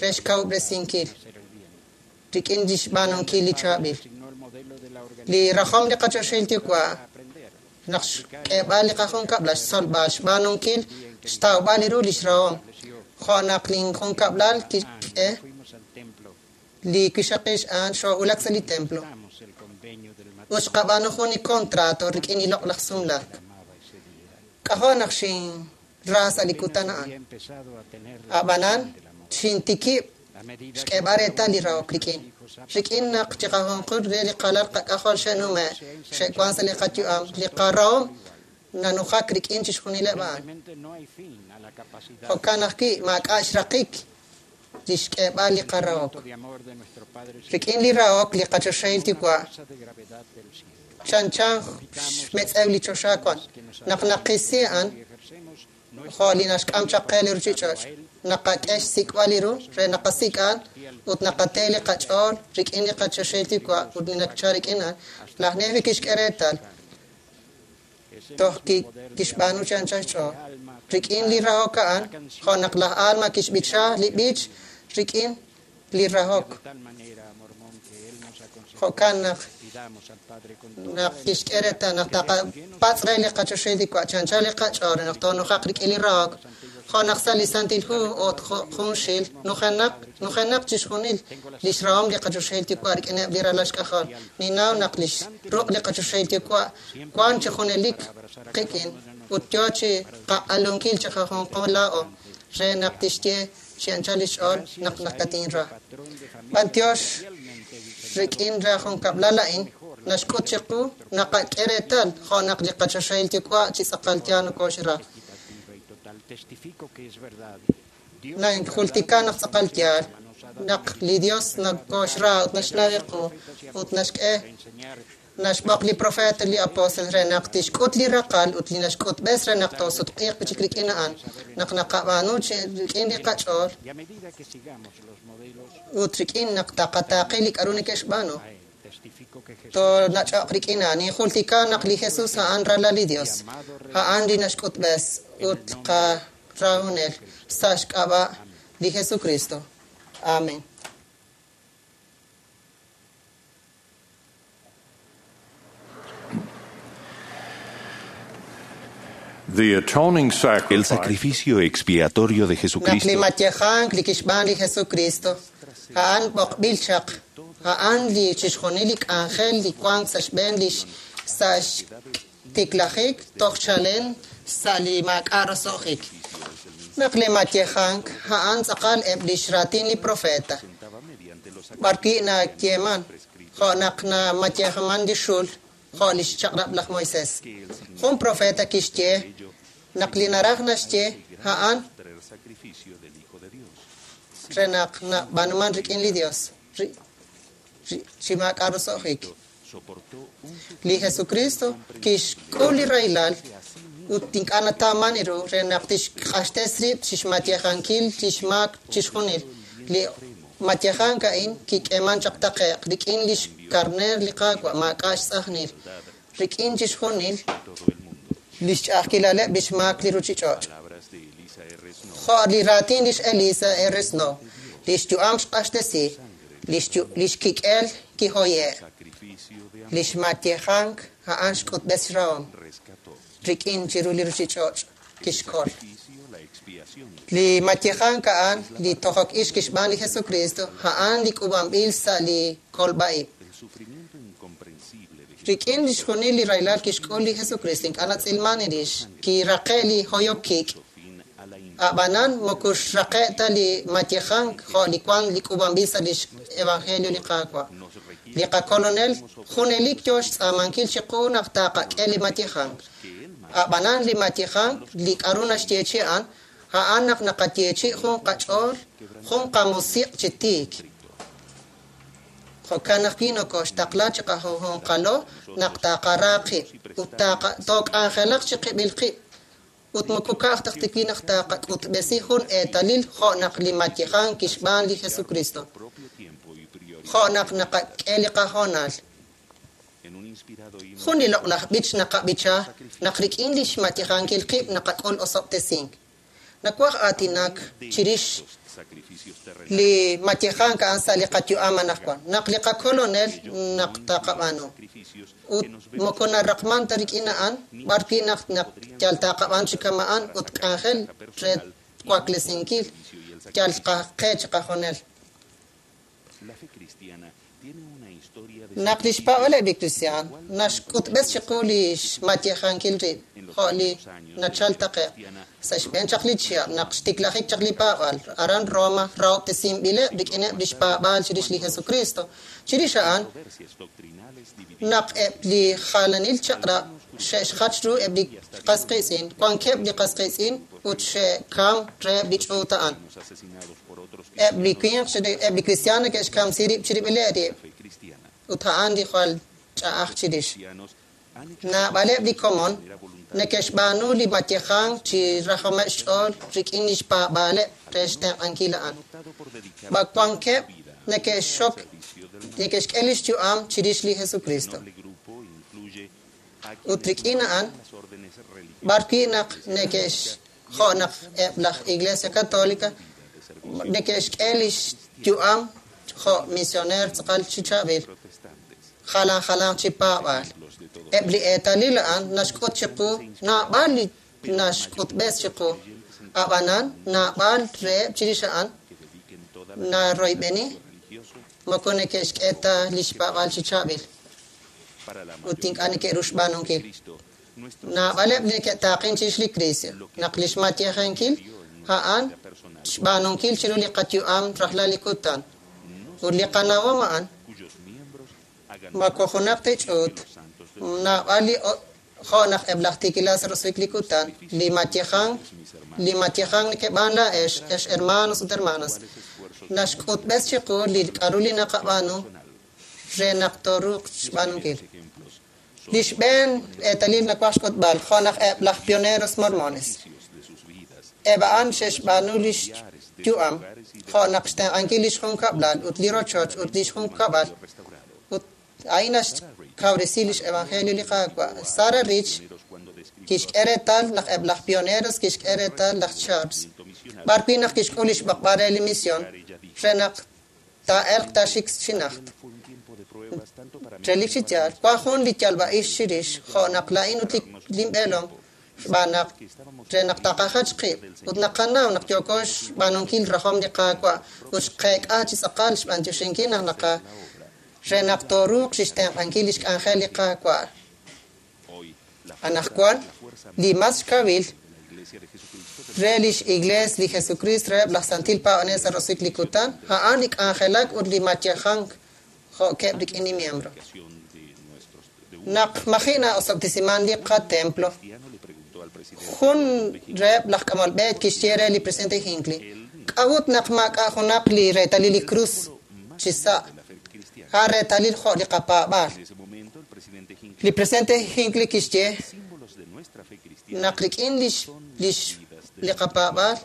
re xkawub'resinkil rik'in li xb'aanunkil li chaab'il. Li rajom li qachoxahil yuwa' naq xk'eeb'al li qajunkab'lal xtzolb'al xb'aanunkil xtawb'al ru lix rahom jo' naq linjunkab'lal kixk'e li wixaqil a'an xoo'ulak sa' li templo ut xqab'aanu jun li contrato rik'in li loq'laj sumlaak. K'ajo' naq xinra sa' li kutan a'an. Ab'anan xintikib' xk'eeb'al reetal li rahok rik'in. Rik'in naq chiqajunqul re li qalal qak'ajol xe'nume' xe'wan sa' li qayu'am, li qarahom nanujak rik'in chixjunileb' a'an. Jo'kan ajwi' maak'a' xraqik li xk'eeb'al li qarahok. Rik'in li rahok li qachoxahil yuwa' chanchan xmetz'ew li choxa wan. Naq naqisi a'an jo' li naxk'am chaq qe li ruchich'och', naqak'e xsik'b'al li ru re naqasik' a'an ut naqate li qach'ool rik'in li qachoxahil yuwa' ut li nachal rik'in a'an. Laj Nefi kixk'e reetal. Toj kixb'aanu chi anchal xch'ool. Rik'in li rahok a'an, jo' naq laj Alma kixb'icha li b'ich rik'in li rahok. Jo'kan naq kixk'e reetal naq taqapatz' re li qachoxahil Yuwa' chi anchal li qach'ool re naq toonujaq rik'in li rahok. Jo' naq sa' li Santil Hu ut junxil nujenaq chixjunil lix rahom li qachoxahil Yuwa' rik'ineb' li ralal xk'ajol. Ninnaw naq lix ruq' li qachoxahil Yuwa' wan chi junelik qik'in ut yoo chi qaq'alunkil chi qajunqo laa'o re naq tixye chi anchal lix ch'ool naq nakatinra. B'antiox rik'in ra junkab'lal a'in naxk'ut chiqu naqak'e reetal jo' naq li qachoxahil Yuwa' chi tz'aqal yaal nokoxra. Najultika naq tz'aqal yaal naq li Dios nakoxra ut naxnaw qu ut naxk'e naxb'oq li profeta li apóstol re naq tixk'ut li raqal ut li naxk'utb'es re naq toosutq'iiq chik rik'in a'an naq naqab'aanu rik'in li qach'ool ut rik'in naq taqataaqi li k'a'ru neke'xb'aanu toonach'oq rik'in a'an. Ninjultika naq li Jesus a'an ralal li Dios, a'an li naxk'utb'es ut qarahonel sa' xk'ab'a' li Jesucristo. Amen. El sacrificio expiatorio de Naq li Jesucristo matyejank li kixb'aan li Jesucristo, a'an b'oqb'il chaq, a'an li chixjunil li k'anjel li wank sa' xb'een li sa' xtiklajik toj chalen sa' li maak'a' roso'jik. Naq li matyejank a'an tz'aqal eb' lix raatin li profeta. B'arwi' nayeeman, jo' naq namatyejaman li xul, jo' lix chaq'rab' laj Moisés. Jun profeta kixye naq li naraj naxye a'an re naq nab'aanuman rik'in li Dios chi maak'a' roso'jik. Li Jesucristo kixk'ul li rahilal ut ink'a' natawman ru re naq tixq'axtes rib' chixmatyejankil lix maak chixjunil. Li matyejank a'in kik'eeman chaq taqe'q rik'in lix karneer li Qaawa' maak'a' xtz'ajnil, rik'in chixjunil lix ch'a'ajkilaleb' lix maak li ruchich'och'. Jo' li raatin lix Elisa R. Snow, lix yu'am xq'axtesi, lix kik'el kihoye', lix matyejank a'an xk'utb'es xrahom rik'in chiru li ruchich'och' kixkol. Li matyejank a'an li tojok ix kixb'aan li Jesucristo, a'an li k'ub'anb'il sa' li kolb'a'ib'. Rik'in lix junil li rahilal kixk'ul li Jesucristo ink'a' natz'ilman rix, kiraqe' li hoyok kik'. A'b'anan moko xraqe' ta li matyejank jo' li wan li k'ub'anb'il sa' lix evangelio li Qaawa'. Li qakolonel junelik yoo xtz'aamankil chiqu naq taqak'e li matyejank. A'b'anan li matyejank li k'a'ru naxyeechi a'an, a'an naq naqayeechi jun qach'ool, jun qamusiq' chi tiik. Jo'kan ajwi' nokoxtaqla chi qajunjunqalo naq taqara qib' ut took'anjelaq chi qib'il qib' ut moko ka'aj ta wi naq taqak'utb'esi jun eetalil jo' naq li matyejank kixb'aan li Jesucristo. Jo' naq naqak'e li qahoonal. Jun li loq'laj b'ich naqab'icha naq rik'in lix matyejankil qib' naqak'ul osob'tesink. Nawaj aatinak chirix li matyejank a'an sa' li qayu'am anaqwan. Naq li qakolonel naq taqab'aanu. Ut moko naraqman ta rik'in a'an, b'arwi' naq yal taqab'aan chi kama'an ut k'anjel re waklesinkil yal qe chi qajonel. Naq lix paab'aleb' li kristiaan naxk'utb'es chiqu lix matyejankil rib' jo' li nachal taqe'q sa' xb'een chaq li chihab' naq xtiklajik chaq li paab'al aran Roma rahob'tesinb'ileb' rik'ineb' lix paab'aal chirix li Jesucristo. Chirix a'an naq eb' li jalanil chaq'rab' xe'xjach ru eb' li qas qiitz'in, wankeb' li qas qiitz'in ut xe'kam reheb' li ch'uut a'an. Eb' li winq eb' li kristiaan neke'xkamsi rib' chirib'ileb' rib' ut a'an li jwal ch'a'aj chirix. Naab'aleb' li komon neke'xb'aanu li matyejank chi rajomeb' xch'ool rik'in lix paab'aaleb' re xtenq'ankil a'an. Wankeb' neke'xxok neke'xk'e lix yu'am chirix li Jesucristo. Ut rik'in a'an B'ar wi' naq neke'x jo' naq eb' laj Iglesia Católica neke'xk'e lix yu'am jo' misioneer tz'aqal chi chaab'il, jalan jalanq chi paab'aal. Eb' li eetalil a'an naxk'ut chiqu naab'al li naxk'utb'es chiqu, ab'anan naab'al reheb' chirix a'an naroyb'eni moko neke'xk'e ta lix paab'aal chi chaab'il ut ink'a' neke'ru xb'aanunkil. Naab'aleb' li neke'taaqen chirix li Kristo naq lix matyejenkil a'an xb'aanunkil chiru li qayu'am rajlal li kutan ut li qanawom a'an moko junaq ta ch'uut naab'al li jo' naq eb' laj tiikilal sa' roso'jik li kutan li matyejan neke'b'aan laa'ex ex hermanos ut hermanas naxk'utb'es chiqu li k'a'ru li naqab'aanu re naq tooruuq xb'aanunkil. Li xb'een eetalil nawaj xk'utb'al jo' naq eb' laj pioneros mormones. Eb' a'an xe'xb'aanu lix yu'am jo' naq xtenq'ankil lix junkab'lal ut li rochoch ut lix junkab'al ut a'in naxkawresi lix evangelio li Qaawa'. Sarah Rich kixk'e reetal naq eb' laj pioneros kixk'e reetal laj Charles b'ar wi' naq kixk'ul lix b'oqb'al re li mision re naq taa'elq taaxik chi najt. Relik chi yaal, wan jun li yalb'a'ix chirix jo' naq laa'in ut linb'eelom xb'aan naq re naq taqajach qib' ut naqanaw naq yooko xb'aanunkil rajom li Qaawa' ut xqeek'a chi tz'aqal xb'antioxinkil naq naqa re naq tooruuq chixtenq'ankil lix k'anjel li Qaawa'. Anaqwan li mas xkawil re lix Iglees li Jesucristo reheb' laj Santil Paab'anel sa' roso'jik li kutan, a'an li k'anjelak ut li matyejank jo'keb' rik'in li miembro. Naq maji' na'osob'tesiman li qatemplo, jun reheb' laj k'amol b'e kixye re li presidente Hinckley, k'a'ut naq maak'a' junaq li reetalil li krus chi sa' a'an reetalil jo' li qapaab'aal. Li presidente Hinckley kixye naq rik'in li qapaab'aal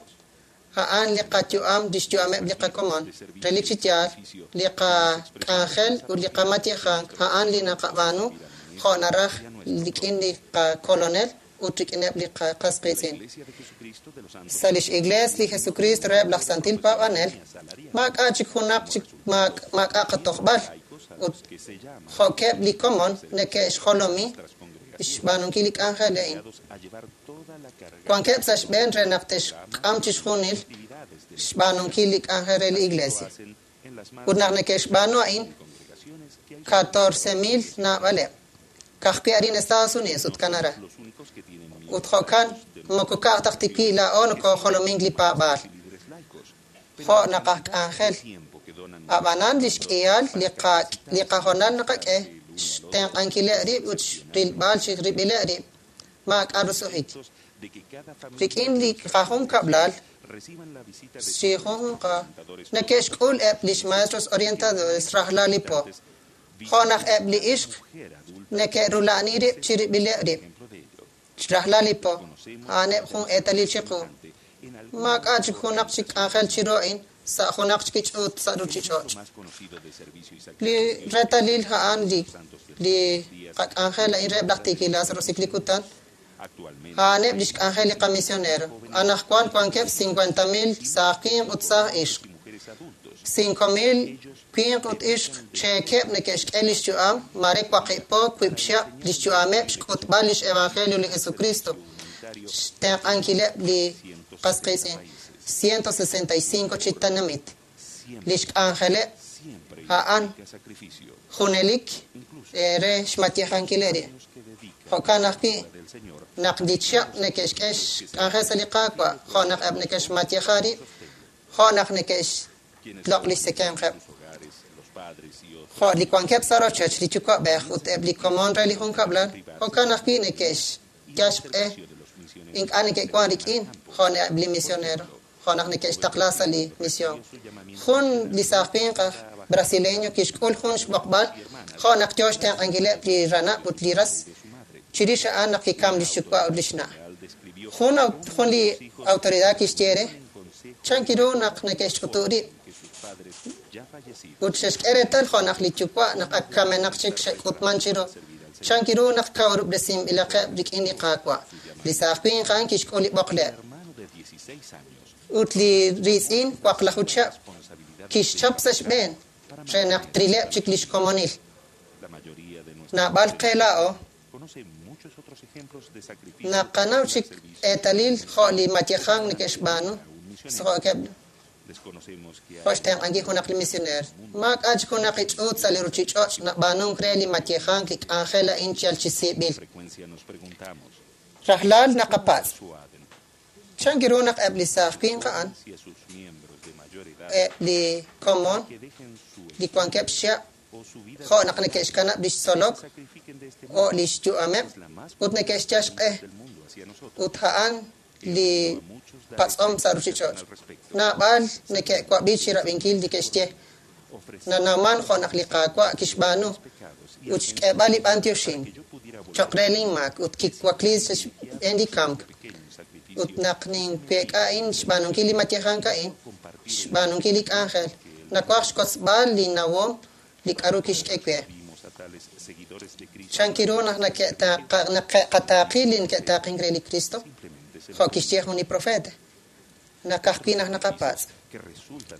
a'an li qayu'am lix yu'ameb' li qakomon. Relik chi yaal, li qak'anjel ut li qamatyejank a'an li naqab'aanu jo' naraj rik'in li qakolonel ut rik'ineb' li qas qiitz'in. Sa' lix Iglees li Jesucristo reheb' laj Santil Paab'anel, maak'a' chik junaq chik maak'a' qatojb'al ut jo'keb' li komon neke'xjolomi xb'aanunkil li k'anjel a'in. Wankeb' sa' xb'een re naq te'xk'am chixjunil xb'aanunkil li k'anjel re li Iglesia. Ut naq neke'xb'aanu a'in 14,000 naab'aleb'. Ka'ajwi' arin Estados Unidos ut Canadá. Ut jo'kan moko ka'aj taq tiwi' laa'o nokojolomink li paab'aal. Jo' naq aj k'anjel. Ab'anan lix k'ihal li qahoonal naqak'e xtenq'ankileb' rib' ut xrilb'al xrib'ileb' rib' maak'a' roso'jik. Rik'in li qajunkab'lal chi junjunqa neke'xk'ul eb' lix maestros orientadores rajlal li po. Jo' naq eb' li ixq neke'rula'ani rib' chirib'ileb' rib' rajlal li po a'aneb' jun eetalil chiqu. Maak'a' chik junaq chik k'anjel chiru a'in sa' junaq chik ch'uut sa' ruchich'och'. Li reetalil a'an li qak'anjel a'in reheb' laj tiikilal sa' roso'jik li kutan a'aneb' lix k'anjel li qamisionero. Anaqwan wankeb' 50,000 saaj winq ut saaj ixq. 5,000 winq ut ixq cheekeb' neke'xk'e lix yu'am mare waqib' po wiib' chihab' lix yu'ameb' xk'utb'al lix evangelio li Jesucristo xtenq'ankileb' li qas qiitz'in 165 chi tenamit. Lix k'anjeleb' a'an junelik re xmatyejankileb' rib'. Jo'kan ajwi' naq li chihab' neke'xk'e xk'anjel sa' li Qaawa' jo' naq eb' neke'xmatyeja rib' jo' naq neke'xloq' lix tzekemqeb'. Jo' li wankeb' sa' rochoch li yuwa'b'ej ut eb' li komon re li junkab'lal, jo'kan ajwi' neke'xyal xq'e ink'a' neke'wan rik'in jo' eb' li misionero, jo' naq neke'xtaqla sa' li mision. Jun li saaj winq aj brasileño kixk'ul jun xb'oqb'al jo' naq yoo xtenq'ankileb' li ranab' ut li ras chirix a'an naq kikam lix yuwa' ut lix na'. Jun li autoridad kixye re chan kiru naq neke'xch'utu' rib' ut xe'xk'e reetal jo' naq li yuwa' naq ak kamenaq chik xe'k'utman chiru chan kiru naq kawrub'resinb'ilaqeb' rik'in li Qaawa'. Li saaj winq a'an kixk'ul li b'oqleb'. Ut li riitz'in 16 chihab' kixchap sa' xb'een re naq trileb' chik lix komonil. Naab'al qe laa'o naqanaw chik eetalil jo' li mayejank neke'xb'aanu jo'keb' jo' xtenq'ankil junaq li misioneer. Maak'a' chik junaq li ch'uut sa' li ruuchich'och' nab'aanunk re li mayejank li k'anjel a'in yal chi siib'il. Rajlal naqapatz'. Chan ru naq eb' li saaj winq a'an, eb' li komon li wankeb' xchihab' jo' naq neke'xkanab' lix tzolok o lix yu'ameb' ut neke'xyal xq'e ut a'an li patz'om sa' ruuchich'och'. Naab'al neke'wab'i chi rab'inkil li ke'xye. Nanawman jo' naq li Qaawa' kixb'aanu ut xk'eeb'al li b'antioxink cho'q re lin maak ut kiwakli sa' xb'een li kamk. Ut naq ninweek'a a'in xb'aanunkil li mayejank a'in, xb'aanunkil li k'anjel, nawaj xkotzb'al li nawom li k'aru kixk'e we. Chan ru naq neke'qataaqi li neke'taaqink re li Kristo, jo' kixye jun li profeta, naq ajwi' naq naqapatz'.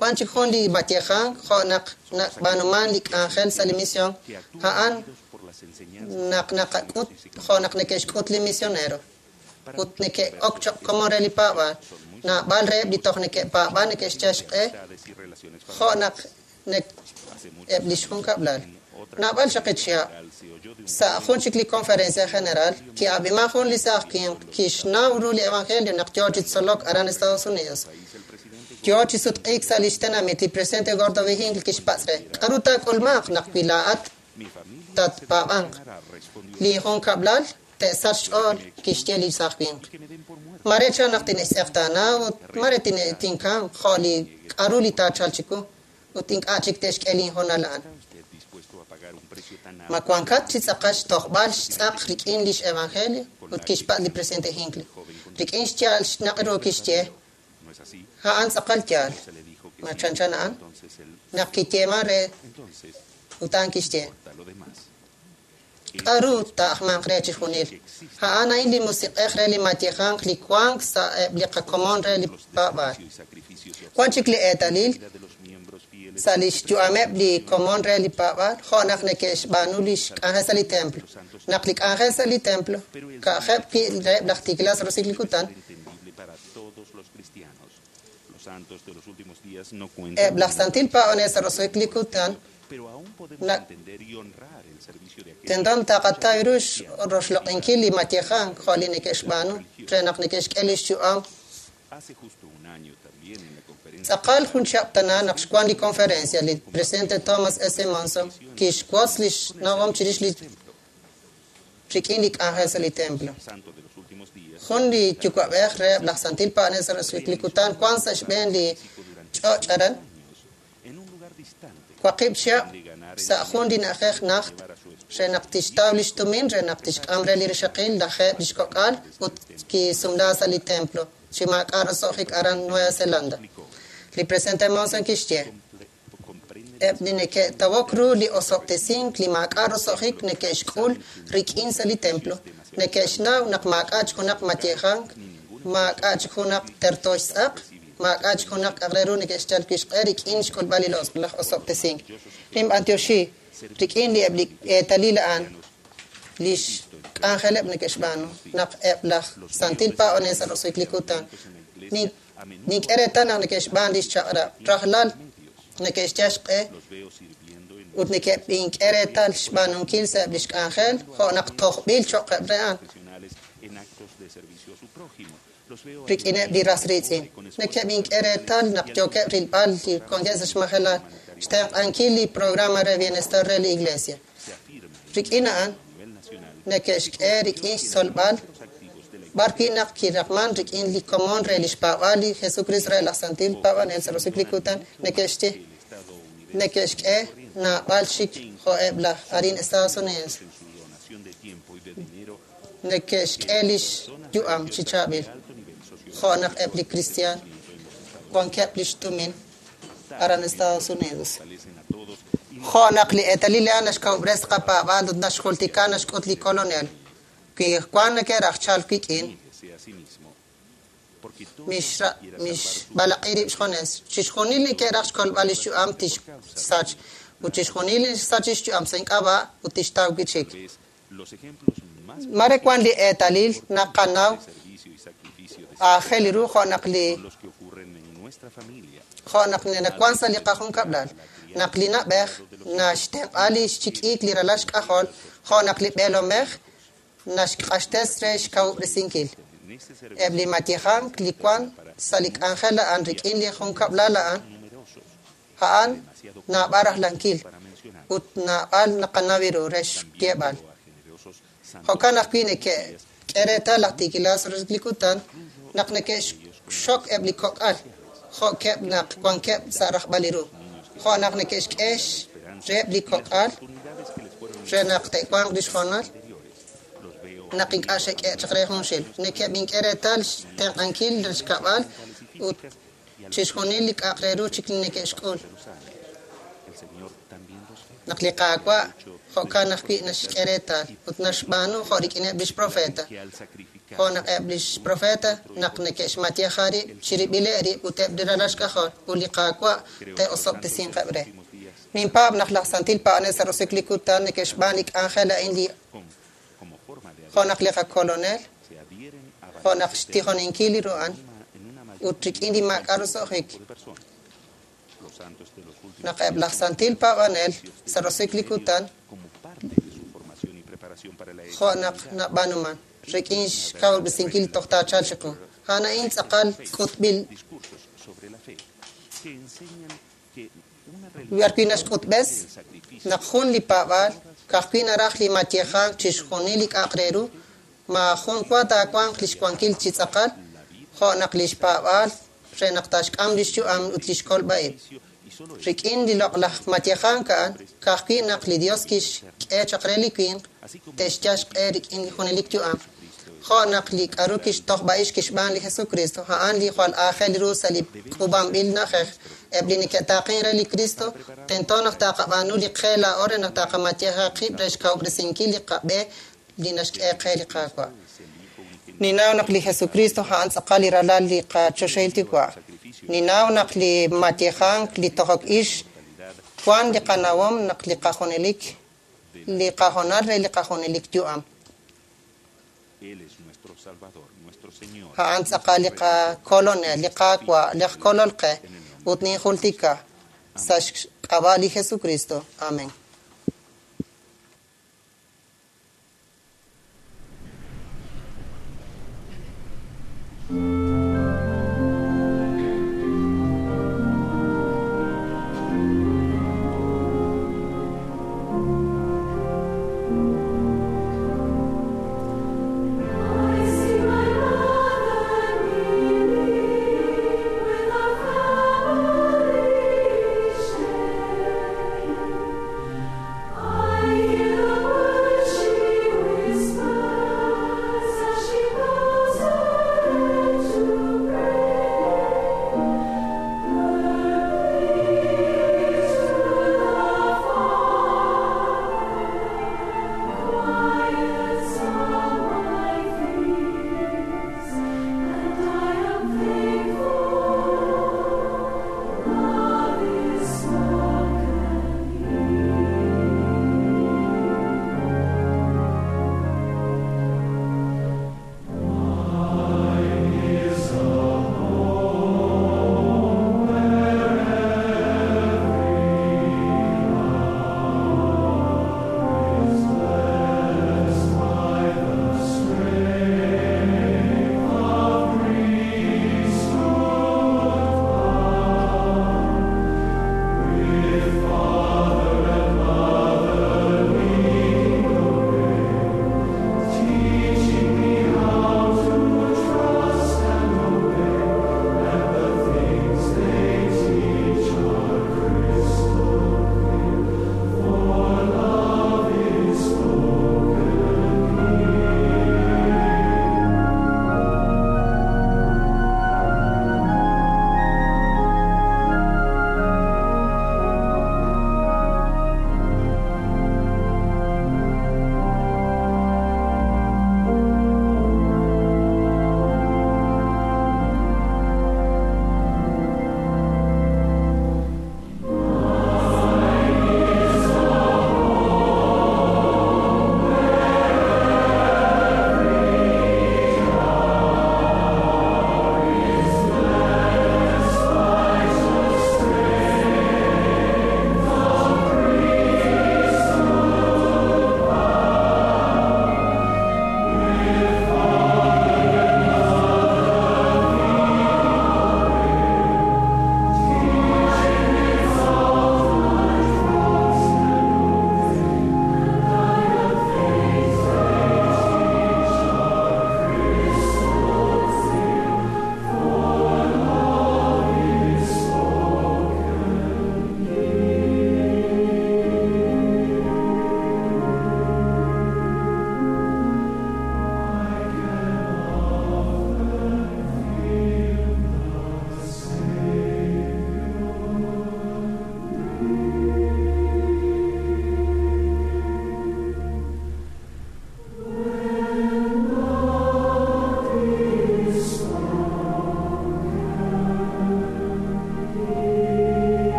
Wan chik jun li mayejank jo' naq nab'aanuman li k'anjel sa' li misión, a'an naq naqak'ut jo' naq neke'xk'ut li misionero. Ut neke'ok cho'q komon re li paab'aal. Naab'al reheb' li toj neke'paab'an neke'xyal xq'e jo' naq eb' lix junkab'lal. Naab'al chaq chihab' sa' jun chik li conferencia general ki'ab'iman jun li saaj winq kixnaw ru li evangelio naq yoo chi tzolok aran Estados Unidos. Yoo chi sutq'iik sa' lix tenamit li presidente Gordon B. Hinckley kixpatz' re k'aru taak'ulmanq naq wi laa'at tatpaab'anq. Li junkab'lal te'sach xch'ool kixye li saaj winq. Mare chan naq tine'xtz'eqtaana ut mare tinkamq jo' li k'aru li taachalq chiwu ut ink'a' chik te'xk'e linhoonal a'an. Ma wankat chi tz'aqal xtojb'al xtz'aq rik'in lix evangelio ut kixpatz' li presidente Hinckley. Rik'in xyaal xnaq' ru kixye a'an tz'aqal yaal. Ma chanchan a'an naq kiyeeman re ut a'an kixye. K'aru taajmanq re chi junil. A'an a'in li musiq'ej re li mayejank li wank sa' eb' li qakomon re li paab'aal. Wan chik li eetalil sa' lix yu'ameb' li komon re li paab'aal jo' naq neke'xb'aanu lix k'anjel sa' li templo. Naq li k'anjel sa' li templo ka'ajeb' wi' reheb' laj tiikilal sa' roso'jik li kutan, eb' laj santil paab'anel sa' roso'jik li kutan tento taqataw ru roxloq'inkil li mayejank jo' li neke'xb'aanu re naq neke'xk'e lix yu'am. Tz'aqal jun chihab' tana naq xwan li conferencia li presidente Thomas S. Monson kixwotz lix nawom chirix li rik'in li k'anjel sa' li templo. Jun li yuwa'b'ej reheb' laj santil paab'anel sa' roso'jik li kutan wan sa' xb'een li ch'och' aran 8 chihab' sa' jun li na'ajej najt re naq tixtaw lix tumin re naq tixk'am re li rixaqil lajeeb' lix kok'al ut kisumla sa' li templo chi maak'a' roso'jik aran Nueva Zelanda. Li presidente Monson kixye eb' li neke'tawok ru li osob'tesink li maak'a' roso'jik neke'xk'ul rik'in sa' li templo neke'xnaw naq maak'a' chik junaq mayejank, maak'a' chik junaq terto xtz'aq, maak'a' chik junaq k'a'aq re ru neke'xyal wi' xq'e rik'in xk'ulb'al li laj osob'tesink. Ninb'antioxi rik'in li eb' li eetalil a'an lix k'anjeleb' neke'xb'aanu naq eb' laj santil paab'anel sa' roso'jik li kutan nink'e reetal naq neke'xb'aan lix chaq'rab' rajlal neke'xyal xq'e ut neke'b'ink'e reetal xb'aanunkil sa' eb' lix k'anjel jo' naq tojb'il cho'qeb' re a'an rik'ineb' li ras riitz'in. Neke'b'ink'e reetal naq yookeb' rilb'al li wankeb' sa' xmajelal xtenq'ankil li programa re bienestar re li iglesia. Rik'in a'an neke'xk'e rik'in xtzolb'al b'ar wi' naq kiraqman rik'in li komon re lix paab'aal li Jesucristo re laj santil paab'anel sa' roso'jik li kutan neke'xye neke'xk'e naab'al chik jo'eb' laj arin Estados Unidos. Neke'xk'e lix yu'am chi chaab'il jo' naq eb' li cristian wankeb' lix tumin aran Estados Unidos. Jo' naq li eetalil a'an naxkawub'res qapaab'aal ut naxjultika naxk'ut li kolonel. Wi wan neke'raj chalk wik'in Mixb'alaq'i rib' xjunes. Chixjunil li ke'raj xkolb'al lix yu'am tixsach, ut chixjunil li xsach lix yu'am sa' ink'ab'a' ut tixtaw wi' chik. Mare wan li eetalil naqanaw aajel ru jo' naq li jo' naq nawan sa' li qajunkab'lal, naq li na'b'ej naxtenq'a li xchik'iik li ralal xk'ajol, jo' naq li b'eelomej naxq'axtes re xkawub'resinkil. Eb' li mayejank li wan sa' li k'anjel a'an rik'in li junkab'lal a'an, a'an naab'al rajlankil ut naab'al naqanaw ru re xyeeb'al. Jo'kan ajwi' neke'k'e reetal laj tiikilal sa' li kutan naq neke'xxok eb' li kok'al jo'keb' naq wankeb' sa' rajb'al li ru, jo' naq neke'xk'e reheb' li kok'al re naq te'wanq lix hoonal naq ink'a' xe'k'e chaq re junxil. Neke'b'ink'e reetal xtenq'ankil xkab'al ut chixjunil li k'a'aq re ru chik li neke'xk'ul. Naq li Qaawa' jo'kan ajwi' naxk'e reetal ut naxb'aanu jo' rik'ineb' lix profeta. Jo' naq eb' lix profeta naq neke'xmayeja rib' chirib'ileb' rib' ut eb' li ralal xk'ajol ut li Qaawa' te'osob'tesinqeb' re. Ninpaab' naq laj santil paab'anel sa' roso'jik li kutan neke'xb'aan li k'anjel a'in li jo' naq li qakolonel, jo' naq xtijoninkil li ru'an ut rik'in li maak'a' roso'jik. Naq eb' laj santil paab'anel sa' roso'jik li kutan jo' naq nab'aanuman rik'in xkawub'resinkil toj taachalq chiqu. A'an a'in tz'aqal k'utb'il b'arwi' naxk'utb'es naq jun li paab'aal ka'ajwi' naraj li mayejank chixjunil li k'a'aq re ru, maajun wa taawanq lix wankil chi tz'aqal, jo' naq lix paab'aal re naq taaxk'am lix yu'am ut lix kolb'a'ib'. Rik'in li loq'laj mayejank a'an, ka'ajwi' naq li Dios kixk'e chaq re li winq, te'xyal xq'e rik'in li junelik yu'am. Jo' naq li k'a'ru kixtojb'a'ix kixb'aan li Jesucristo, a'an li jwal aajel ru sa' li k'uub'anb'il na'ajej. Eb' li neke'taaqen re li Cristo, tento naq taqab'aanu li qe laa'o re naq taqamayeja qib' re xkawub'resinkil li qab'e li naxk'e qe li Qaawa'. Ninnaw naq li Jesucristo a'an tz'aqal li ralal li qachoxahil Yuwa'. Ninnaw naq li mayejank li tojok ix wan li qanawom naq li qajunelik li qahoonal re li qajunelik yu'am. A'an tz'aqal li qakolonel, li Qaawa', li ajkolol qe, ut ninjultika sa' xk'ab'a' li Jesucristo. Amén.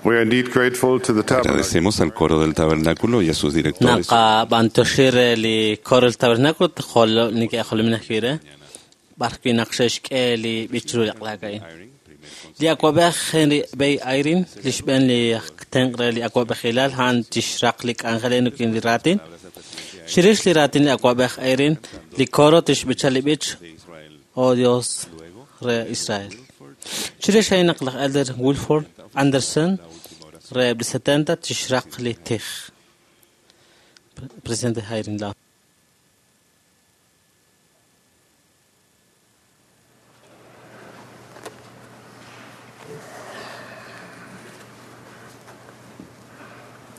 We are indeed grateful to the tabernacle. Agradecemos al coro del tabernáculo y a sus directores. Naqab'antoxi re li coro del tabernáculo neke'jolomin ajwi' re b'ar wi' naq xe'xk'e li b'ich ru li q'lak a'in. Li awab'ej Henry B. Eyring, li xb'een li tenq' re li awab'ejilal a'an tixraq li k'anjel a'in rik'in li raatin. Chirix li raatin li awab'ej Eyring, li coro tixb'icha li b'ich Oh Dios re Israel. Chirix a'in naq laj Elder Wilford Anderson re li 70 tixraq li tij. Presidente Eyring la.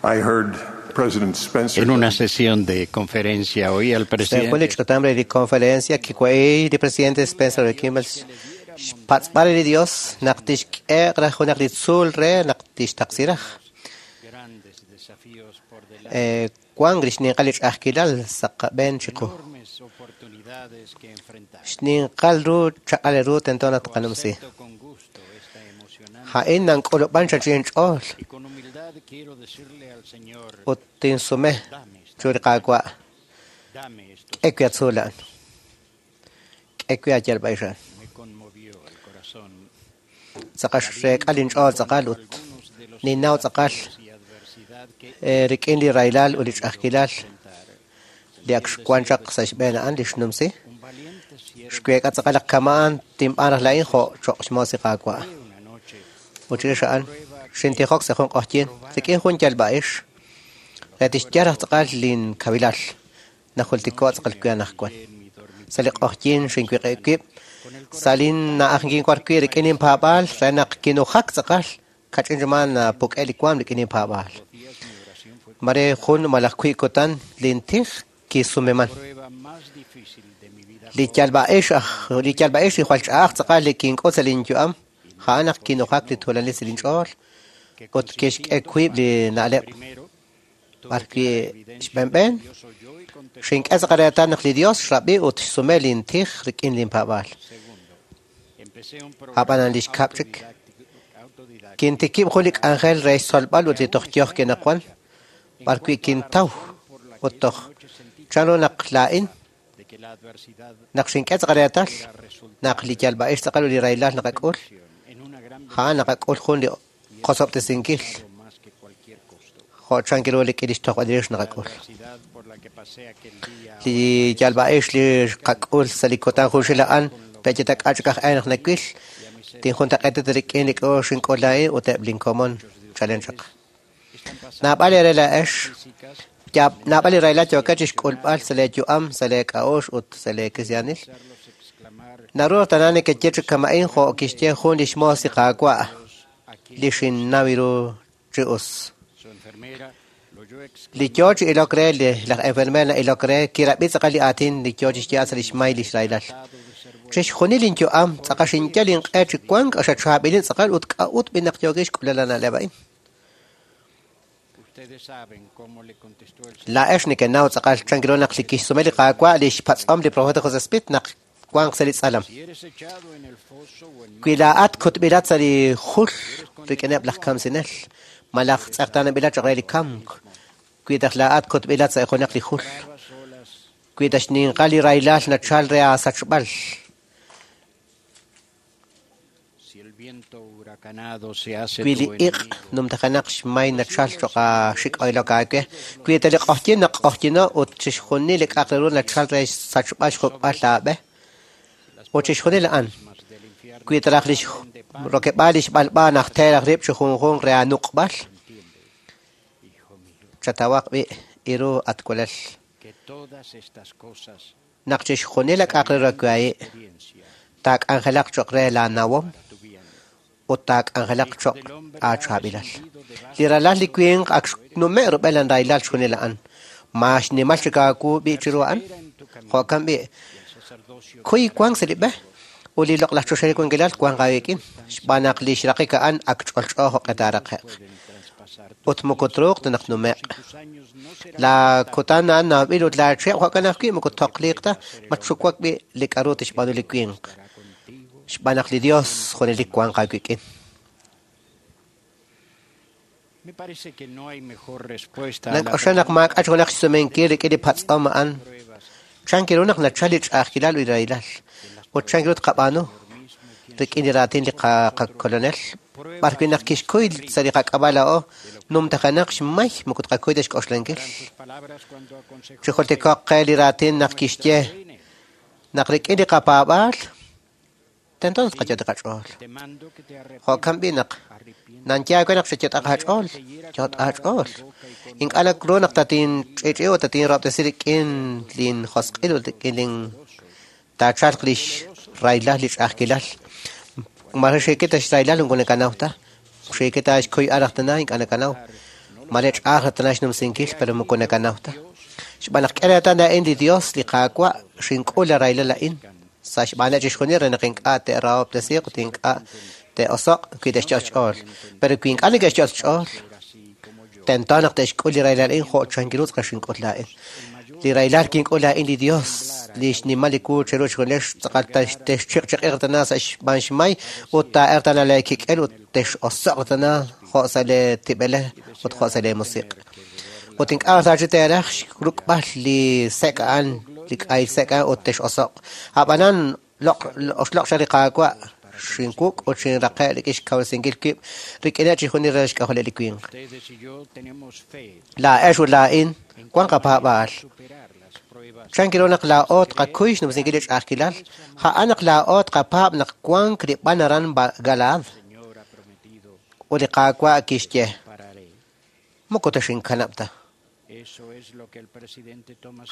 I heard President Spencer En una sesión de conferencia oí al Sa jun li presidente ch'utam re li conferencia kiwa'ey li presidente Spencer W. Kimball xpatz'b'al li Dios naq tixk'e raj junaq li tzuul re naq tixtaqsi raj. grandes desafíos por delante, Wan li xninqal li ch'a'ajkilal sa' qab'een chiqu. enormes oportunidades que enfrentar. Xninqal ru chaq'al ru tento naq tqanumsi. Acepto con gusto esta emocionante Ha'in nank'ulub'an chachin ch'ool y con humildad quiero decirle al Señor, ut tinsume chu li Qaawa' dame estos. k'e wi atzuul a'an. K'e wi ayalb'a'ix a'an. Me conmovió el corazón Tz'aqal xreek'al inch'ool tz'aqal ut ninnaw tz'aqal y adversidad que rik'in li rahilal ut li ch'a'ajkilal li ak xwan chaq sa' xb'een a'an li xnumsi. un valiente siervo Xweek'a tz'aqal naq kama'an tinb'aan raj la'in jo' choq' xmoos li Qaawa'. una noche Ut chirix a'an xintijok sa' jun q'oqyin rik'in jun yalb'a'ix re tixyal raj tz'aqal linkawilal najultiko' tz'aqal wi anaqwan. en mi dormitorio Sa' li q'oqyin xinwiq'ib' wib' sa' lin na'aj kinwar wi' rik'in inpaab'aal re naq kinujak tz'aqal kach'in riman puk'e li waam rik'in inpaab'aal. días mi oración fue Mare jun malaj wi' kutan lintij kisumeman. prueba más difícil de mi vida Li yalb'a'ix aj li yalb'a'ix li jwal ch'a'aj tz'aqal li kink'ut sa' linyu'am ja'an naq kinujak li tuulanil sa' linch'ool que ut kixk'e consintiendo wiib' li na'leb' primero tuve b'ar clara wi' evidencia xb'enb'en que Dios oyó y contestó xink'e tz'aqal reetal naq li Dios xrab'i ut xsume lintij rik'in linpaab'aal. segundo empecé un Ab'anan programa li xkab' chik autodidáctico autodidacta kintikib' jun li k'anjel re xtzolb'al ut li toj yoj kinaqwan b'ar wi' encuentro la kintaw razón por la ut que toj esa noche sentí chanru naq laa'in de que la adversidad naq xink'e tz'aqal reetal era resultado naq li yalb'a'ix tz'aqal ut li rahilal naqak'ul en una gran ja'an naqak'ul jun li qosob'tesinkil más que cualquier costo. jo' chan kiru li k'ilix tojb'alirix La naqak'ul. adversidad por la que pasé aquel día Li yalb'a'ix li qak'ul sa' li kutan junxil a'an pe'chitak'a chik aj ee naq nawil tinjuntaq'eetit rik'in li k'o xink'ul laa'in ut eb' linkomon chalen chaq. están pasando Naab'al eere laa'ex físicas naab'al li rahilal yookat chixk'ulb'al sa' leeyu'am sa' leek'a'uxl ut sa' leekrisyaanil. hacerlos exclamar Naru tana nekeye chi kama'in jo' kixye jun li xmoos li Qaawa' aquí li xinnaw ru chi us. su enfermera lo oyó Li yoo chi ilok re li laj enfermer na'ilok re kirab'i tz'aqal li aatin li yoo chixye'al sa' li xmay li xrahilal. de ser bueno Chixjunil linyu'am tz'aqal xinyal inq'e chi wank xachaab'ilin tz'aqal ut k'a'ut b'inaq yookin xk'ulal na'leb' a'in. ustedes saben cómo le contestó el Señor Laa'ex nekenaw tz'aqal chan kiru naq li kixsume li Qaawa' li xpatz'om li profeta José Smith naq wanq sa' li tz'alam. si eres echado en el foso o en Wi laa'at kutb'ilat sa' li jul rik'ineb' laj kamsinel malaj tz'eqtaanab'ilat choq' re li kamk. Wi taj laa'at kutb'ilat sa' junaq li jul. bravas olas Wi taj xninqal li rahilal nachal re aasachb'al. si el viento huracanado se hace Wi li tu iq' enemigo numtajanaq xmay nachal choq' xik'oylok aawe. Wi ta li q'oqyin naq'oqyino ut chixjunil li k'a'aq re ru nachal re xsachb'al xjuk'b'al laab'e. Ut chixjunil a'an. más del infierno Wi taraj li rokeb'al li xb'alb'a naq teeraj rib' chi junjunq re anuq'b'al. entiende hijo mío Chatawaq b'i iru atwalal. que todas estas cosas Naq chixjunil li k'a'aq re ru awe experiencia taak'anjelaq choq' re laanawom para tu bien ut taak'anjelaq Hijo choq' del hombre ha aachaab'ilal. descendido de Li ralal li winq ak xnume' rub'el anraylal xjunil a'an. Ma xnimal chik aawu b'i chiru a'an. espera en tu camino Jo'kan b'i y el sacerdocio kuy wank sa' li b'e ut li loq'laj choxahil wankilal wank aawik'in xb'aan naq li xraqik a'an ak ch'olch'o jo'q'e taaraqe'q pueden traspasar ut moko truuq ta naq nume'q. y tus años no serán La kutan a'an nawb'il ut laa chihab' jo'kan ajwi' moko toqliiq ta matxuwak b'i li k'a'ru tixb'aanu li winq estará contigo xb'aan naq li Dios junelik wanq aawik'in. Nank'oxla naq maak'a' junaq xsumenkil rik'in li patz'om a'an. Chan ru naq nachal li ch'a'ajkilal ut li rahilal, ut chan ru tqab'aanu rik'in li raatin li qakolonel, b'ar wi' naq kixkuy sa' li qak'ab'a' laa'o numtajenaq xmay moko tqakuy ta xk'oxlankil. Chijultiko'q qe li raatin naq kixye naq rik'in li qapaab'aal tento naq tqayot' qach'ool. Jo'kan b'i' naq nanye aawe naq xayot'aq aach'ool, yot' aach'ool. Ink'a' nak ru naq tatinch'i'ch'i ut tatinrahob'tesi rik'in linjosq'il ut rik'in lin taachalq lix rahilal li ch'a'ajkilal. Mare xiikita xrahilal moko nakanaw ta. Xiikita xkuyb'al raj tana ink'a' nakanaw. Mare ch'a'aj raj tana xnumsinkil pero moko nakanaw ta. Xb'aan naq k'e reetal a'in li Dios li Qaawa' xink'ul la rahilal a'in. Sa' xb'aaneb' chixjunil re naq ink'a' te'rahob'tesiiq ut ink'a' te'oso'q wi te'xyot' xch'ool. Pero wi ink'a' neke'xyot' xch'ool, tento naq te'xk'ul li rahilal a'in jo' chan ru tz'aqal xink'ul laa'in. Li rahilal kink'ul laa'in li Dios, li xnimal li wu cheru chixjunilex tz'aqal texchiq'chiq'iq tana sa' xb'aan xmay ut taa'er tana lee kik'el ut tex'oso'q tana jo' sa' lee tib'elej ut jo' sa' lee musiq'. Ut ink'a' sa' chi teeraj xruk'b'al li sek' a'an, li k'ahil sek' a'an ut tex'oso'q. A'b'anan oxloq' xaq li Qaawa' xinwuk' ut xinraqe' rik'in xkawresinkil wib' rik'ineb' chixjunil re xk'ajoleb' li winq. Laa'ex ut laa'in wan qapaab'aal. Chan ru naq laa'o tqakuy xnumsinkil li ch'a'ajkilal, a'an naq laa'o tqapaab' naq wank li b'an aran Galaad. Ut li Qaawa' kixye, moko taxinkanab' ta.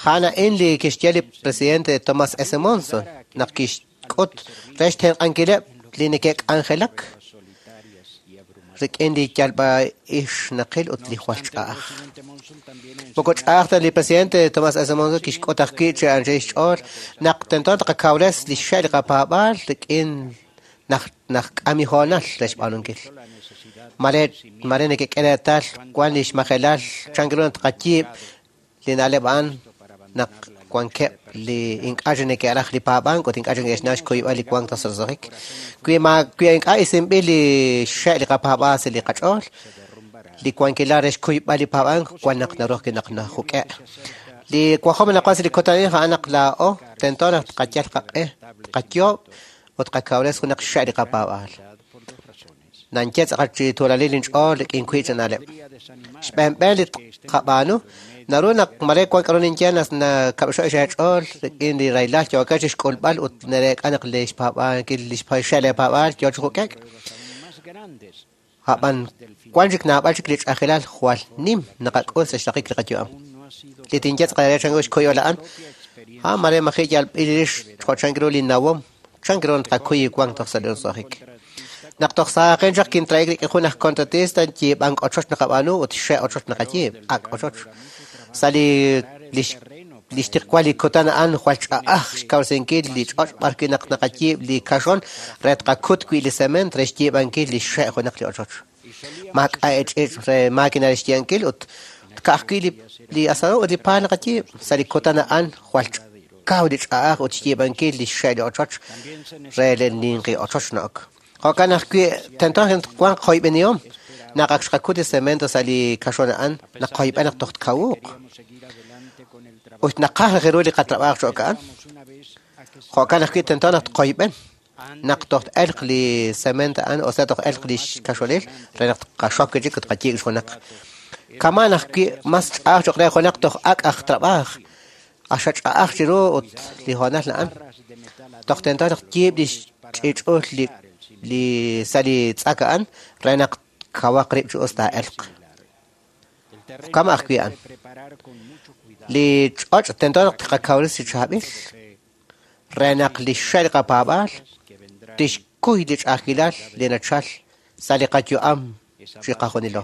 A'an a'in li kixye li presidente Thomas S. Monson naq kixk'ut re xtenq'ankileb' li neke'k'anjelak rik'in li yalb'a'ixnaqil ut li jwal ch'a'aj. Moko ch'a'aj ta li presidente Thomas S. Monson kixk'ut ajwi' chi anchal xch'ool naq tento tqakawres li xxe' li qapaab'aal rik'in naq k'am hoonal re xb'aanunkil. Mare neke'k'e reetal wan li xmajelal chan ru naq tqayiib' li na'leb' a'an naq wankeb' li ink'a' chi neke'raj li paab'ank ut ink'a' chi neke'xnaw xkuyb'al li wank toj sa' Wi ink'a' isinb'il li xxe' li qapaab'aal sa' li qach'ool, li wankilal re xkuyb'al li paab'ank wan naq naru ajwi' naq najuk'e'. Li wajom naqwan sa' li kutan a'in a'an naq laa'o tento naq tqayal qaq'e, tqayoob' ut tqakawres junaq xxe' li qapaab'aal. Nanye tz'aqal chi tuulalil inch'ool rik'in wiib' chi na'leb'. Xb'eenb'een li tqab'aanu, naru naq mare wan k'aru ninye nakab'xo' xeech'ool rik'in li rahilal yookeb' chi xk'ulb'al ut nareek'a naq li xpaab'ankil li xxe' leepaab'aal yoo chi juk'ek'. A'b'an wan chik naab'al chik li ch'a'ajkilal jwal nim naqak'ul sa' xraqik li qayu'am. Li tinye tz'aqal re chan ru xkuyb'al a'an, a'an mare maji' yalb'il rix jo' chan ru li nawom, chan ru tqakuy wank toj sa' li roso'jik. Naq toj saaqin chaq kintra'ik rik'in jun aj contratista yiib'ank ochoch naqab'aanu ut xe' ochoch naqayiib', ak' ochoch. Sa' li xtiqwal li kutan a'an jwal ch'a'aj xkawresinkil li ch'och' b'ar wi' naq naqayiib' li kaxon re tqakut wi' li cement re xyiib'ankil li xe' junaq li ochoch. Maak'a' ch'iich' re máquina re xyiib'ankil ut ka'ajwi' li asador ut li paal naqayiib'. Sa' li kutan a'an jwal kaw li ch'a'aj ut xyiib'ankil li xe' li ochoch re li ninqi ochoch na'ok. Jo'kan ajwi' tento wanq qoyb'enihom naq ak xqakut li cemento sa' li kaxon a'an naq qoyb'en naq toj tkawuuq. Ut naqaj raj ru li qatrab'aaj cho'q a'an. Jo'kan ajwi' tento naq tqoyb'en naq toj t-elq li cemento a'an o sea toj elq li xkaxonil re naq tqaxok chik ut tqayiib' junaq. Kaman ajwi' mas ch'a'aj cho'q re junaq toj ak' aj trab'aaj. Axa ch'a'aj chiru ut li hoonal a'an. Toj tento naq tyiib' li xch'ich'ul li sa' li tz'ak a'an re naq kawaq rib' chi us taa'elq. Kama ajwi' a'an. Li ch'och' tento naq tqakawres chi chaab'il re naq li xxe' li qapaab'aal tixkuy li ch'a'ajkilal li nachal sa' li qayu'am chi qajunilo.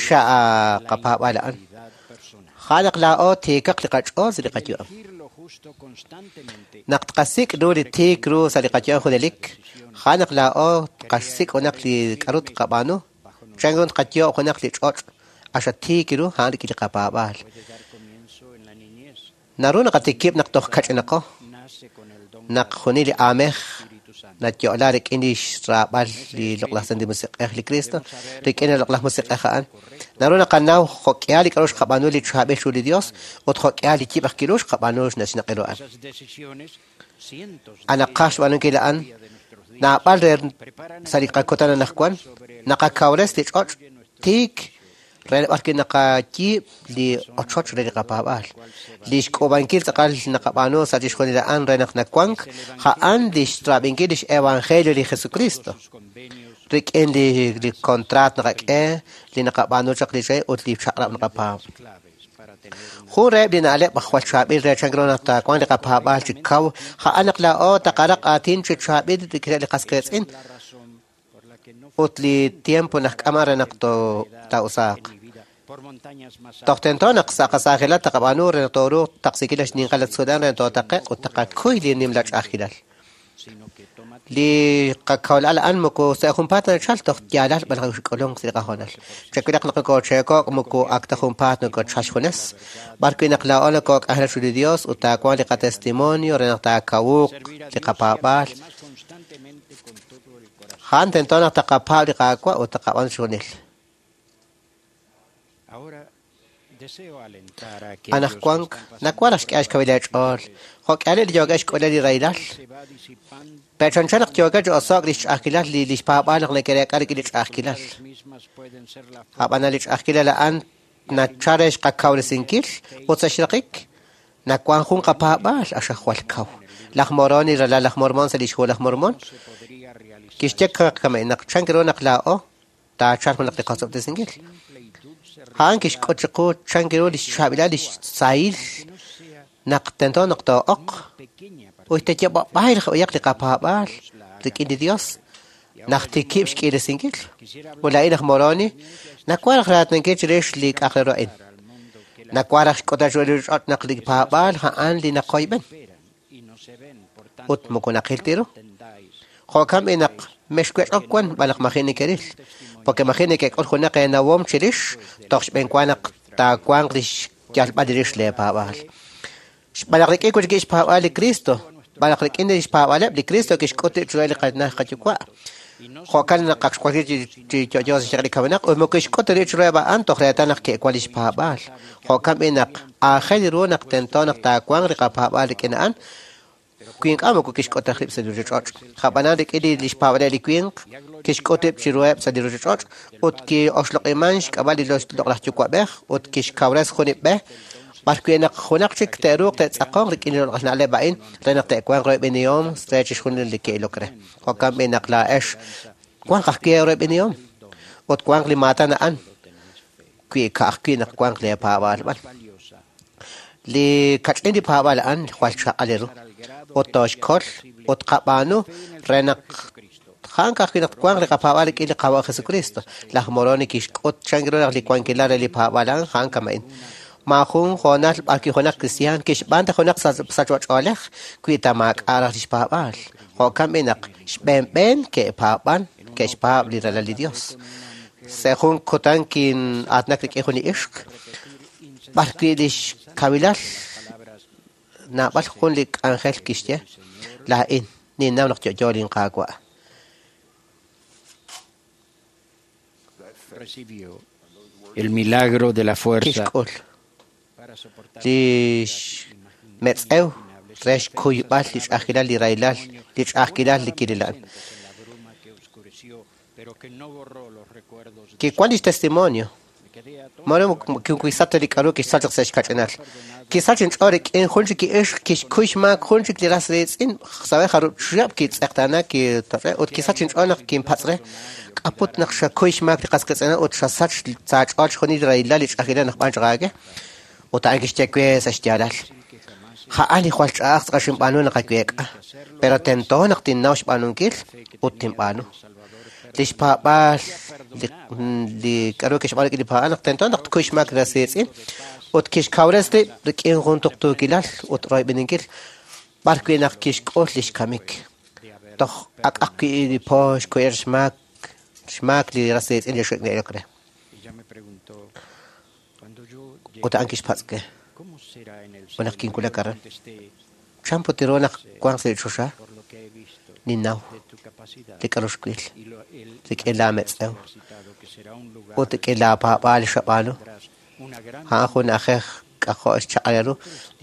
Xa' qapaab'aal a'an. A'an naq laa'o tiikaq li qach'ool sa' li qayu'am. Naq tqasik' ru li tiik ru sa' li qayu'am junelik, a'an naq laa'o tqasik' junaq li k'aru tqab'aanu, chan ru tqayoob' junaq li ch'och' axa tiik ru a'an rik'in li qapaab'aal. Naru naqatikib' naq toj kach'inaqo, naq juni li aamej Nayo'la rik'in li xraab'al li loq'laj Santil Musiq'ej li Cristo, rik'in li loq'laj Musiq'ej a'an. Naru naqanaw jo'k'ihal li k'a'ru xqab'aanu li chaab'il chiru li Dios ut jo'k'ihal li yib' aj kiru xqab'aanu xnaq'iru a'an. Anaqaj xb'aanunkil a'an naab'al re sa' li qakutan anaqwan naqakawres li ch'och' tiik re b'arwi' naqayiib' li ochoch re li qapaab'aal. Li xk'uub'ankil tz'aqal naqab'aanu sa' chixjunil a'an re naq nawank, a'an li xraab'inkil lix evangelio li Jesucristo. Rik'in li kontraat naqak'e, li naqab'aanu chaq li re ut li chaq'rab' naqapaab'. Jun reheb' li na'leb' jwal chaab'il re chan ru naq taawanq li qapaab'aal chi kaw, a'an naq laa'o taqaraq aatin chi chaab'il rik'ineb' li qas qiitz'in ut li tiempo naqk'ama re naq taa'usaaq. Toj tento naq sa' qasaajilal taqab'aanu re naq tooruuq taqsinkil xninqal tzulan re tootaqe'q ut taqakuy li nimla ch'a'ajkilal. Li qakawlal a'an moko sa' junpaat nachal toj yaalal b'an xk'ulunk sa' li qahoonal. Chawilaq naq nokoocheeko'k moko ak ta junpaat nokochal xjunes. B'arwi' naq laa'o nokook'anjelak chiru li Dios ut taawanq li qatestimonio re naq taakawuuq li qapaab'aal. A'an tento naq taqapaab' li Qaawa' ut taqab'aanu chixjunil. Anaqwan nawaj naq xk'e xkawil eech'ool. Jo'k'ihal li yookeb' xk'uleb' li rahilal. Pero chanchan naq yookeb' chi oso'k li xch'a'ajkilal li xpaab'aal naq neke'reek'a rik'in li ch'a'ajkilal. Ab'anan li ch'a'ajkilal a'an nachal re xqakawresinkil ut sa' xraqik nawank jun qapaab'aal axaj jwal kaw. Laj Moroni ralal laj Mormon sa' lix hu laj Mormon kixye kame naq chan ru naq laa'o taachalq junaq li qosob'tesinkil. A'an kixk'ut chiqu chan ru li xchaab'ilal li xsahil naq tento naq too'oq ut teyeb'ab'ay raj'uyaq li qapaab'aal rik'in li Dios naq tikib' xk'iiresinkil. Ut laa'in aj Moroni nawaj raj raatinankil chirix li k'a'aq re ru a'in. Nawaj raj xk'utb'al chiru li ruchich'och' naq li paab'aal a'an li naqoyb'en ut moko naqil ta ru. Jo'kan b'i naq mexwech'ok wan b'an naq maji' nekeril, porque maji' nekek'ul junaq eenawom chirix toj xb'eenwa naq taawanq li xyalb'al rix leepaab'aal. Xb'aan naq rik'in wi' xpaab'aal li Cristo, b'an naq rik'in li xpaab'aaleb' li Cristo kixk'ut rib' chiru li qanaj qayuwa'. Jo'kan naq ak xwakli chi yo'yo sa' xyanq li kamenaq ut moko kixk'ut rib' chiruheb' a'an toj reetal naq ke'wan li xpaab'aal. Jo'kan b'i naq aajel ru naq tento naq taawanq li qapaab'aal rik'in a'an, wi ink'a' moko kixk'ut rib' sa' li ruchich'och'. Ab'anan rik'in li xpaab'aaleb' li winq kixk'ut rib' chiruheb' sa' li ruchich'och' ut ki'oxloq'iman xk'ab'a' li loq'laj yuwa'b'ej ut kixkawres jun li b'e b'arwi' naq junaq chik te'ruuq te'tz'aqonq rik'in li loq'laj na'leb' a'in re naq te'wanq royb'enihom re chixjunil li ke'ilok re. Jo'kan b'i naq laa'ex wanq ajwi' eeroyb'enihom ut wanq li maatan a'an wi ka'ajwi' naq wanq leepaab'aal b'an. Li kach'in li paab'aal a'an jwal chaq'al ru ut tooxkol ut qab'aanu re naq a'an ka'ajwi' naq wanq li qapaab'aal rik'in li Qaawa' Jesucristo. Laj Moroni kixk'ut chan ru naq li wankilal re li paab'aal a'an a'an kama'in. Maajun hoonal b'arwi' junaq kristiaan kixb'aan ta junaq sachb'ach'oolej wi ta maak'a' raj li xpaab'aal. Jo'kan b'i naq xb'eenb'een ke'paab'an ke'xpaab' li ralal li Dios. Sa' jun kutan kin'aatinak rik'in jun li ixq b'arwi' li xkawilal naab'al jun li k'anjel kixye laa'in ninnaw naq yo'yo linqaawa'. El milagro de la fuerza Kixk'ul li xmetz'ew re xkuyb'al li ch'a'ajkilal li rahilal li ch'a'ajkilal li kiril a'an. Kiwan lix testimonio. Mare kiwisat li k'a'ru kixsach chaq sa' xkach'inal. Kisach inch'ool rik'in jun chik ixq kixkuy xmaak jun chik li ras riitz'in sawe jarub' chihab' kitz'eqtaana kitoch'e ut kisach inch'ool naq kinpatz' re k'aput naq xakuy xmaak li qas qiitz'in ut xasach sa' ch'ool chixjunil li rahilal li ch'a'ajkilal naq b'an chaq aage. Ut a'an kixye we sa' xyaalal. A'an li jwal ch'a'aj tz'aqal xinb'aanu naq aweek'a, pero tento naq tinnaw xb'aanunkil ut tinb'aanu. Li xpaab'aal li k'a'ru kixb'aanu rik'in li paab'aal naq tento naq tkuy xmaak li ras riitz'in ut kixkawres rib' rik'in jun tuqtuukilal ut royb'eninkil b'arwi' naq kixk'ul li xkamik. Toj ak'aq wi' li po xkuyer xmaak li ras riitz'in li xe'ilok re. Ut a'an kixpatz' we ut naq kinwulak aran. Chan put ru naq wanq sa' li choxa? Ninnaw li k'aru xwil rik'in laametz'ew ut rik'in laapaab'aal li xab'aanu. A'an jun na'ajej k'ajo' xchaq'al ru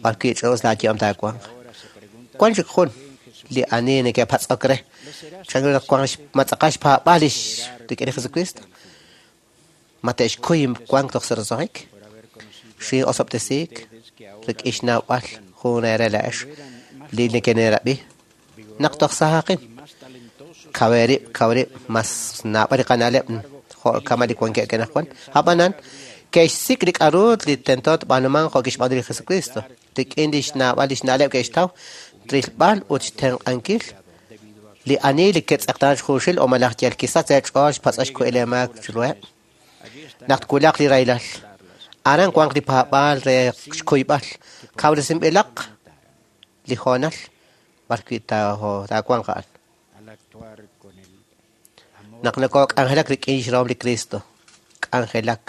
b'arwi' ch'a'us laayu'am taawanq. Wan chik jun li ani neke'patz'ok re chan ru naq wanq ma tz'aqal xpaab'aal lix rik'in li Jesucristo, ma te'xkuy wank toj sa' roso'jik, xin'osob'tesiik rik'in xnawb'al jun eere laa'ex li neke'nerab'i naq toj sahaqin. Kaw rib', mas naab'al li qana'leb' jo' kama' li wankeb' anaqwan. Ab'anan, ke'xsik' li k'aru li tento tb'aanumanq jo' kixb'aanu li Jesucristo. Rik'in lix naab'al lix na'leb' ke'xtaw rilb'al ut xtenq'ankil li ani li ke'tz'eqtaana xjuxil o malaj yal kisach sa' xch'ool xpatz'ox xkuhil eemaak chiruheb'. Naq twulaq li rahilal, aran wanq li paab'aal re xkuyb'al. Kawresinb'ilaq li hoonal b'arwi' taawanq a'an. Naq nokok'anjelak rik'in xrahom li Cristo, k'anjelak.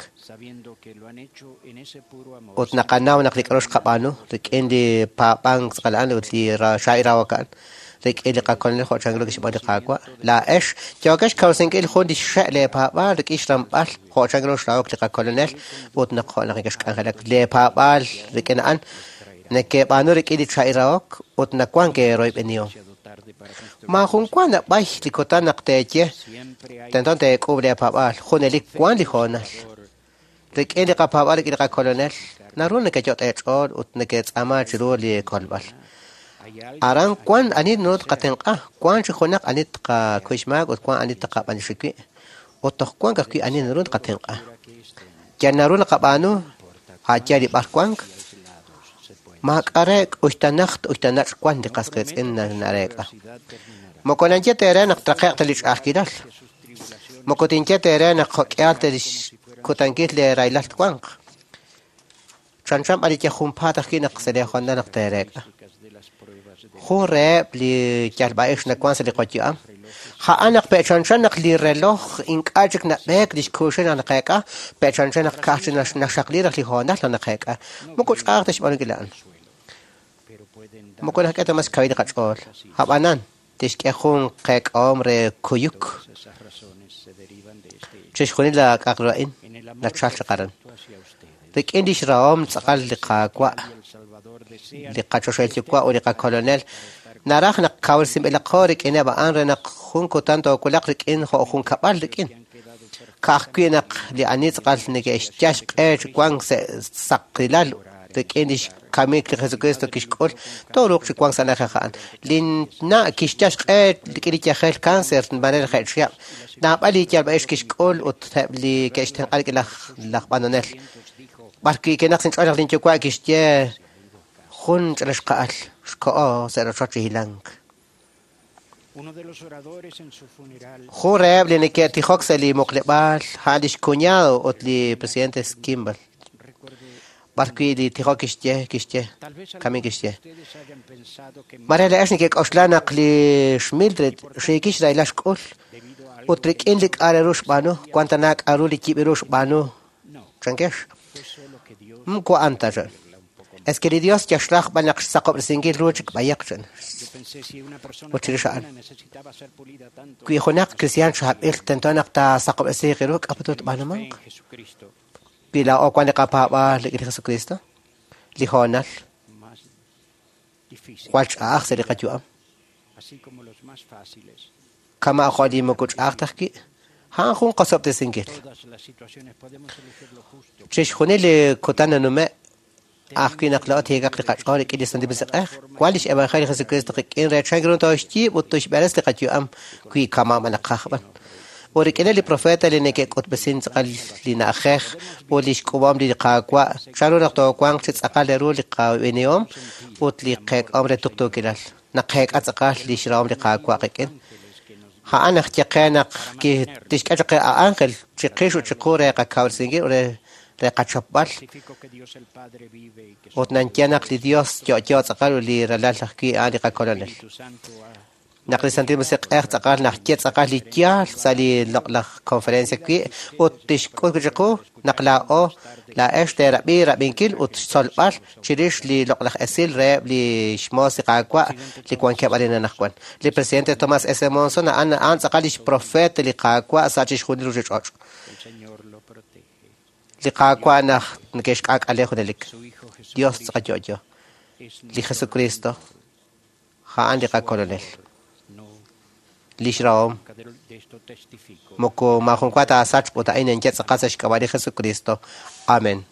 Ut naqanaw naq li k'aru xqab'aanu rik'in li paab'ank tz'aqal a'an ut li xa'irawok a'an rik'in li qakolonel jo' chanru kixb'aanu li Qaawa'. Laa'ex yookex xkawresinkil jun li xxe' leepaab'aal rik'in xramb'al jo' chanru xrahok li qakolonel ut naq jo' naq nekexk'anjelak leepaab'aal rik'in a'an neke'b'aanu rik'in li cha'irahok ut nawank eeroyb'enihom. Maajun wa nab'ay li kutan naq teeye tento teek'uub' leepaab'aal, junelik wank li hoonal. Rik'in li qapaab'aal rik'in li qakolonel naru nekeyot' eech'ool ut neketz'aama chiru li kolb'al. Aran wank ani naru tqatenq'a, wank chi junaq ani tqakuy xmaak ut wank ani tqab'anixi wi', ut toj wank ajwi' ani naru tqatenq'a. Yal naru naqab'aanu a' yaal li b'ar wank, maak'a' re uxtanajt uxtanach' wank li qas qiitz'in nareek'a. Moko nanye ta eere naq traqe'q ta li ch'a'ajkilal. Moko tinye ta eere naq jo'k'ihal ta lix kutankil li rahilal twanq. Chanchan b'an li yal junpaat ajwi' naq sa' li hoonal naq teereek'a. Jun reheb' li yalb'a'ix nawank sa' li qayu'am, a'an naq pe'chanchan naq li reloj ink'a' chik nab'eek li xkuuxil naq naqeek'a, pe'chanchan naq ka'aj chik naxaqli raj li hoonal naq naqeek'a. Moko ch'a'aj ta xb'aanunkil a'an. Moko naxk'e ta mas xkawil li qach'ool. Ab'anan, tixk'e jun qeek'ahom re kuyuk. Chixjunil la k'a'aq ru a'in nachal chaq aran. Rik'in lix rahom tz'aqal li Qaawa', li qachoxahil Yuwa' ut li qakolonel, naraj naq kawresinb'ilaqo rik'ineb' a'an re naq jun kutan toowulaq rik'in jo' jun kab'al rik'in. Ka'ajwi' naq li ani tz'aqal neke'xyal xq'e chi wank sa' saqilal rik'in lix kamik li Jesucristo kixk'ul, tooruuq chi wank sa' na'ajej a'an. Linna' kixyal xq'e rik'in li yajel cáncer nb'anel je' chihab'. Naab'al li yalb'a'ix kixk'ul ut eb' li ke'xtenq'a rik'in laj b'anonel. B'arwi' kinaq sa' inch'ool naq linyuwa' kixye jun ch'ina xqa'al xko'o sa' rochoch chi hilank. Jun reheb' li neke'tijok sa' li muqleb'aal a'an lix cuñado ut li presidente Kimball. B'arwi' li tijok kixye, kamin kixye. Mare laa'ex neke'k'oxla naq li xMildred xiikil xrahilal xk'ul ut rik'in li k'a' re ru xb'aanu, wank tana k'aru li yib' ru xb'aanu, chankex. Moko a'an ta chan. Es que li Dios yaxraj b'an naq xsaqob'resinkil ru chik b'ayaq chan. Ut chirix a'an. Wi junaq kristiaan chaab'il tento naq taasaqob'resiiq ru k'a' put tb'aanumanq. Wi laa'o wank li qapaab'aal rik'in li Jesucristo, li hoonal jwal ch'a'aj sa' li qayu'am. Kama' jo' li moko ch'a'aj ta ajwi', a'an jun qosob'tesinkil. Chixjunil li kutan nanume' ajwi' naq laa'o tiikaq li qach'ool rik'in li Santil Musiq'ej, wank lix Evangelio li Jesucristo qik'in re chan ru tooxyiib' ut toxb'eres li qayu'am wi kama' naqaj b'an. Ut rik'ineb' li profeta li neke'k'utb'esin tz'aqal li na'ajej ut lix k'uub'ahom li Qaawa', chan ru naq toowanq chi tz'aqal ru li qab'inihom ut li qeek'ahom re tuqtuukilal. Naqeek'a tz'aqal lix rahom li Qaawa' qik'in. A'an naq ye qe naq tixk'e chaq qe a ángel chiqix ut chiqu re qakawresinkil ut re qachapb'al. Ut nanye naq li Dios yo'yo tz'aqal ut li ralal ajwi' a'an li qakolonel. Naq li Santil Musiq'ej tz'aqal naq ye tz'aqal li yaal sa' li loq'laj conferencia wi' ut tixk'ut chiqu naq laa'o laa'ex teerab'i rab'inkil ut xtzolb'al chirix li loq'laj esil reheb' li xmoos li Qaawa' li wankeb' arin anaqwan. Li presidente Thomas S. Monson a'an a'an tz'aqal lix profeet li Qaawa' sa' chixjunil ruchich'och'. Li Qaawa' naq neke'xk'aak'ale junelik. Dios tz'aqal yo'yo. Li Jesucristo a'an li qakolonel. Lix rahom moko maajun wa taasachq ut a'in ninye tz'aqal sa' xk'ab'a' li Jesucristo. Amen.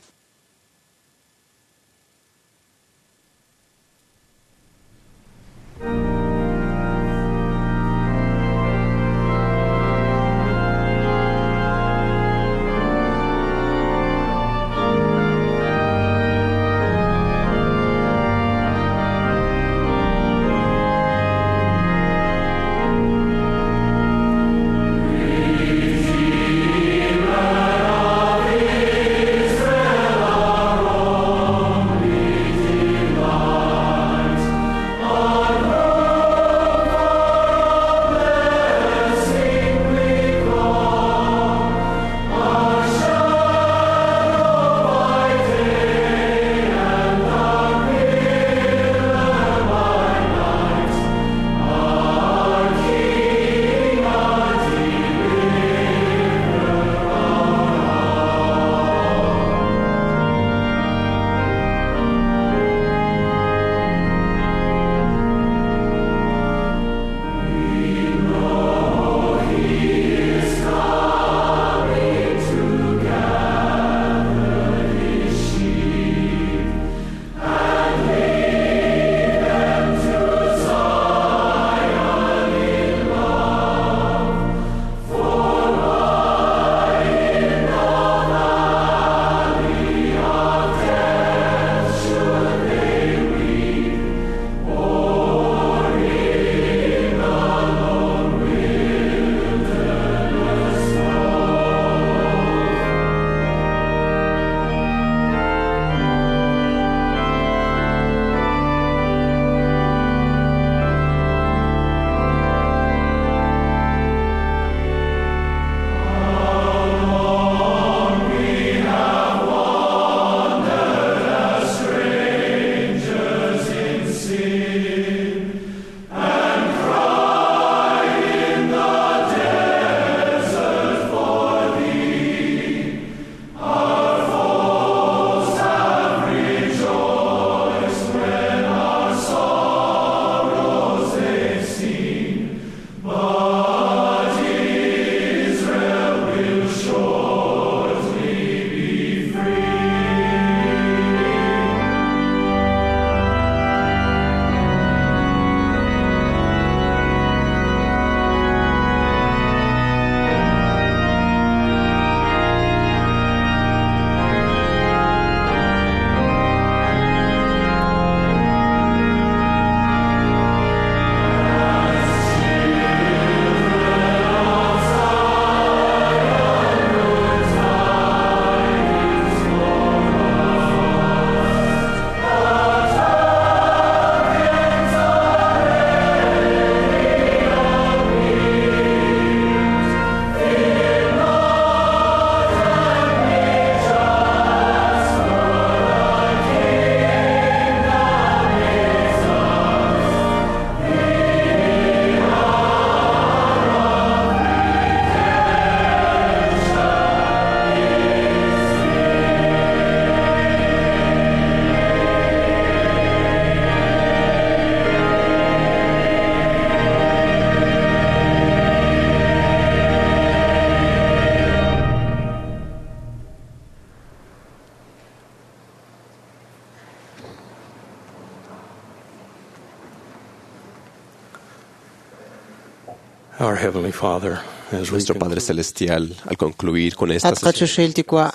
Our Heavenly Father, as we Nuestro Padre Celestial, al concluir con esta At sesión, qachoxil Yuwa'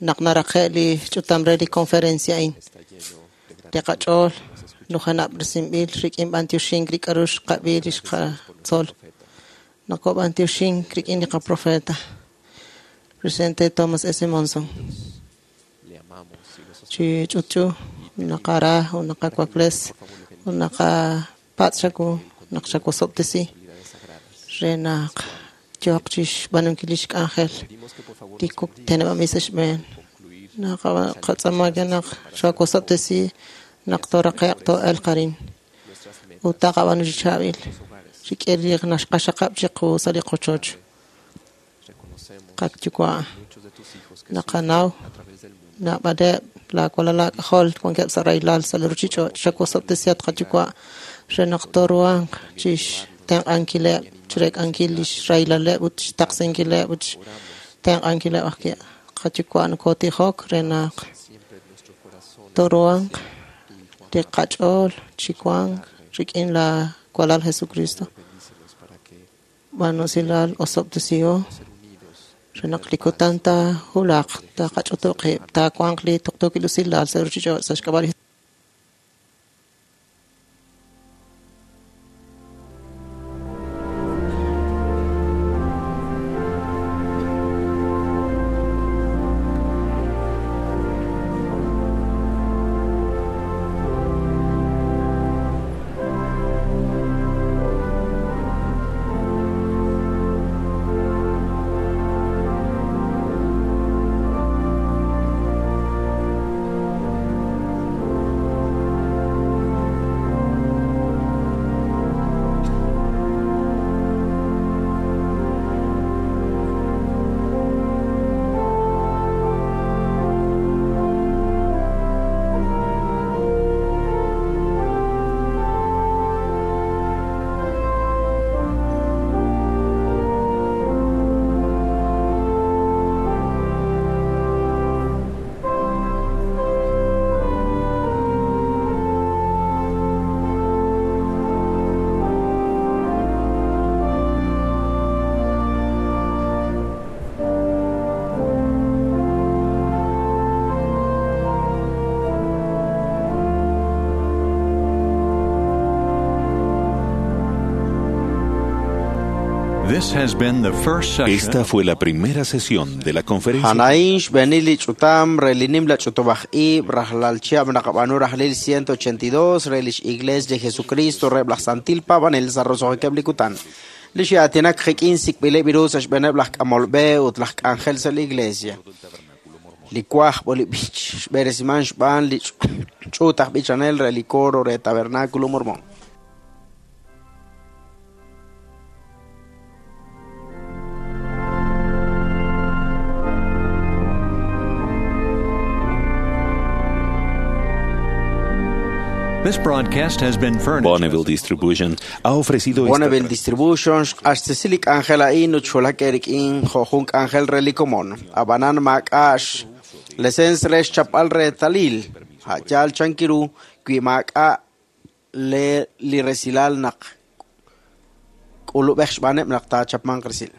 naq naraqe' li ch'utam re li conferencia a'in. Li qach'ool nujanab'resinb'il rik'in b'antioxink li k'a'ru xqab'i li xqatzol. Naqob'antioxink rik'in li qaprofeta. Presidente Thomas S. Monson. Chi ch'utch'u naqara u naqakwakles u naqapatz' xaku naq xawosob'tesi re naq yooq chixb'aanunkil lix k'anjel li teneb'anb'il sa' xb'een. Naqatz'aama naq xawosob'tesi naq tooraqe'q too'elq arin ut taqab'aanu chi chaab'il rik'in li naxqaxaqab' chiqu sa' li qochoch. Qayuwa' naqanaw naab'aleb' laawalal laak'ajol wankeb' sa' rahilal sa' li ruuchich'och' xawosob'tesi at qayuwa' re naq tooruhanq chixtenq'ankileb' chireek'ankil lix rahilaleb' ut xtaqsinkileb' ut xtenq'ankileb' ajwi'. Qayuwa' nokotijok re naq tooruhanq li qach'ool chi wank rik'in laawalal Jesucristo. B'aanu usilal osob'tesiho re naq li kutan taahulaq taqach'utuq qib' taawanq li tuqtuukil usilal sa' ruuchich'och' sa' xk'ab'a' li Esta fue la primera sesión de la conferencia. A'an xb'eenil li ch'utam re li nimla ch'utub'aj ib' rajlal chihab' naqab'aanu rajlil 182 re lix Iglesia de Jesucristo reheb' laj Santil Paab'anel sa' roso'jikeb' li kutan. Li xe'aatinak qik'in sik'b'ileb' ru sa' xb'eeneb' laj k'amol b'e ut laj k'anjel sa' li Iglesia. Li wajb' ut li b'ich xb'eresiman xb'aan li ch'uut aj b'ichanel re li coro re Tabernáculo Mormón. This broadcast has been furnished. Bonneville Distribution ha ofrecido esta Bonneville Distribution xq'axtesi li k'anjel a'in ut xwulak rik'in jo' jun k'anjel re li komon. Ab'anan maak'a' lesens re xchapb'al reetalil a' yaal chankiru wi maak'a' li resilal naq k'ulub'ej xb'aaneb' naq taachapmanq resil.